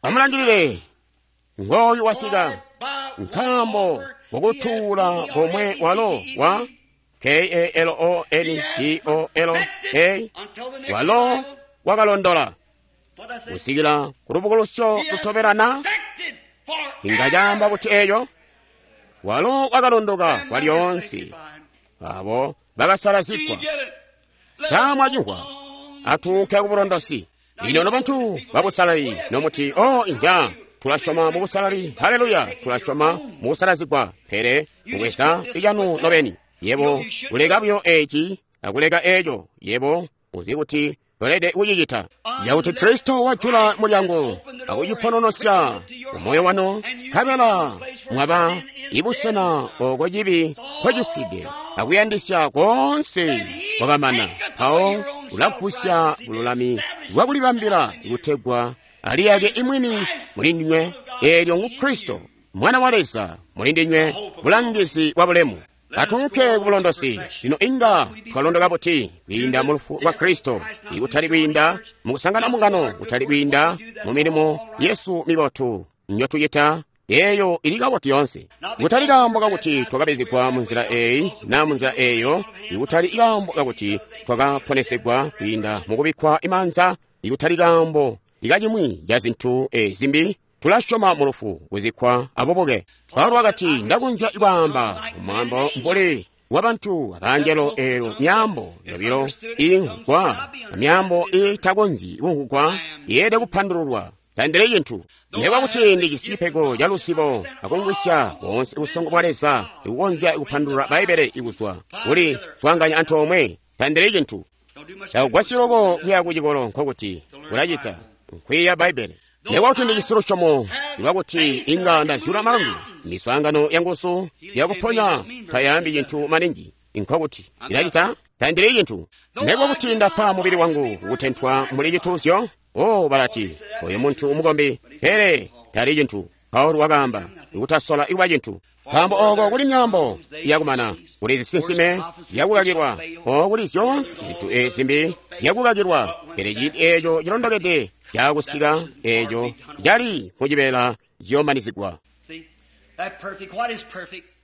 Amulangilile, ngooyu wasika, nkaambo kukutuula komwe walo wa K-A-L-O-N-D-O-L-A walo wakalondola kusikila kulubukulusyo lutobelana. Inga caamba kuti eeyo walo wakalondoka kwa lyoonse abo bakasalazigwa. Sa mwacimvwa? Atuunke kubulondosi. Lino nobantu babusalali nomuti, "Oh, inja, Tula syoma mu busalali. Haleluya. Tula syoma mu kusalazigwa. Pele mubweza icanu nobeni. Yebo uleka buyo eci akuleka eco. Yebo uzi kuti tolede kucicita. Yakuti Kristo wajula mulyango akucipononosya umoyo wanu, nkabela mwaba ibusena oko cibi nkocifwide akuyandisya koonse kwakamana. Mpawo ulagusya bululami bwakulibambila kutegwa aliyake imwini muli ndinywe, eelyo ngu Kristo Mwana wa Leza muli ndinywe, bulangizi bwa bulemu. Atunke ku bulondosi. Lino inga twalondoka buti kwiinda mu lufu lwa Kristo, ikutali kwiinda mu kusangana mungano, kutali kwiinda mu milimo yesu mibotu njotucita, eyo ili kabotu yoonse. Kutali kaambo kakuti twakabezegwa mu nzila eyi na mu nzila eyo, ikutali kaambo kakuti twakaponesegwa kwiinda mu kubikkwa imanza, ikutali kaambo ikacimwi ca zintu zimbi. Tulasyoma mu lufu, kuzikkwa abubuke. Paulo wakati, ndakunja kwaamba mwaambo mbuli wa bantu abangelo, elo myaambo yobilo iimvwugwa amyaambo iitakonzyi kumvwugwa yeelede kupandululwa. Tandili cintu. Nekuba kuti ndijisi cipego ca luzibo akumvwisya boonse busongo bwa Leza ikukonzya kupandulula Bbaibbele ikuzwa kuli swaanganya antoomwe, tandili cintu. Takugwasyi loko kuya ku cikolo, nkokuti kulacita nkwiiya Bbaibbele. Nekuba kuti ndijisi lusyomo lwakuti inga ndazyula malundu, miswaangano yanguzu yakuponya tayaambi cintu maningi, nkokuti ilacita tandili cintu. Nekuba kuti ndapa mubili wangu kutentwa mbuli cituuzyo, oh, balati oyo muntu umukombi, pele tali cintu. Paulo wakaamba kutasola ikuba cintu, nkaambo oko kuli myaambo yakumana, kuli zisinsime zyakukakilwa, oko kuli zyoonse zintu ezimbi zyakukakilwa, pele ciindi eeco cilondokede caakusika, eeco cali mucibeela ciyoomanizigwa.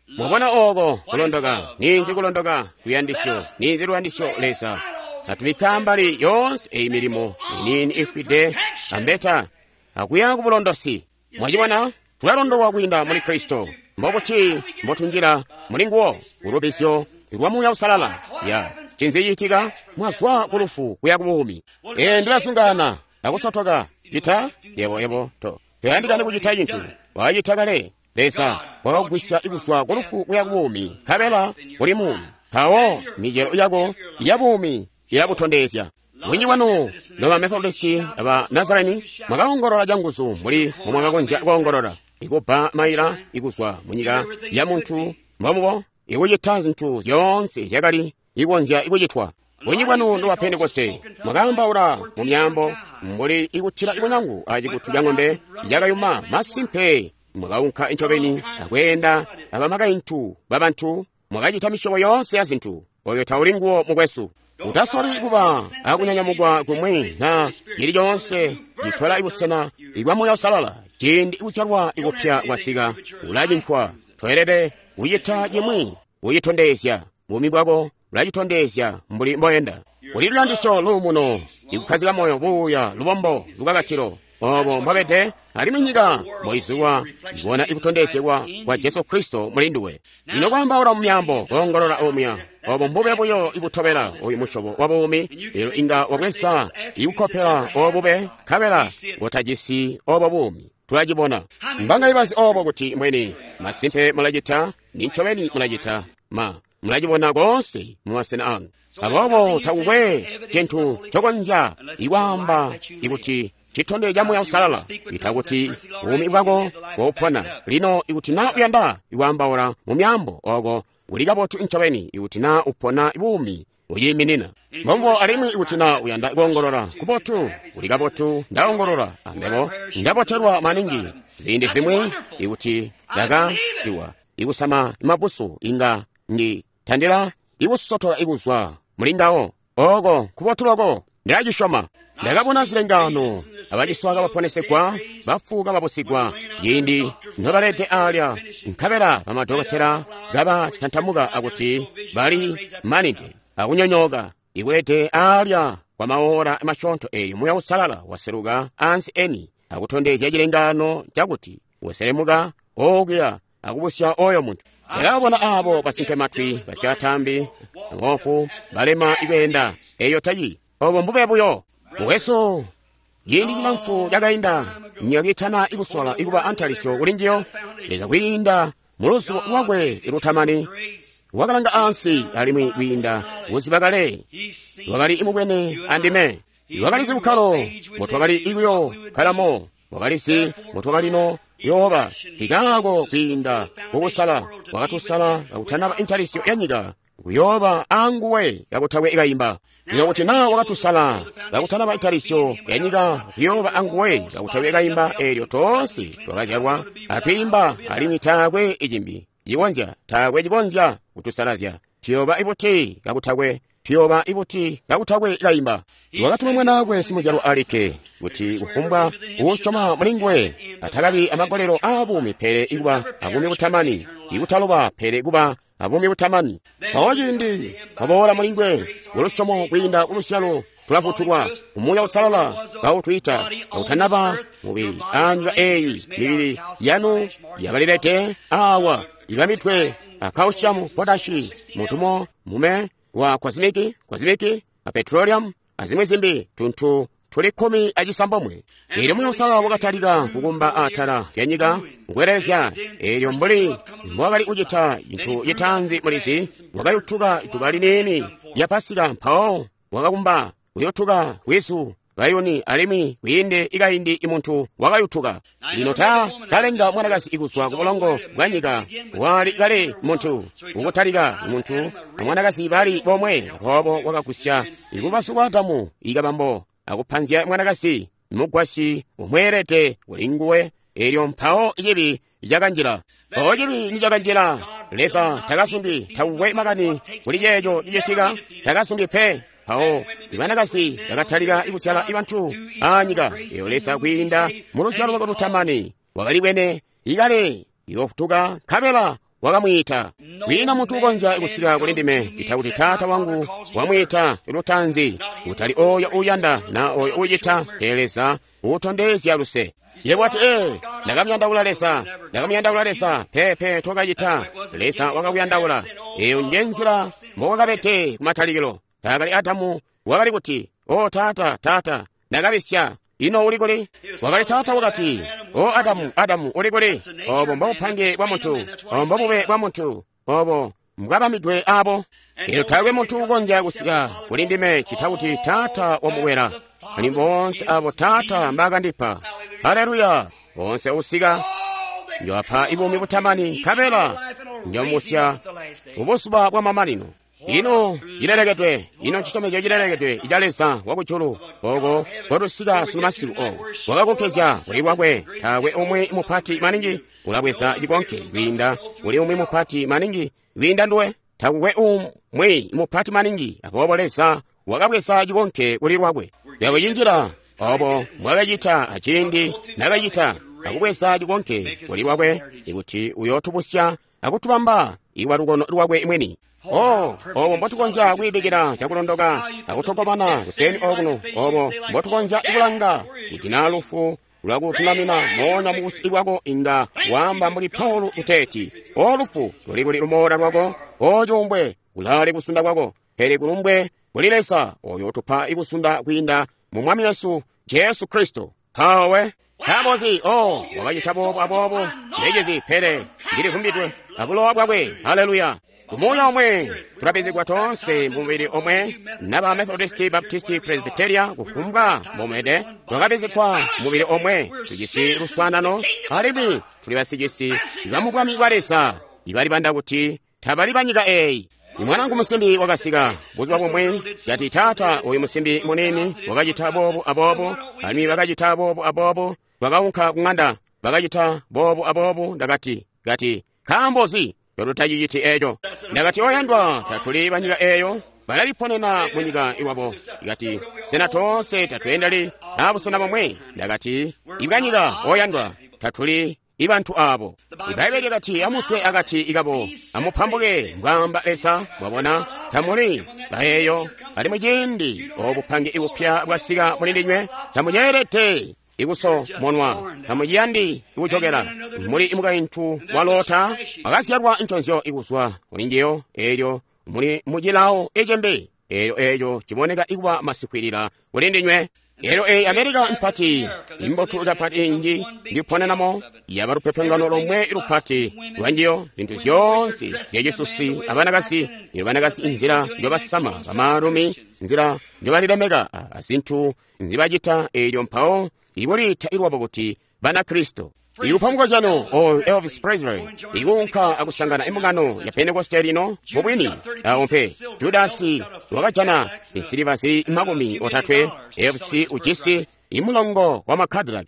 Mwabona oko kulondoka? Ninzi kulondoka? Luyandisyo. Ninzi luyandisyo? Leza. Atubikka ambali yoonse eyi milimo iniini ifwide ambeta akuya ku bulondosi. Mwacibona? Tulalondolwa kwiinda muli Kristo. Mbobuti mbotunjila muli nguwo? Kulubizyo lwa Muuya Uusalala. Ya cinzi ciitika? Mwazwa ku lufu kuya ku buumi. Ndilazungaana akusotoka. Cita yebo yebo to toyandikani kucita cintu. Wacita kale. Leza wakakugwisya kuzwa ku lufu kuya ku buumi, nkabela uli muumi. Mpawo micelo yako ya buumi ilabutondezya. Bunji bwanu noba Methodisti aba Nazareni mwakaongolola canguzu mbuli mbomwakakonzya koongolola, ikubba maila ikuzwa munyika ya muntu mbomubo, ikucita zintu zyoonse zyakali ikonzya ikucitwa. Bunji bwanu noba Pentekoste mwakaambaula mu myaambo mbuli ikutila ikunyangu acikutu ca ng'ombe yakayuma. Masimpe mwakaunka ncobeni akweenda abamakaintu babantu, mwakacita misyobo yoonse ya zintu. Oyo tauli nguwo, mukwesu. Utasoli kuba akunyanyamukwa kumwi na cili coonse citola ibusena ibwa Muuya Uusalala. Ciindi kuzyalwa ikupya kwasika, ulacincwa. Toelede kucita cimwi kucitondezya. Buumi bwako bulacitondezya mbuli mboyenda. Kuli luyandisyo, luumuno, ikukkazika moyo, buuya, lubombo, lukakatilo. Obo mbobede, alimwi nyika mboizulwa ibona ikutondezegwa kwa Jesu Kristo muli nduwe. Lino kwaambaula mu myaambo, koongolola omuya, obo mbube buyo ibutobela oyu musyobo wa buumi. Lelo inga wabweza ikukopela obube, nkabela ngotajisi obo buumi. Tulacibona. Mbanga ibazi obo kuti mbweni. Masimpe mulacita, nincobeni mulacita. Ma, mulacibona koonse mu masena anu. Aboobo takukwe cintu ncokonzya ikwaamba ikuti citondezyo ca Muuya Uusalala, ita kuti buumi bwako bupona. Lino ikuti na uyanda ikwaambaula mu myaambo, oko uli kabotu ncobeni ikuti na upona buumi uciiminina. Mbombo alimwi ikuti na uyanda koongolola kubotu, uli kabotu, ndaongolola ambebo ndabotelwa maningi. Ziindi zimwi ikuti ndakaiwa ikusama mabusu inga ndi tandila ikusotola ikuzwa muli ngawo. Oko kubotu loko, ndilacisyoma. Ndakabona zilengaano, abaciswa kabaponesegwa, bafu kababusigwa, ciindi nobalede alya, nkabela bamadokotela kabatantamuka akuti bali manide akunyonyooka, ikulede alya kwa maora masyoonto eeyo Muuya Uusalala waseluka ansi eni akutondezya cilengaano cakuti waselemuka okuya akubusya oyo muntu. Ndakabona aabo basinkematwi, basyatambi, boofu, balema ikweenda. Eyo tayi obo mbube buyo. Mukwesu, Ciindi cilamfu cakainda, nyika kiitana ikusola ikuba antalisyo kuli njiyo, Leza kwiinda mu luzubo lwakwe lutamani wakalanga ansi alimwi kwiinda kuziba kale wakali imubwene andime. Wakalizi bukkalo mbotwakali ikuyo kkalamo, wakalizi mbotwakalino kuyooba. Nkikaako kwiinda kukusala wakatusala kakutanaba intalisyo ya nyika kuyooba anguwe kakutakwe kayimba. Lino kuti naa wakatusala kakutanaba intalisyo ya nyika kuyooba anguwe kakutakwe kayimba, eelyo toonse twakazyalwa atwiimba alimwi taakwe icimbi cikonzya, taakwe cikonzya kutusalazya. Tuyooba ibuti kakutakwe, tuyooba ibuti kakutakwe kayimba. Wakatuma mwanaakwe simuzyalwa alikke kuti kufumbwa uusyoma mulinguwe atakabi amagolelo aabuumi pele ikuba abuumi butamani, ikutaloba pele kuba abuumi butamani. Mpawo ciindi waboola mulinguwe kulusyomo kwiinda kuluzyalo tulafutulwa Umuuya Uusalala kautwiita kautanaba mubili anyika eeyi. Mibili yanu yakalilete awa ibambidwe a calcium, potashi, mutumo mume wa kwazimiki, kwazimiki a petroleum azimwi zimbi tuntu tuli 16. Eelyo Muuya Uusalala wakatalika kukumba atala lya nyika kukwelelezya. Eelyo mbuli mbwakali kucita cintu citaanzi mulizi, wakayutuka duba liniini lya Pasika, mpawo wakakumba kuyutuka bwizu bayuni, alimwi kwiinde ikaindi imuntu wakayutuka. Lino ta kalenga mwanakazi ikuzwa ku bulongo bwa nyika, wali kale muntu. Ukutalika muntu amwanakazi bali bomwe, aboobo wakagusya ikubasu kwa Adamu ikabambo akupanzya mwanakazi mugwasyi umweelede kuli nguwe. Eelyo mpawo cibi cakanjila. Mpawo cibi nicakanjila, Leza takasundwi, takukwe makani kuli ceeco cicitika, takasundwi pe. Mpawo ibanakazi bakatalika ikuzyala ibantu anyika. Eyo Leza kwiinda mu luzyalo lwakwe lutamani wakalibwene ikale iyoofutuka, nkabela wakamwiita. Kwiina muntu ukonzya kusika kuli ndime cita kuti Taata wangu wamwiita lutanzi, kutali oyo uuyanda na oyo uucita, pele Leza uutondezya luse. Yebo wati, ee, ndakamuyandaula Leza, ndakamuyandaula Leza. Peepe, tokacita. Leza wakakuyandaula. Eyo nje nzila mbowakabede kumatalikilo. Taakali Adamu wakali kuti, o Taata, Taata, ndakabisya, ino uli kuli? Wakali Taata wakati, o Adamu, Adamu, uli kuli? Obo mbobupange bwa muntu, obo mbobube bwa muntu, obo mbwabamidwe abo. Eelyo taakwe muntu ukonzya kusika kuli ndime cita kuti Taata wamukwela. Alimwi boonse abo Taata mbaakandipa. Haleluya! Boonse usika njoapa ibuumi butamani, nkabela njomusya mubuzuba bwa mamanino. Ino cilelekedwe, ino ncisyomezyo cilelekedwe ica Leza wakujulu, oko kwatusika sunu masiku oko wakakonkezya kuli lwakwe. Taakwe umwi mupati maningi ulabweza cikonke kwiinda kuli umwi mupati maningi kwiinda nduwe. Takukwe umwi mupati maningi, aboobo Leza wakabweza cikonke kuli lwakwe. Yakucinjila obo mbwakacita aciindi nakacita akubweza cikonke kuli lwakwe, ikuti uyootubusya akutubamba iwa lukono lwakwe mwini. Oh, obo mbotukonzya kwiibikila cakulondoka akutogomana kuseni okuno, obo mbotukonzya kulanga kuti naa lufu lwakutulamina moonya mubusi bwako inga waamba mbuli Paulo kuteeti, o lufu luli kuli lumoola lwako, o cuumbwe kulaali kusunda kwako, pele kulumbwe kuli Leza oyo utupa ikusunda kwiinda mu Mwami wesu Jesu Kristo. Mpawe nkaambozi? O wakacita boobo aboobo, ndecizi, pele ndilivumbidwe abulowa bwakwe. Haleluya! Kumuuya omwe tulabizigwa toonse mumubili omwe, naba Methodisti, Baptisti, Presbyteria, kufumbwa mbomwede, twakabizigwa mubili omwe, tujisi luswaanano, alimwi tuli basicisi ba bwami bwa Leza, ibalibanda kuti tabali banyika eeyi. Mwanangu musimbi wakasika buzuba bumwe, kati, Taata, oyu musimbi muniini wakacita boobu aboobo, alimwi bakacita boobu aboobo, bakaunka kuŋanda, bakacita boobu aboobu. Ndakati, kati, nkaambozi totutaciciti eco? Ndakati, oyandwa, tatuli banyika eeyo, balaliponena munyika iwabo. Kati, sena toonse tatweendeli abusena bomwe? Ndakati, ibwanyika, oyandwa, tatuli ibantu abo. Ibaibbele lyakati, amuswe akati ikabo, amupambuke, mbwaamba Leza. Mwabona, tamuli baeyo, alimwi ciindi obupange ibupya bwasika muli ndinywe, tamuceelede ikusomonwa, tamuciyandi ikujokela. Muli mukaintu wa Lota, wakazyalwa nconzyo ikuzwa kuli njiyo, eelyo muli mucilawo ecembe, eelyo eeco ciboneka ikuba masikwilila kuli ndinywe. Elyo eyi America mpati imbotu kapati inji ndiponenamo yaba lupepengano lomwe lupati lwanjiyo zintu zyoonse zyacisusi abanakasi banakasi inzila njobasama bamaalumi nzila njobalilemeka azintu nzibacita elyo mpawo ikuliita ilwabo kuti Banakristo. Ikupa mukozyano oyo Elvis Presley ikuunka akusangana imbungano ya Pentekoste lino mubwini awo mpe Judasi wakajana insiliva zili 30, Elvis ujisi imulongo wa Macadillac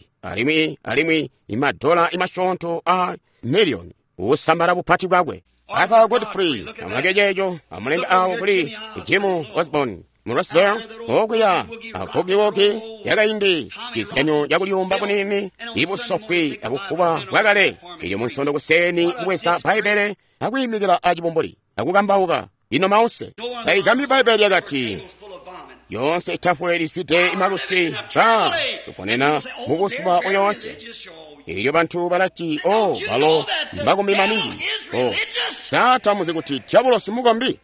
alimwi imadola imasyoonto a miliyoni usambala bupati bwakwe. Arthur Godfrey amulange ceeco amulembe awo kuli Jim Osborne mu Roswell okuya agogiwogi yakaindi cizyanyo cakuliyumba kunini ibusokwi abukuba bwakale ilyo munsondo kuseni kubweza Bbaibele akuyimikila acibumbuli akukambauka ino mause taigami Bbaibele yakati yonse itafule ilizwide imalusi ba tuponena mubuzuba buyonse. Ilyo bantu balati o balo mbakombi maningi o satamuzi kuti diabolosi mukombi.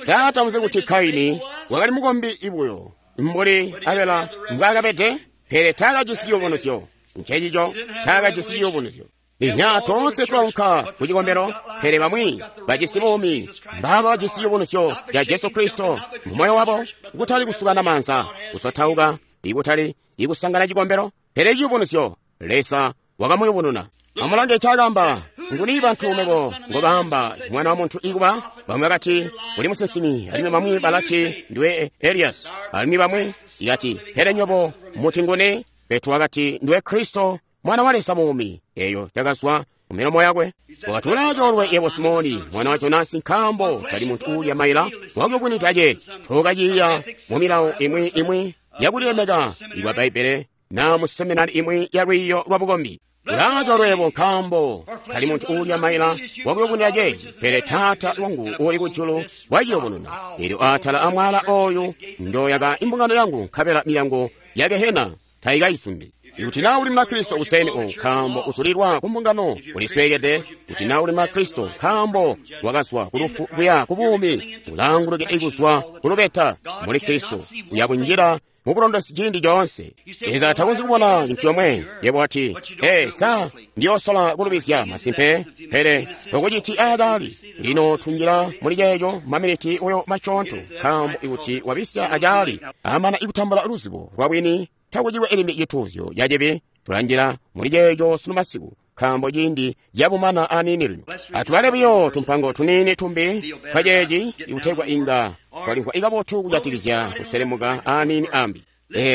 Satamuzi kuti Kaini wakali mukombi ibuyo mbuli Abela mbwaakabede, pele taakajisi ciyubunuzyo. Ncencico taakajisi ciyubunuzyo. Inya toonse twaunka ku cikombelo, pele bamwi bajisi buumi mbaba bajisi ciyubunuzyo ca Jesu Kristo mu moyo wabo, kutali kusukana maanza, kusotauka, ikutali ikusangana cikombelo, pele ciyubunuzyo Leza wakamuyubununa. Amulange cakamba nguni bantu mebo ngobaamba mwana wa muntu ikuba? Bamwi bakati uli musinsimi, alimwi bamwi balati ndiwe Elias, alimwi bamwi ikati pele nyobo muti nguni? Petro wakati ndiwe Kristo mwana wa Leza muumi. Eyo yakazwa mu milomo yakwe. Wakati ulacoolwe yebo Simoni mwana wa Jonasi, nkaambo tali muntu uulya maila wakuyubunwida ce tokaciiya mu milawo imwi yakulilemeka ikwa Bbaibele na mu seminari imwi ya lwiiyo lwa bukombi. Ulacoolwe yebo nkaambo tali muntu uulya maila wakuyubunwida ce, pele Taata wangu uuli kujulu waciyubununa. Elyo atala amwala oyu ndoyaka imbungano yangu, nkabela milyango ya Gehena taikayisundi. Ikuti na uli Mukristo kuseni owu nkaambo usulilwa ku mbungano ulisweekede. Kuti na uli Mukristo nkaambo wakazwa ku lufu kuya ku buumi, ulaanguluke ikuzwa ku lubeta muli Kristo uya kunjila mu bulondosi ciindi coonse. Leza takonzyi kubona cintu comwe. Yebo wati, ee, sa ndiyoosola kulubizya masimpe, pele tokuciti aakali. Lino tunjila muli ceeco maminiti oyo masyoonto, nkaambo ikuti wabisya acaali amana ikutambula luzibo lwa bwini, takuciwe elimbi cituuzyo cacibi. Tulanjila muli ceeco sunu masiku, nkaambo ciindi cabumana aniini lino. Atubale buyo tumpango tuniini tumbi twaceeci ikutegwa inga twalimvwa ikabotu kujatikizya kuselemuka aniini ambi.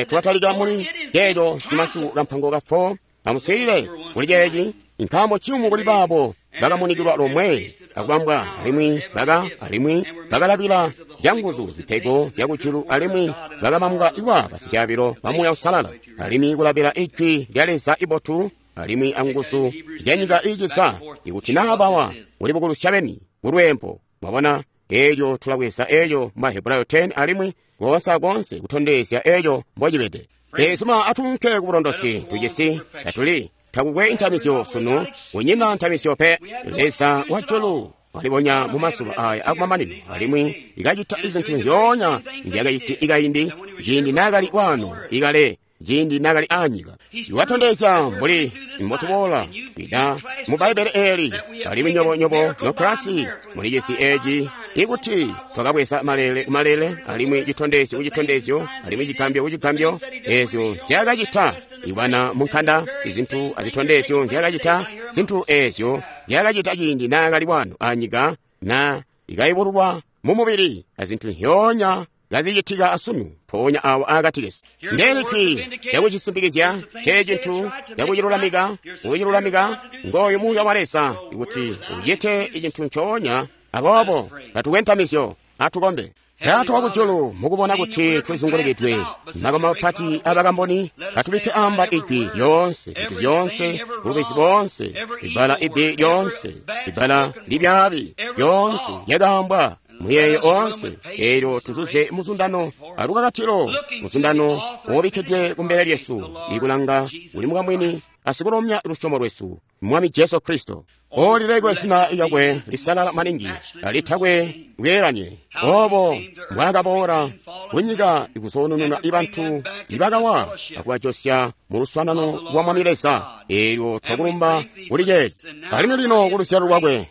Tulatalika muli ceeco sunu masiku kampango ka 4. Amuswiilile kuli ceeci, nkaambo ciyumu kuli baabo bakamunikilwa lomwe akubambwa, alimwi bakalabila zyanguzu zipego zyakujulu, alimwi bakabambwa iwa basyaabilo ba Muuya Uusalala, alimwi kulabila ijwi lya Leza ibotu, alimwi anguzu zyanyika iiciza, ikuti naa bawa kulibukulusya beni kulweempo. Mwabona, eeco tulabweza eeco mu Mahebrayo 10 alimwi koonse akoonse kutondezya eeco mbocibede. Ezuma atuunke ku bulondosi tujisi tatuli takukwe ntamisyo sunu, kunyina ntamisyo pe. Leza wa julu walibonya mu mazuba aya akumamanino, alimwi ikacita izintu nzyoonya nzyakaciti ikaindi ciindi naakali waano ikale ciindi naakali aanyika. Iwatondezya mbuli mbotuboola kwida mu Bbaibele eeli, alimwi nyobo noklasi mulijisi eeci ikuti twakabweza malele kumalele, alimwi citondezyo kucitondezyo, alimwi cigambyo kucigambyo, eezyo nzyakacita ikubana munkanda, izintu azitondezyo nzyakacita, zintu eezyo nzyakacita ciindi naakali waano anyika na ikayubululwa mu mubili, azintu nzyoonya kazicitika asunu mpoonya awo akati kesu. Ndeeli jwi lyakucisimpikizya, ncecintu lyakucilulamika, kucilulamika ngooyu Muuya wa Leza ikuti ucite icintu ncoonya. Aboobo tatukwe ntamizyo, atukombe. Taata wakujulu, mukubona kuti tulizungulukidwe makamu mapati abakamboni, katubikke amba ijwi lyoonse, zintu zyoonse, bulubizi boonse, ibbala ibbi lyoonse, ibbala libyaabi lyoonse lyakaambwa Muyeeyo oonse, eelyo tuzuze muzundano alukakatilo, muzundano uubikkidwe kumbele lyesu, ikulanga kuli mukamwini asikulomya lusyomo lwesu, Mwami Jesu Kristo. Olilekwe zina lyakwe lisalala maningi, litakwe bweelanye. Obo mbwaakaboola kunyika ikuzoonununa ibantu ibakawa akubajosya mu luswaanano lwa Mwami Leza. Eelyo twakulumba kuli ceeci. Alimwi lino ku luzyalo lwakwe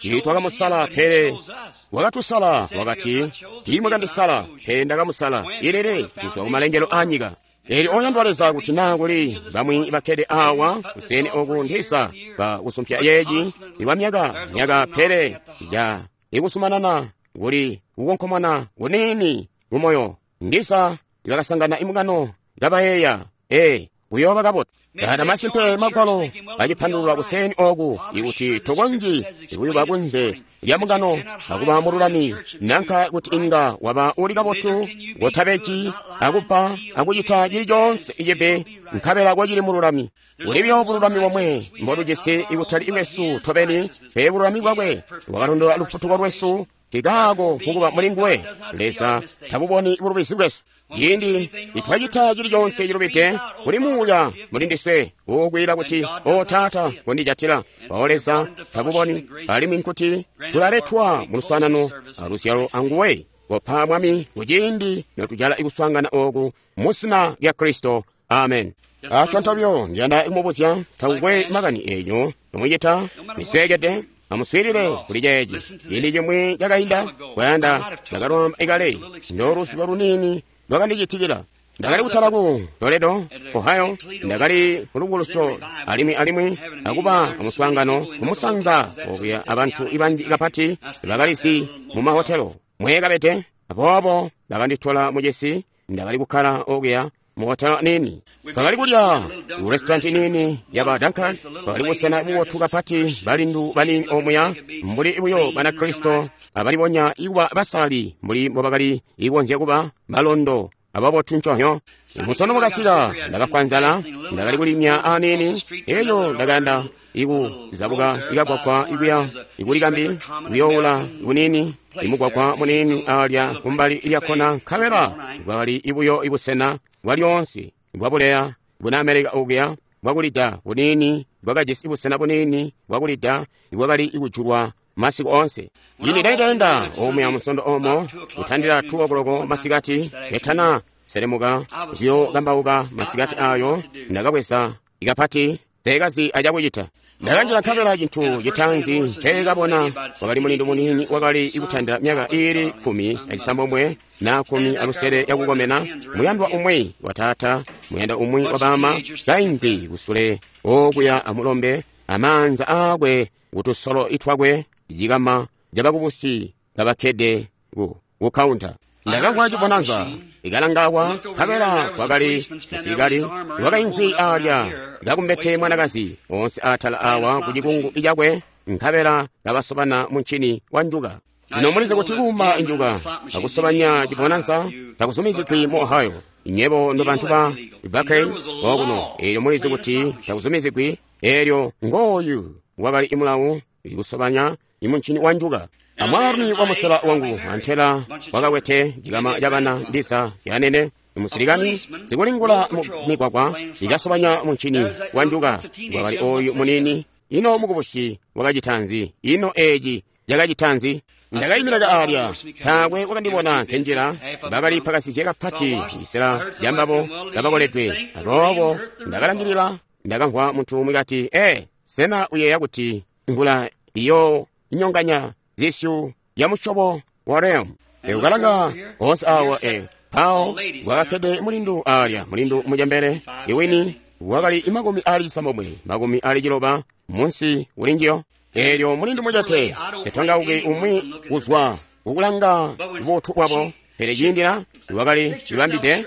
tiitwakamusala, pele wakatusala. Wakati, tiimwakandisala, pele ndakamusala ilele kuzwa kumalengelo aanyika. Eelyo oyandwa Leza, kuti naa kuli bamwi bakkede awa kuseni oku ndisa ba kusumpya yeeci iwa myaka myaka, pele ya ikusumanana kuli kukonkomana kuniini kumoyo, ndisa ibakasangana imukano kabayeeya kuyooba kabotu. Kata masimpe magwalo acipandulula kuseni oku ikuti tokonzyi kuyuba kunze lya mukano akuba mululami, nanka kuti inga waba uli kabotu kotabeji akupa akucita cili coonse cibi nkabela kocili mululami. Kuli buyo bululami bomwe mbotujisi ikutali bwesu tobeni, pele bululami bwakwe bwakalondola lufutuko lwesu. Kikaako kukuba muli nguwe Leza tabuboni bulubizi bwesu. Ciindi itwacita cili coonse cilubide, kuli muuya muli ndiswe uukwiila kuti, O Taata, kondijatila. Mpawo Leza tabuboni, alimwi nkuti tulaletwa mu luswaanano aluzyalo anguwe. Kopa Mwami kuciindi notujala ikuswaangana ooku mu zina lya Kristo. Amen. Asyoonto buyo ndiyanda kumubuzya, takukwe makani eeco nomucita misweekede. Amuswiilile kuli ceeci. Ciindi cimwi cakainda, kwayanda ndakalwaamba ikale, ndoluziba luniini lwakandicitikila. Ndakali kutala ku Toledo, Ohio, ndakali kulubukulusyo alimwi akuba amuswaangano kumusanza okuya abantu banji kapati bakalizi mu mahotelo mwekabede. Aboobo bakanditola mucisi, ndakali kukkala okuya mu hotelo nini. Twakali kulya ku restaurant nini yaba Duncan. Twakali busena bubotu kapati, balindu banini omuya mbuli buyo Banakristo abalibonya ikuba basalali mbuli mbobakali ikonzya kuba balondo ababotu nconyo. Musono wakasika, ndakafwa nzala, ndakali kulimya anini, elyo ndakayanda ikuzabuka ikagwagwa ikuya ikulikambi kuyoula kunini imugwagwa munini alya kumbali lyakkona, nkabela bwakali ibuyo ibusena bwalyoonse bwabuleya buna Amerika okuya bwakulida bunini, bwakajisi busena bunini bwakulida ibwakali ikujulwa masiku oonse. Ciindi ndaitaenda omuya musondo omo kutandila 2 o'clock masikati, etana selemuka kuyokambauka masikati ayo, ndakabweza ikapati teekazi acakucita. Ndakanjila nkabela cintu citaanzi nceekabona wakali mulindu munini wakali ikutandila myaka iili 16 na 16 yakukomena, muyandwa umwi wa taata, muyandwa umwi wa baama, kaimvwi kusule okuya amulombe amaanza aakwe kutusolo itwakwe cikama cabakubusi kabakkede ku kaunta. Ndakamvwa cibonanza ikalangawa, nkabela kwakali musilikali wakaimvwi alya kakumbete mwanakazi onse atala awa ku cikungu cakwe, nkabela kabasobana muncini wa njuka. Lino mulizi kuti kuuma njuka akusobanya cibonanza takuzumizigwi mu Ohio. Nyebo ndo bantu ba Buckeye okuno, eelyo mulizi kuti takuzumizigwi. Eelyo ngooyu wakali imulawu ikusobanya imuncini wa njuka. Amwaalumi wa musela wangu antela wakakwete cikama cabana ndiza zyanene musilikani zikulingula mu migwagwa ikasobanya muncini wa njuka. Wakali oyu munini. Ino mukubusi wakacita nzi? Ino eeci cakacita nzi? Ndakayimira alya, taakwe wakandibona nkenjila. Bakali pakasizye kapati isela lyambabo kabakoledwe. Aboobo ndakalangilila, ndakamvwa muntu umwi kati, sena uyeeya kuti mvula iyo inyonganya zisyu ya musyobo wa Rem? Ukalanga onse awa mpawo wakakkede mulindu alya, mulindu mucembele iwini wakali 69, 60 munsi kulinjiyo. Eelyo mulindu mucete tetwangauki umwi kuzwa kukulanga bubotu bwabo, pele ciindila wakali libambide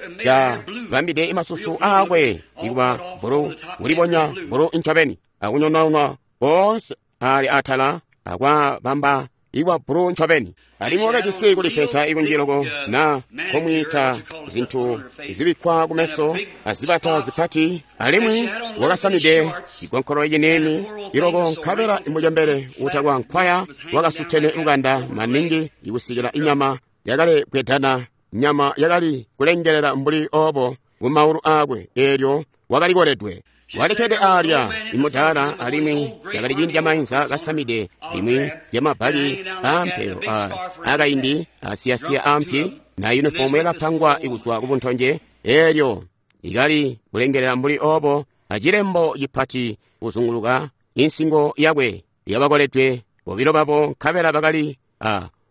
bambide imasusu aakwe ikuba bulu, kulibonya bulu incobeni, akunyonaunwa koonse ali atala akwabamba Iwa bulu ncobeni. Alimwi wakajisi kulipenta ikunji loko, na komwiita zintu zibikkwa kumeso azibata zipati, alimwi wakasamide ikonkolo ciniini iloko, nkabela imucembele utakwa nkwaya wakasutene lukanda maningi ikusikila inyama yakali bwedana, nyama yakali kulengelela mbuli obo kumaulu aakwe, eelyo wakali koledwe. Walikkede aalya imudaala, alimwi yakali ciindi camainza kasamide limwi lyamabali aampelo aakaindi asiyasiya aampi na yunifomu yakapangwa kuzwa kubuntonje, eelyo ikali kulengelela mbuli obo acilembo cipati kuzunguluka insingo yakwe yabakoledwe bobilo babo, nkabela bakali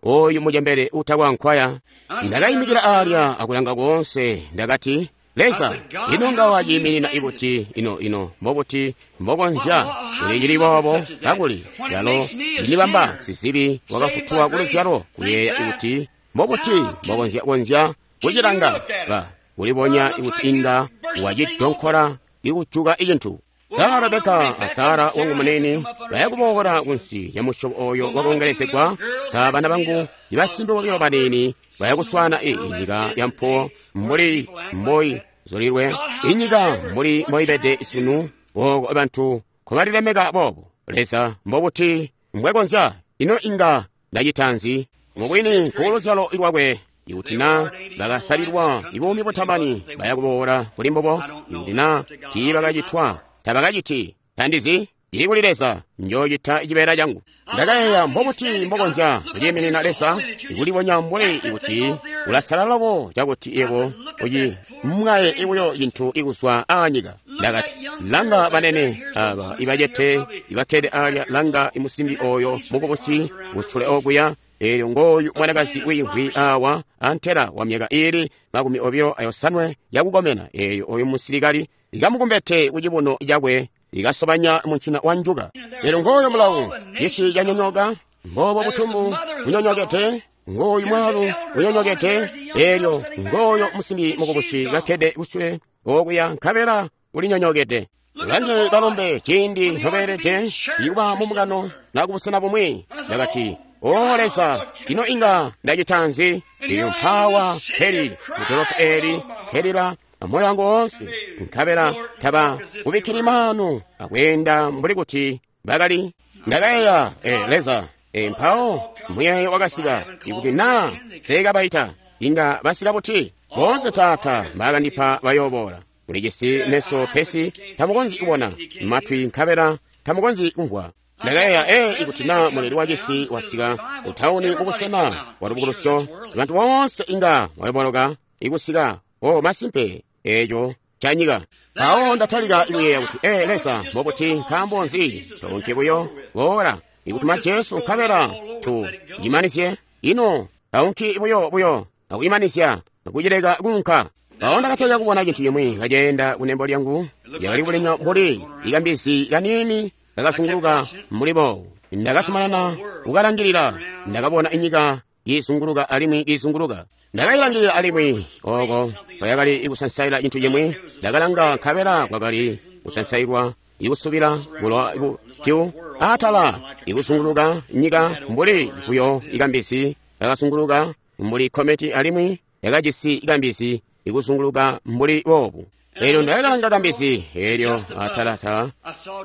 oyu mucembele utakwa nkwaya. Ndakaimikila aalya akulanga koonse, ndakati, Leza, ino nga waciiminina ikuti ino mbobuti mbokonzya kulicili boobo, kakuli yalo inibamba sizibi wakafutulwa kuluzyalo, kuyeeya kuti mbobuti mbokonzya konzya kucilanga ba kulibonya kuti inga wacidonkola ikujuka icintu. Sara Rebeka a Sara wangu munene bayakuboola kunsi ya musyobo oyo wakongelezegwa. Sa bana bangu ibasimbi bobilo banini bayakuswana inyika ya mpuwo mbuli mboi zulilwe, inyika mbuli mboibede sunu, oko bantu nkobalilemeka boobo. Leza, mbobuti mbwekonzya? Ino inga ndacita nzi? Mubwini kuluzyalo lwakwe, ikuti na bakasalilwa ibuumi butamani bayakuboola kuli mbubo, ikuti na tiibakacitwa tabakaciti. Tandizi, ili kuli Leza, njoocita cibeela cangu. Ndakayeeya, mbobuti mbokonzya kuciiminina Leza ikulibonya mbuli ikuti ulasalala loko cakuti yebo ucimwaye ibuyo cintu ikuzwa aanyika. Ndakati, langa banene aba ibacete ibakkede aalya, langa imusimbi oyo mukubusi kusule okuya, eelyo ngooyu mwanakazi wiimvwi awa antela wa myaka iili 28 yakukomena, eelyo oyu musilikali ikamukumbete kucibuno cakwe ikasobanya muncina wa njuka. Eelyo ngooyo mulawu, cisi canyonyoka, mboobo butumbu bunyonyokede, ngooyu mwaalu unyonyokede, eelyo ngooyo musimbi mukubusi kakkede kusule okuya, nkabela ulinyonyokede. Ulange balombe ciindi ntobeelede ikuba mumukano na kubusena bumwi. Ndakati, O Leza, ino inga ndacita nzi? Eelyo mpaawa mpeli mudolopo eeli nkelila amoyo wangu woonse, nkabela taba kubikkili maanu akweenda mbuli kuti bakali. Ndakayeeya, Leza, mpawo muyeeyo wakasika, ikuti naa teekabaita, inga basika buti? Boonse Taata mbaakandipa bayooboola. Mulijisi meso pesi tamukonzyi kubona, matwi nkabela tamukonzyi kumvwa. Ndakayeeya, ikuti naa muleli wa cisi wasika kutauni kubusena bwa lubukulusyo, bantu boonse inga bayoboloka ikusika. O masimpe, eeco canyika. Mpawo ndatalika kuyeeya kuti, Leza, mbobuti, nkaambo nzi toonke buyo boola ikutuma Jesu nkabela tu cimanizye? Ino taunki buyo akuimanizya akucileka kuunka. Mpawo ndakatalika kubona cintu cimwi kaceenda kunembo lyangu, yakali kulinya mbuli ikambizi kaniini kakazunguluka mbuli boobu. Ndakazumanana kukalangilila, ndakabona inyika kiizunguluka alimwi kiizunguluka. Ndakailangilila alimwi oko kwakali ikusansaila cintu cimwi. Ndakalanga nkabela kwakali kusansailwa ikusubila bulowa bupyu atala ikuzunguluka nyika mbuli buyo ikambizi kakazunguluka mbuli kometi, alimwi yakajisi ikambizi ikuzunguluka mbuli boobu. Eelyo ndakalanga kambizi eelyo atalata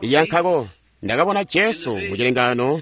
lyankako, ndakabona Jesu mucilengano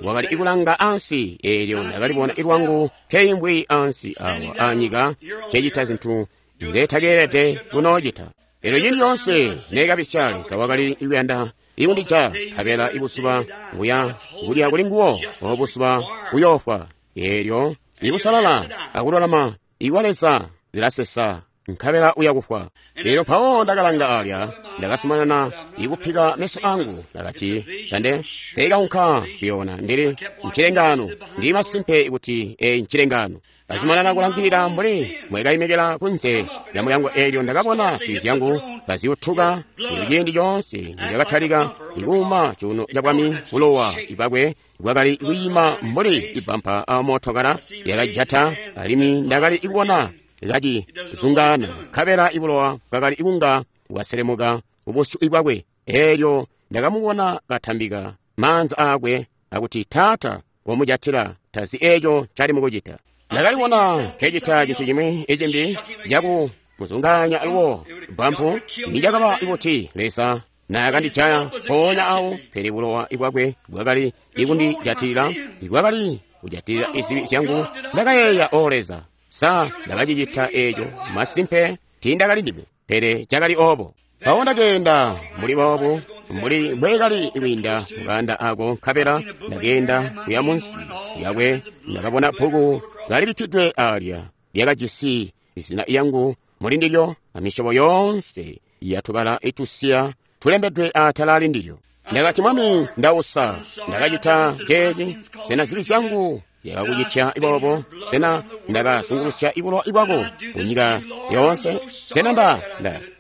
wakali ikulanga ansi. Eelyo ndakalibona ilwangu nkeimbwi ansi awa anyika, cecita zintu nzetakeelede kunoocita. Eelyo ciindi coonse neekabisya, Leza wakali ikuyanda ikundija, nkabela ibusuba buya kulya kuli nguwo, obusuba buyoofwa. Eelyo ikusalala akululama ikwa Leza zilasesa, nkabela uya kufwa. Eelyo mpawo ndakalanga alya, ndakazumanana ikupika meso angu. Ndakati, tande seikaunka kuyoona, ndili mcilengano, ndili masimpe kuti ncilengano. Ndazumanana kulangilila mbuli mwekaimikila kunze lya mulyango. Eelyo ndakabona nswi zyangu kaziutuka. Ciindi coonse nzyakatalika ikuuma cuuno cabwami, bulowa bwakwe bwakali kwiima mbuli ibampa amootokala yakajata, alimwi ndakali kubona kacizungaana, nkabela ibulowa bwakali kunga bwaselemuka kubusyu bwakwe. Eelyo ndakamubona katambika maanza aakwe akuti, Taata, Komujatila, tazi eeco ncali mukucita. Ndakaliwona nkecita cintu cimwi icimbi caku muzunganya aluwo bampu nicakaba buti Leza naakandijaya mpoonya awo, pele bulowa bwakwe bwakali ikundijatilila, bwakali kujatilila izibi zyangu. Ndakayeeya, O Leza, sa ndakacicita eeco? Masimpe tiindakali ndime, pele cakali oobo. Mpawo ndakeenda muli boobu, mbuli mbweekali kwiinda mukaanda ako, nkabela ndakeenda kuya munsi lyakwe. Ndakabona bbuku kalibikkidwe aalya lyakajisi izina lyangu muli ndilyo amisyobo yoonse yatubala itusiya tulembedwe atala ali ndilyo. Ndakati, Mwami, ndausa, ndakacita ceeci. Sena zibi zyangu zyakakucitya boobo? Sena ndakazungulusya bulowa bwako kunyika yoonse? Sena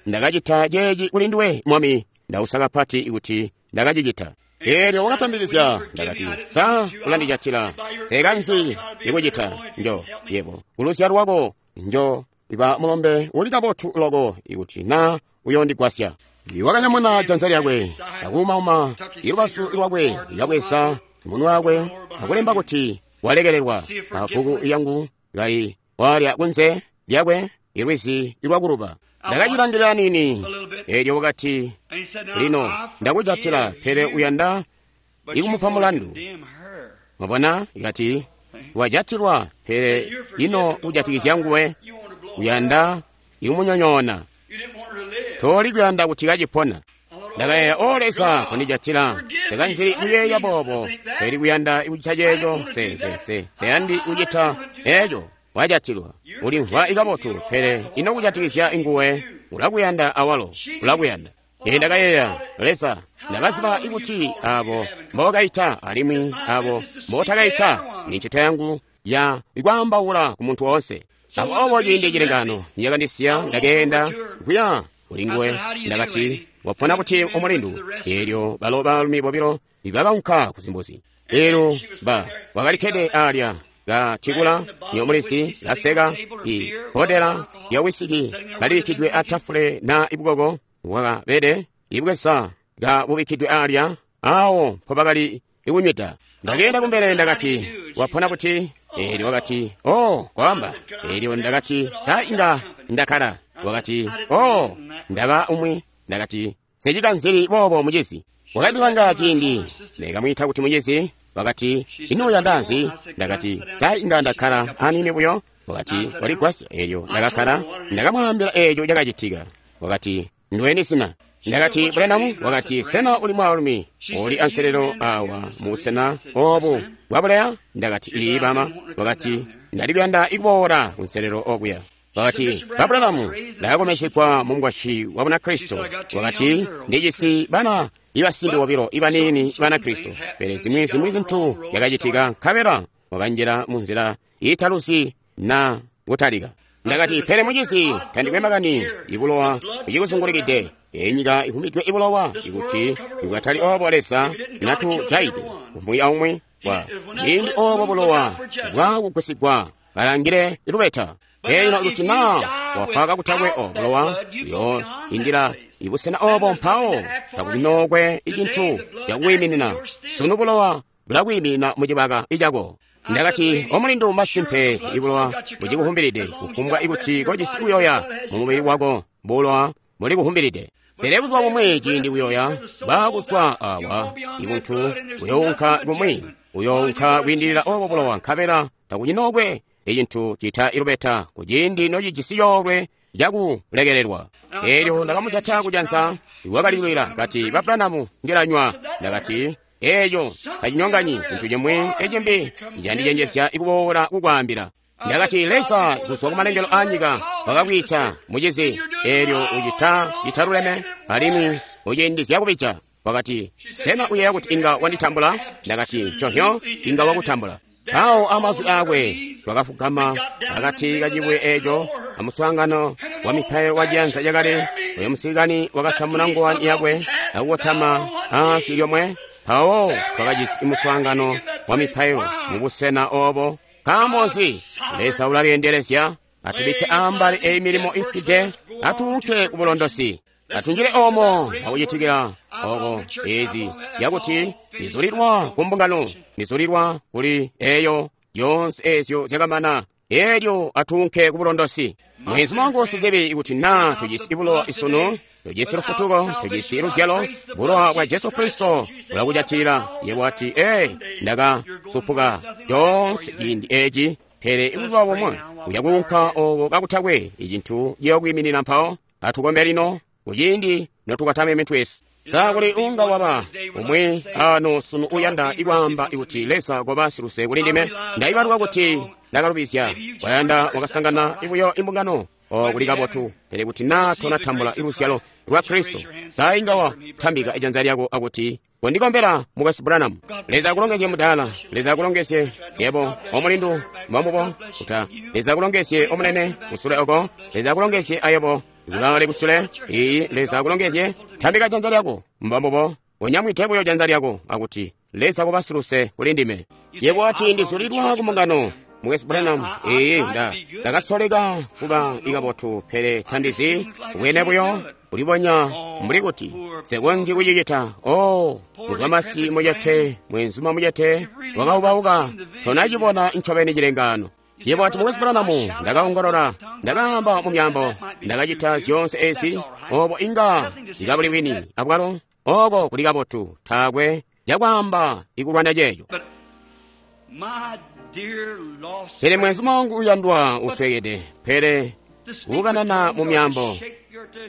ndakacita ceeci kuli nduwe, Mwami? Ndausa kapati kuti ndakacicita. Eelyo wakatambikizya. Ndakati, sa ulandijatila? Sekanzi ikucita njo yebo kuluzyalo lwako njo iba mulombe uli kabotu loko ikuti na uyondigwasya. Wakanyamuna janza lyakwe akuumauma ilubazu lwakwe, yakabweza munwe wakwe akulemba kuti walekelelwa abbuku yangu kali walya kunze lyakwe ilwizi lwakuluba. Ndakacilangilila nini. Eelyo wakati, lino ndakujatila, pele uyanda ikumupa mulandu. Mwabona, ikati wajatilwa, pele ino kujatikizya nguwe uyanda ikumunyonyoona. Toli kuyanda kuti kacipona. Ndakayeeya, O Leza, kundijatila. Ndakanzili kuyeeya boobo, pele kuyanda kucita ceeco. Seyandi kucita eeco. Wajatilwa, ulimvwa ikabotu, pele ino kujatikizya nguwe ulakuyanda awalo ulakuyanda. Ee, ndakayeeya, Leza, ndakaziba ikuti abo mbookaita alimwi abo mbootakaita ni ncito yangu ya ikwaambaula ku muntu woonse. Aboobo ciindi cilengano niyakandisiya, ndakeenda kuya kuli nguwe. Ndakati, wapona kuti omulindu? Eelyo balo baalumi bobilo bakaunka kuzimbuzi. Eelyo wakalikkede alya katikula nyomulizi kaseka ibodela lya wisiki kalibikkidwe atafule na ibukoko bwakabede ibweza kabubikkidwe alya awo mpobakali ikunywida. Ndakeenda kumbele, ndakati, wapona kuti? Eelyo wakati, o kwaamba. Eelyo ndakati, sa inga ndakkala? Wakati, o ndaba umwi. Ndakati, secikanzili boobo mucizi. Wakandilanga ciindi nekamwiita kuti mucizi. Wakati, ino uyanda nzi? Ndakati, sa inga ndakkala anini buyo? Wakati, waligwasya. Eelyo ndakakkala, ndakamwaambila eeco cakacitika. Wakati, ndiweni sina? Ndakati, Branham. Wakati, sena uli mwaalumi uli anselelo awa musena obu bwabuleya? Ndakati, ii bama. Wakati, ndalikuyanda ikuboola kunselelo okuya. Wakati, ba Branham, ndakakomeshekwa mu mukwasyi wa Bunakristo. Wakati, ndijisi bana ibasimbi bobilo ibaniini Banakristo, pele zimwi zintu zyakacitika, nkabela wakanjila mu nzila iitaluzi na kutalika. Ndakati, pele mucizi, tandikwe makani ibulowa bucikuzungulikide. Enyika ihumidwe ibulowa, ikuti ikatali oobo Leza natujaide umwi aumwi wa ciindi oobo bulowa bwakugwisigwa kalangile lubeta. Elyo ikuti na wafwa kakutakwe obulowa, uyoindila ibusena oobo mpawo takunookwe icintu cakwiiminina. Sunu bulowa bulakwiiminina mucibaka icako. Ndakati, omulindu, masimpe ibulowa bucikuhumbilide, kufumbwa ikuti kojisi kuyoya mumubili wako, bulowa bulikuhumbilide. Pele buzuba bumwi ciindi kuyoya bwakuzwa awa, ibuntu buyounka kumwi, uyounka kwiindilila oobo bulowa, nkabela takucinookwe icintu cita ilubeta kuciindi nocijisi coolwe cakulekelelwa. Eelyo ndakamujata kujanza, wakalilwila kati, ba Branham, ndilanywa. Ndakati, eeco tacinyonganyi cintu cimwi ecimbi candicenjezya ikuboola kukwaambila. Ndakati, Leza kuzwa kumalengelo aanyika wakakwiita mucizi, eelyo ucita citaluleme alimwi uciindizya kubija. Wakati, sena uyeeya kuti inga wanditambula? Ndakati, nconhyo inga wakutambula. Mpawo amazwi aakwe twakafugama akati kacibwe eeco amuswaangano wa mipailo wa ciyanza cakale. Oyo musilikani wakasamuna ngowani yakwe akukotama ansi lyomwe. Mpawo twakajisi muswaangano wa mipailo mubusena oobo. Nkaambo nzi? Leza ulalyendelezya. Atubikke ambali eyi milimo ifwide, atuunke ku bulondosi. Atunjile omo akucitikila oko ezi yakuti nizulilwa ku mbungano, nizulilwa kuli eyo yonse ezyo zyakamana, elyo atuunke ku bulondosi. Mwezi mwangu sizibi ikuti na tujisi bulowa isunu, tujisi lufutuko, tujisi luzyalo, bulowa bwa Jesu Kristo bulakujatilila. Yebo ati, ndaka supuka conse ciindi eci, pele ibuzuba bomwe uya kuunka oko kakutakwe icintu ciyokwiiminina mpawo. Atukombe lino kuciindi notukatame mitwe yesu. Sa kuli unga waba umwe ano sunu uyanda ikwaamba ikuti Leza koba siluse kuli ndime, ndaibaluka kuti ndakalubizya, wayanda wakasangana ibuyo imbungano kuli kabotu, pele kuti na tonatambula iluzyalo lwa Kristo, sa inga watambika ijanza lyako akuti kondikombera mukwesu Branham. Leza akulongezye mudala, Leza akulongezye yebo omulindu mwamubo kuta, Leza akulongezye omunene kusule oko, Leza akulongezye ayebo kulale kusule iyi, Leza akulongezye. Tambika janza lyako mbambubo, unyamwite buyo janza lyako akuti Leza koba siluse kuli ndime. Yebo ati ndizulidwa ku mbungano mukwesu Branham, iyi ndakasoleka kuba ikabotu, pele tandizi bwene buyo ulibonya mbuli kuti sekonzi kucicita. Muzwamasi mujete, mwenzuma mujete wakaubauka, tonacibona ncobeni cilengano. Yebo ati mukwesu Branham, ndakaongolola, ndakaamba mu myambo, ndakacita zyonse ezi, obo inga ndikabuli wini abwalo oko kuli kabotu, taakwe cakwaamba ikulwana ceeco. Pele mwenzuma wangu uyandwa uswekede, pele kukanana mu myambo,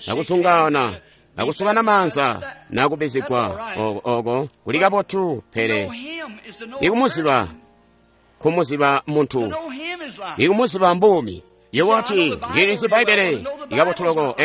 nakusungana, nakusukana manza, nakubizigwa, oko kuli kabotu, pele ikumuziba, kumuziba muntu, ikumuziba mbumi. Yebo ati ndilizi Bbaibele ikabotu loko,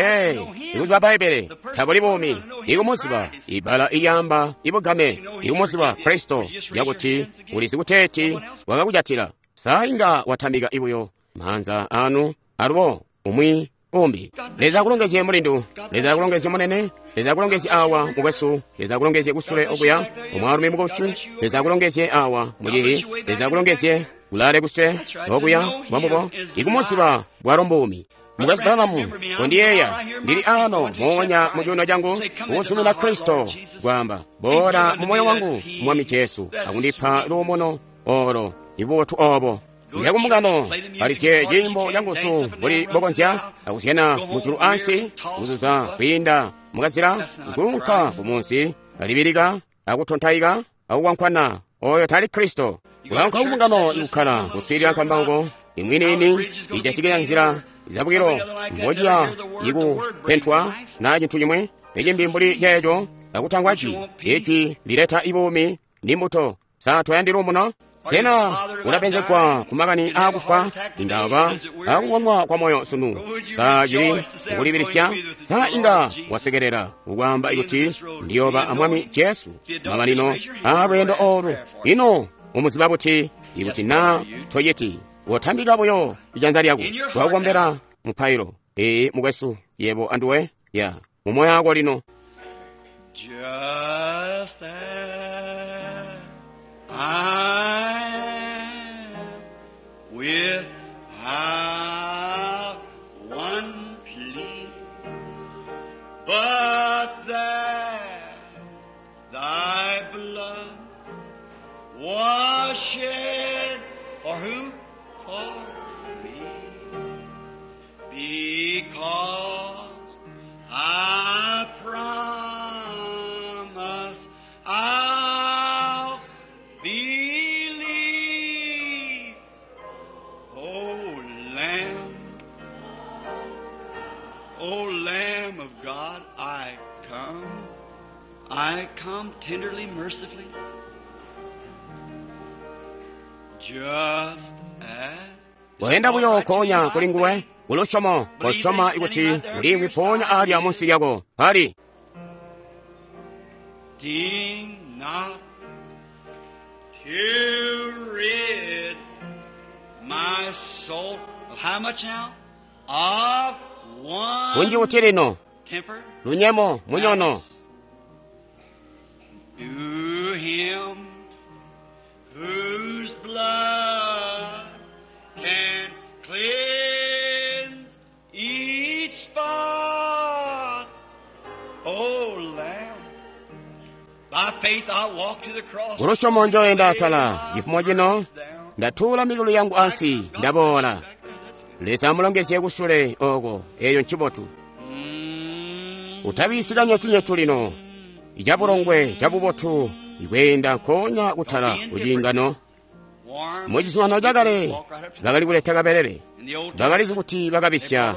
ikuziba Bbaibele tabuli bumi, ikumuziba ibala ilyamba ibugame, ikumuziba Kristo yakuti ulizi kuteeti wakakujatila. Sa inga watambika ibuyo manza anu alubo umwi umbi. Leza akulongezye mulindu, Leza akulongezye munene, Leza akulongezye awa mukwesu, Leza akulongezye kusule okuya omwaalumi mukoshu, Leza akulongezye awa mucihi, Leza akulongezye kulale kusule okuya mwambubo, ikumuziba bwalo mbumi. Mukwesu Branham, kondiyeeya ndili ano moonya mu cuuno changu ukusumina Kristo, kwaamba boola mu moyo wangu Mwami Jesu akundipa luumuno olo ibubotu obo. Ndiya kumbungano alizye ciimbo canguzu mbuli bokonzya akuzyana mujulu ansi, kuzuza kwiinda mukazila, kulunka kumunsi, alibilika, akutontaika, akukwankwana. Oyo tali Kristo. Kulanka kumbungano ikukkala kuswiilila nkambauko imwiniini ijatikizya nzila zabwilo mbociya ikupentwa na cintu cimwe icimbi mbuli ceeco, akutangwa jwi ijwi lileta ibuumi ni mbuto. Sa toyandi luumuno? Sena ulapenzegwa ku makani aakufwa, indaba akukonwa kwa moyo sunu? Sa cili kukulibilisya? Sa inga wasekelela ukwaamba ikuti ndiyoba amwami Jesu mamanino aalweendo olu? Ino umuziba buti ikuti na toyeti? Wotambika buyo ijanza lyako wakukombera mupailo. Ee mukwesu, yebo anduwe ya mumoyo wako lino. Just as I am without one plea, but that thy blood was shed for who? For me. Because I promise I'll believe, O Lamb, O Lamb of God, I come tenderly, mercifully, just as. Wayenda buyo konya kuli nguwe ulusyomo kosyoma ikuti ulimwi ponya alya munsi lyako pali. Deem not to rid my soul of how much now? Of one Kunji kuti lino temper. lunyemo munyono To him whose blood can cleanse each spot. Kulusyomo njoenda atala cifumo cino, ndatuula mikulu yangu ansi, ndaboola. Leza amulongezye kusule oko, eyo ncibotu. Utabisi kanyetunyetu lino, icabulongwe cabubotu ikweenda nkoonya kutala kuciingano. Mucizuminano cakale bakali kuleta kabelele, bakalizi kuti bakabisya,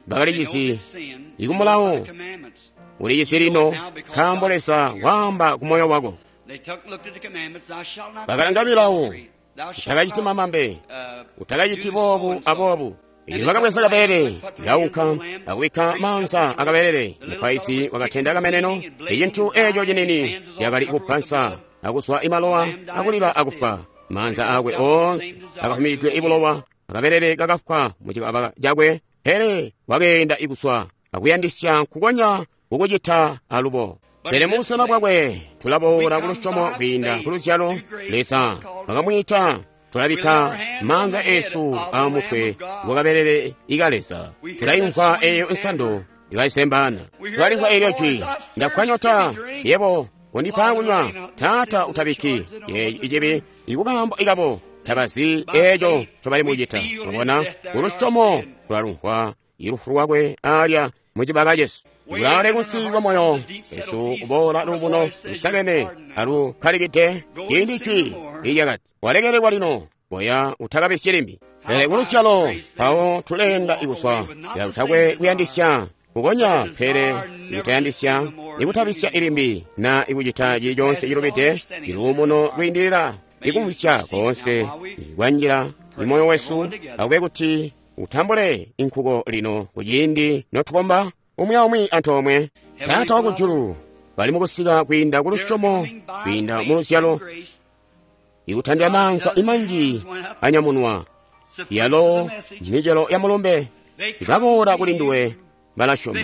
bakalicizi ikumulawo ulicisi lino, nkaambo Leza waamba ku moyo wako. Bakalanga milawo, utakaciti mamambe, utakaciti boobu aboobu. Elyo bakabweza kabelele, kaunka akubikka maanza akabelele. Mupaizi wakatenda kameneno, icintu eco cinini cakali kupansa akuswa imalowa akulila akufa. Maanza akwe oonse akafumidwe ibulowa, akabelele kakafwa mucikaba cakwe, pele wakeenda ikuswa akuyandisya nkukonya kukucita alubo. Pele mubusena bwakwe tulaboola kulusyomo kwiinda kuluzyalo Leza wakamwiita. Tulabikka maanza esu amutwe wakabelele ika Leza. Tulaimvwa eyo nsando ikaisembana. Tulalimvwa eelyo jwi, ndakwanyota yebo kundipa kunywa. Taata utabikki yeeyi icibi ikukaambo ikabo tabazi eeco ncobali mucita. Mwabona, kulusyomo tulalumvwa ilufu lwakwe alya mucibaka cesu. Kulaale kunsi kwa moyo wesu kuboola luumuno lusakene alukkalikide ciindi jwi ilyakati walekelelwa lino, boya utakabisyi limbi. Pele kulusyalo mpawo tuleenda ikuswa yalutakwe kuyandisya kukonya, pele ikutayandisya ikutabisya ilimbi na ikucita cili conse cilubide. Iluumuno lwiindilila ikumvwisya koonse kwanjila imoyo wesu, akube kuti utambule inkuko lino kuciindi notukomba umwi aumwi antoomwe. Taata wakujulu, bali mukusika kwiinda kulusyomo, kwiinda muluzyalo, ikutandila maanza imanji anyamunwa, yalo micelo ya mulumbe ibaboola kuli nduwe balasyoma.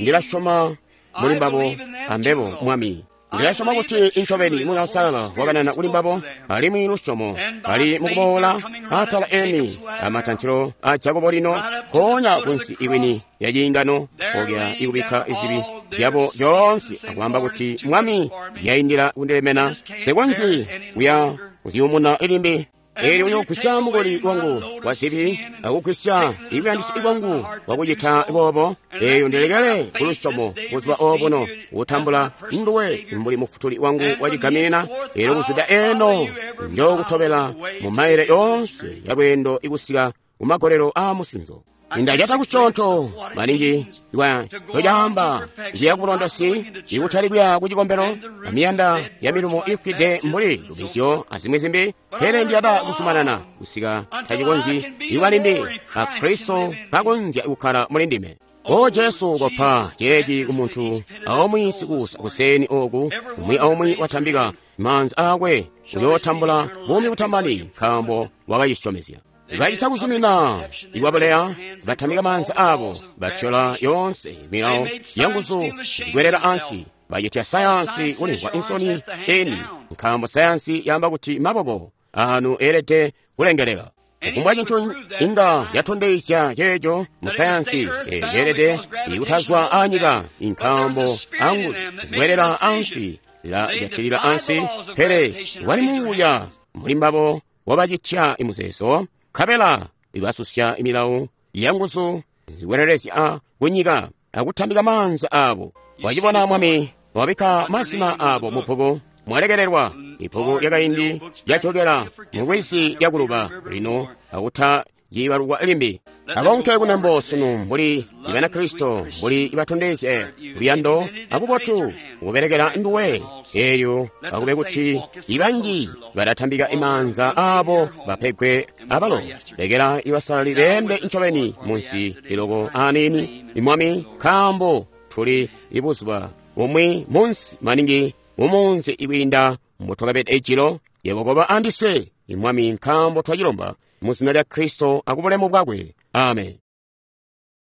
Ndilasyoma muli mbabo ambebo, Mwami. Ndilasyoma kuti incobeni Muuya Uusalala wakanana kuli mbabo, alimwi lusyomo bali mukuboola atala eni amatantilo a Jakobo lino, nkoonya kunsi ikwini ya ciingano, okya ikubikka izibi zyabo zyoonse akwaamba kuti, Mwami, zyaindila kundilemena, nsikonzyi kuya kuziyumuna ilimbi. Eelyo uyoogwisya mukuli wangu wa zibi akugwisya ikuyandisya kwangu kwakucita boobo. Eelyo ndilekele kulusyomo buzuba obuno kutambula nduwe mbuli mufutuli wangu wacigaminina. Eelyo kuzwida eno njookutobela mu maile yoonse ya lweendo ikusika kumagolelo aamusinzo. Ndacata kusyoonto maningi lwa ncocaamba kuya kubulondosi, ikutali kuya ku cikombelo amiyanda ya milumo ifwide mbuli lubizyo azimwi zimbi, pele ndiyanda kuzumanana kusika tacikonzyi ikuba limbi a Kristo kakonzya kukkala muli ndime. O Jesu, kopa ceeci ku muntu aumwi sikuusa kuseni oku, umwi aumwi watambika maanza aakwe uyootambula buumi butamani, nkaambo wakacisyomezya. Bacita kuzumina ikwabuleya, batambika maanza abo, batyola yoonse milawo yanguzu zikwelela ansi, bacitya sayansi kulimvwa insoni eni, nkaambo sayansi yaamba kuti maboko anu eelede kulengelela. Kufumbwa cintu inga yatondezya ceeco mu sayansi ceelede ikutazwa anyika, nkaambo anguzu zikwelela ansi zilajatilila ansi, pele wali muuya muli mbabo wabacitya imuzeezo, nkabela ibasusya imilawo yanguzu zikwelelezya kunyika akutambika maanza abo. Wacibona Mwami, wabikka mazina abo mu bbuku, mwalekelelwa. Ibbuku lyakaindi lyajokela mulwizi lyakuluba lino akutaciibalukwa limbi. Akonke kunembo sunu mbuli Banakristo, mbuli ibatondezye luyando abubotu kubelekela nduwe. Eelyo akube kuti ibanji balatambika imaanza abo bapegwe abalo. Lekela ibasalali beende ncobeni munsi liloko aniini, Mwami, nkaambo tuli ibuzuba bumwi munsi maningi mumunzi ikwiinda mbotwakabede ijilo. Yebo koba andiswe, Mwami, nkaambo twacilomba mu zina lya Kristo akubulemu bwakwe. Amen.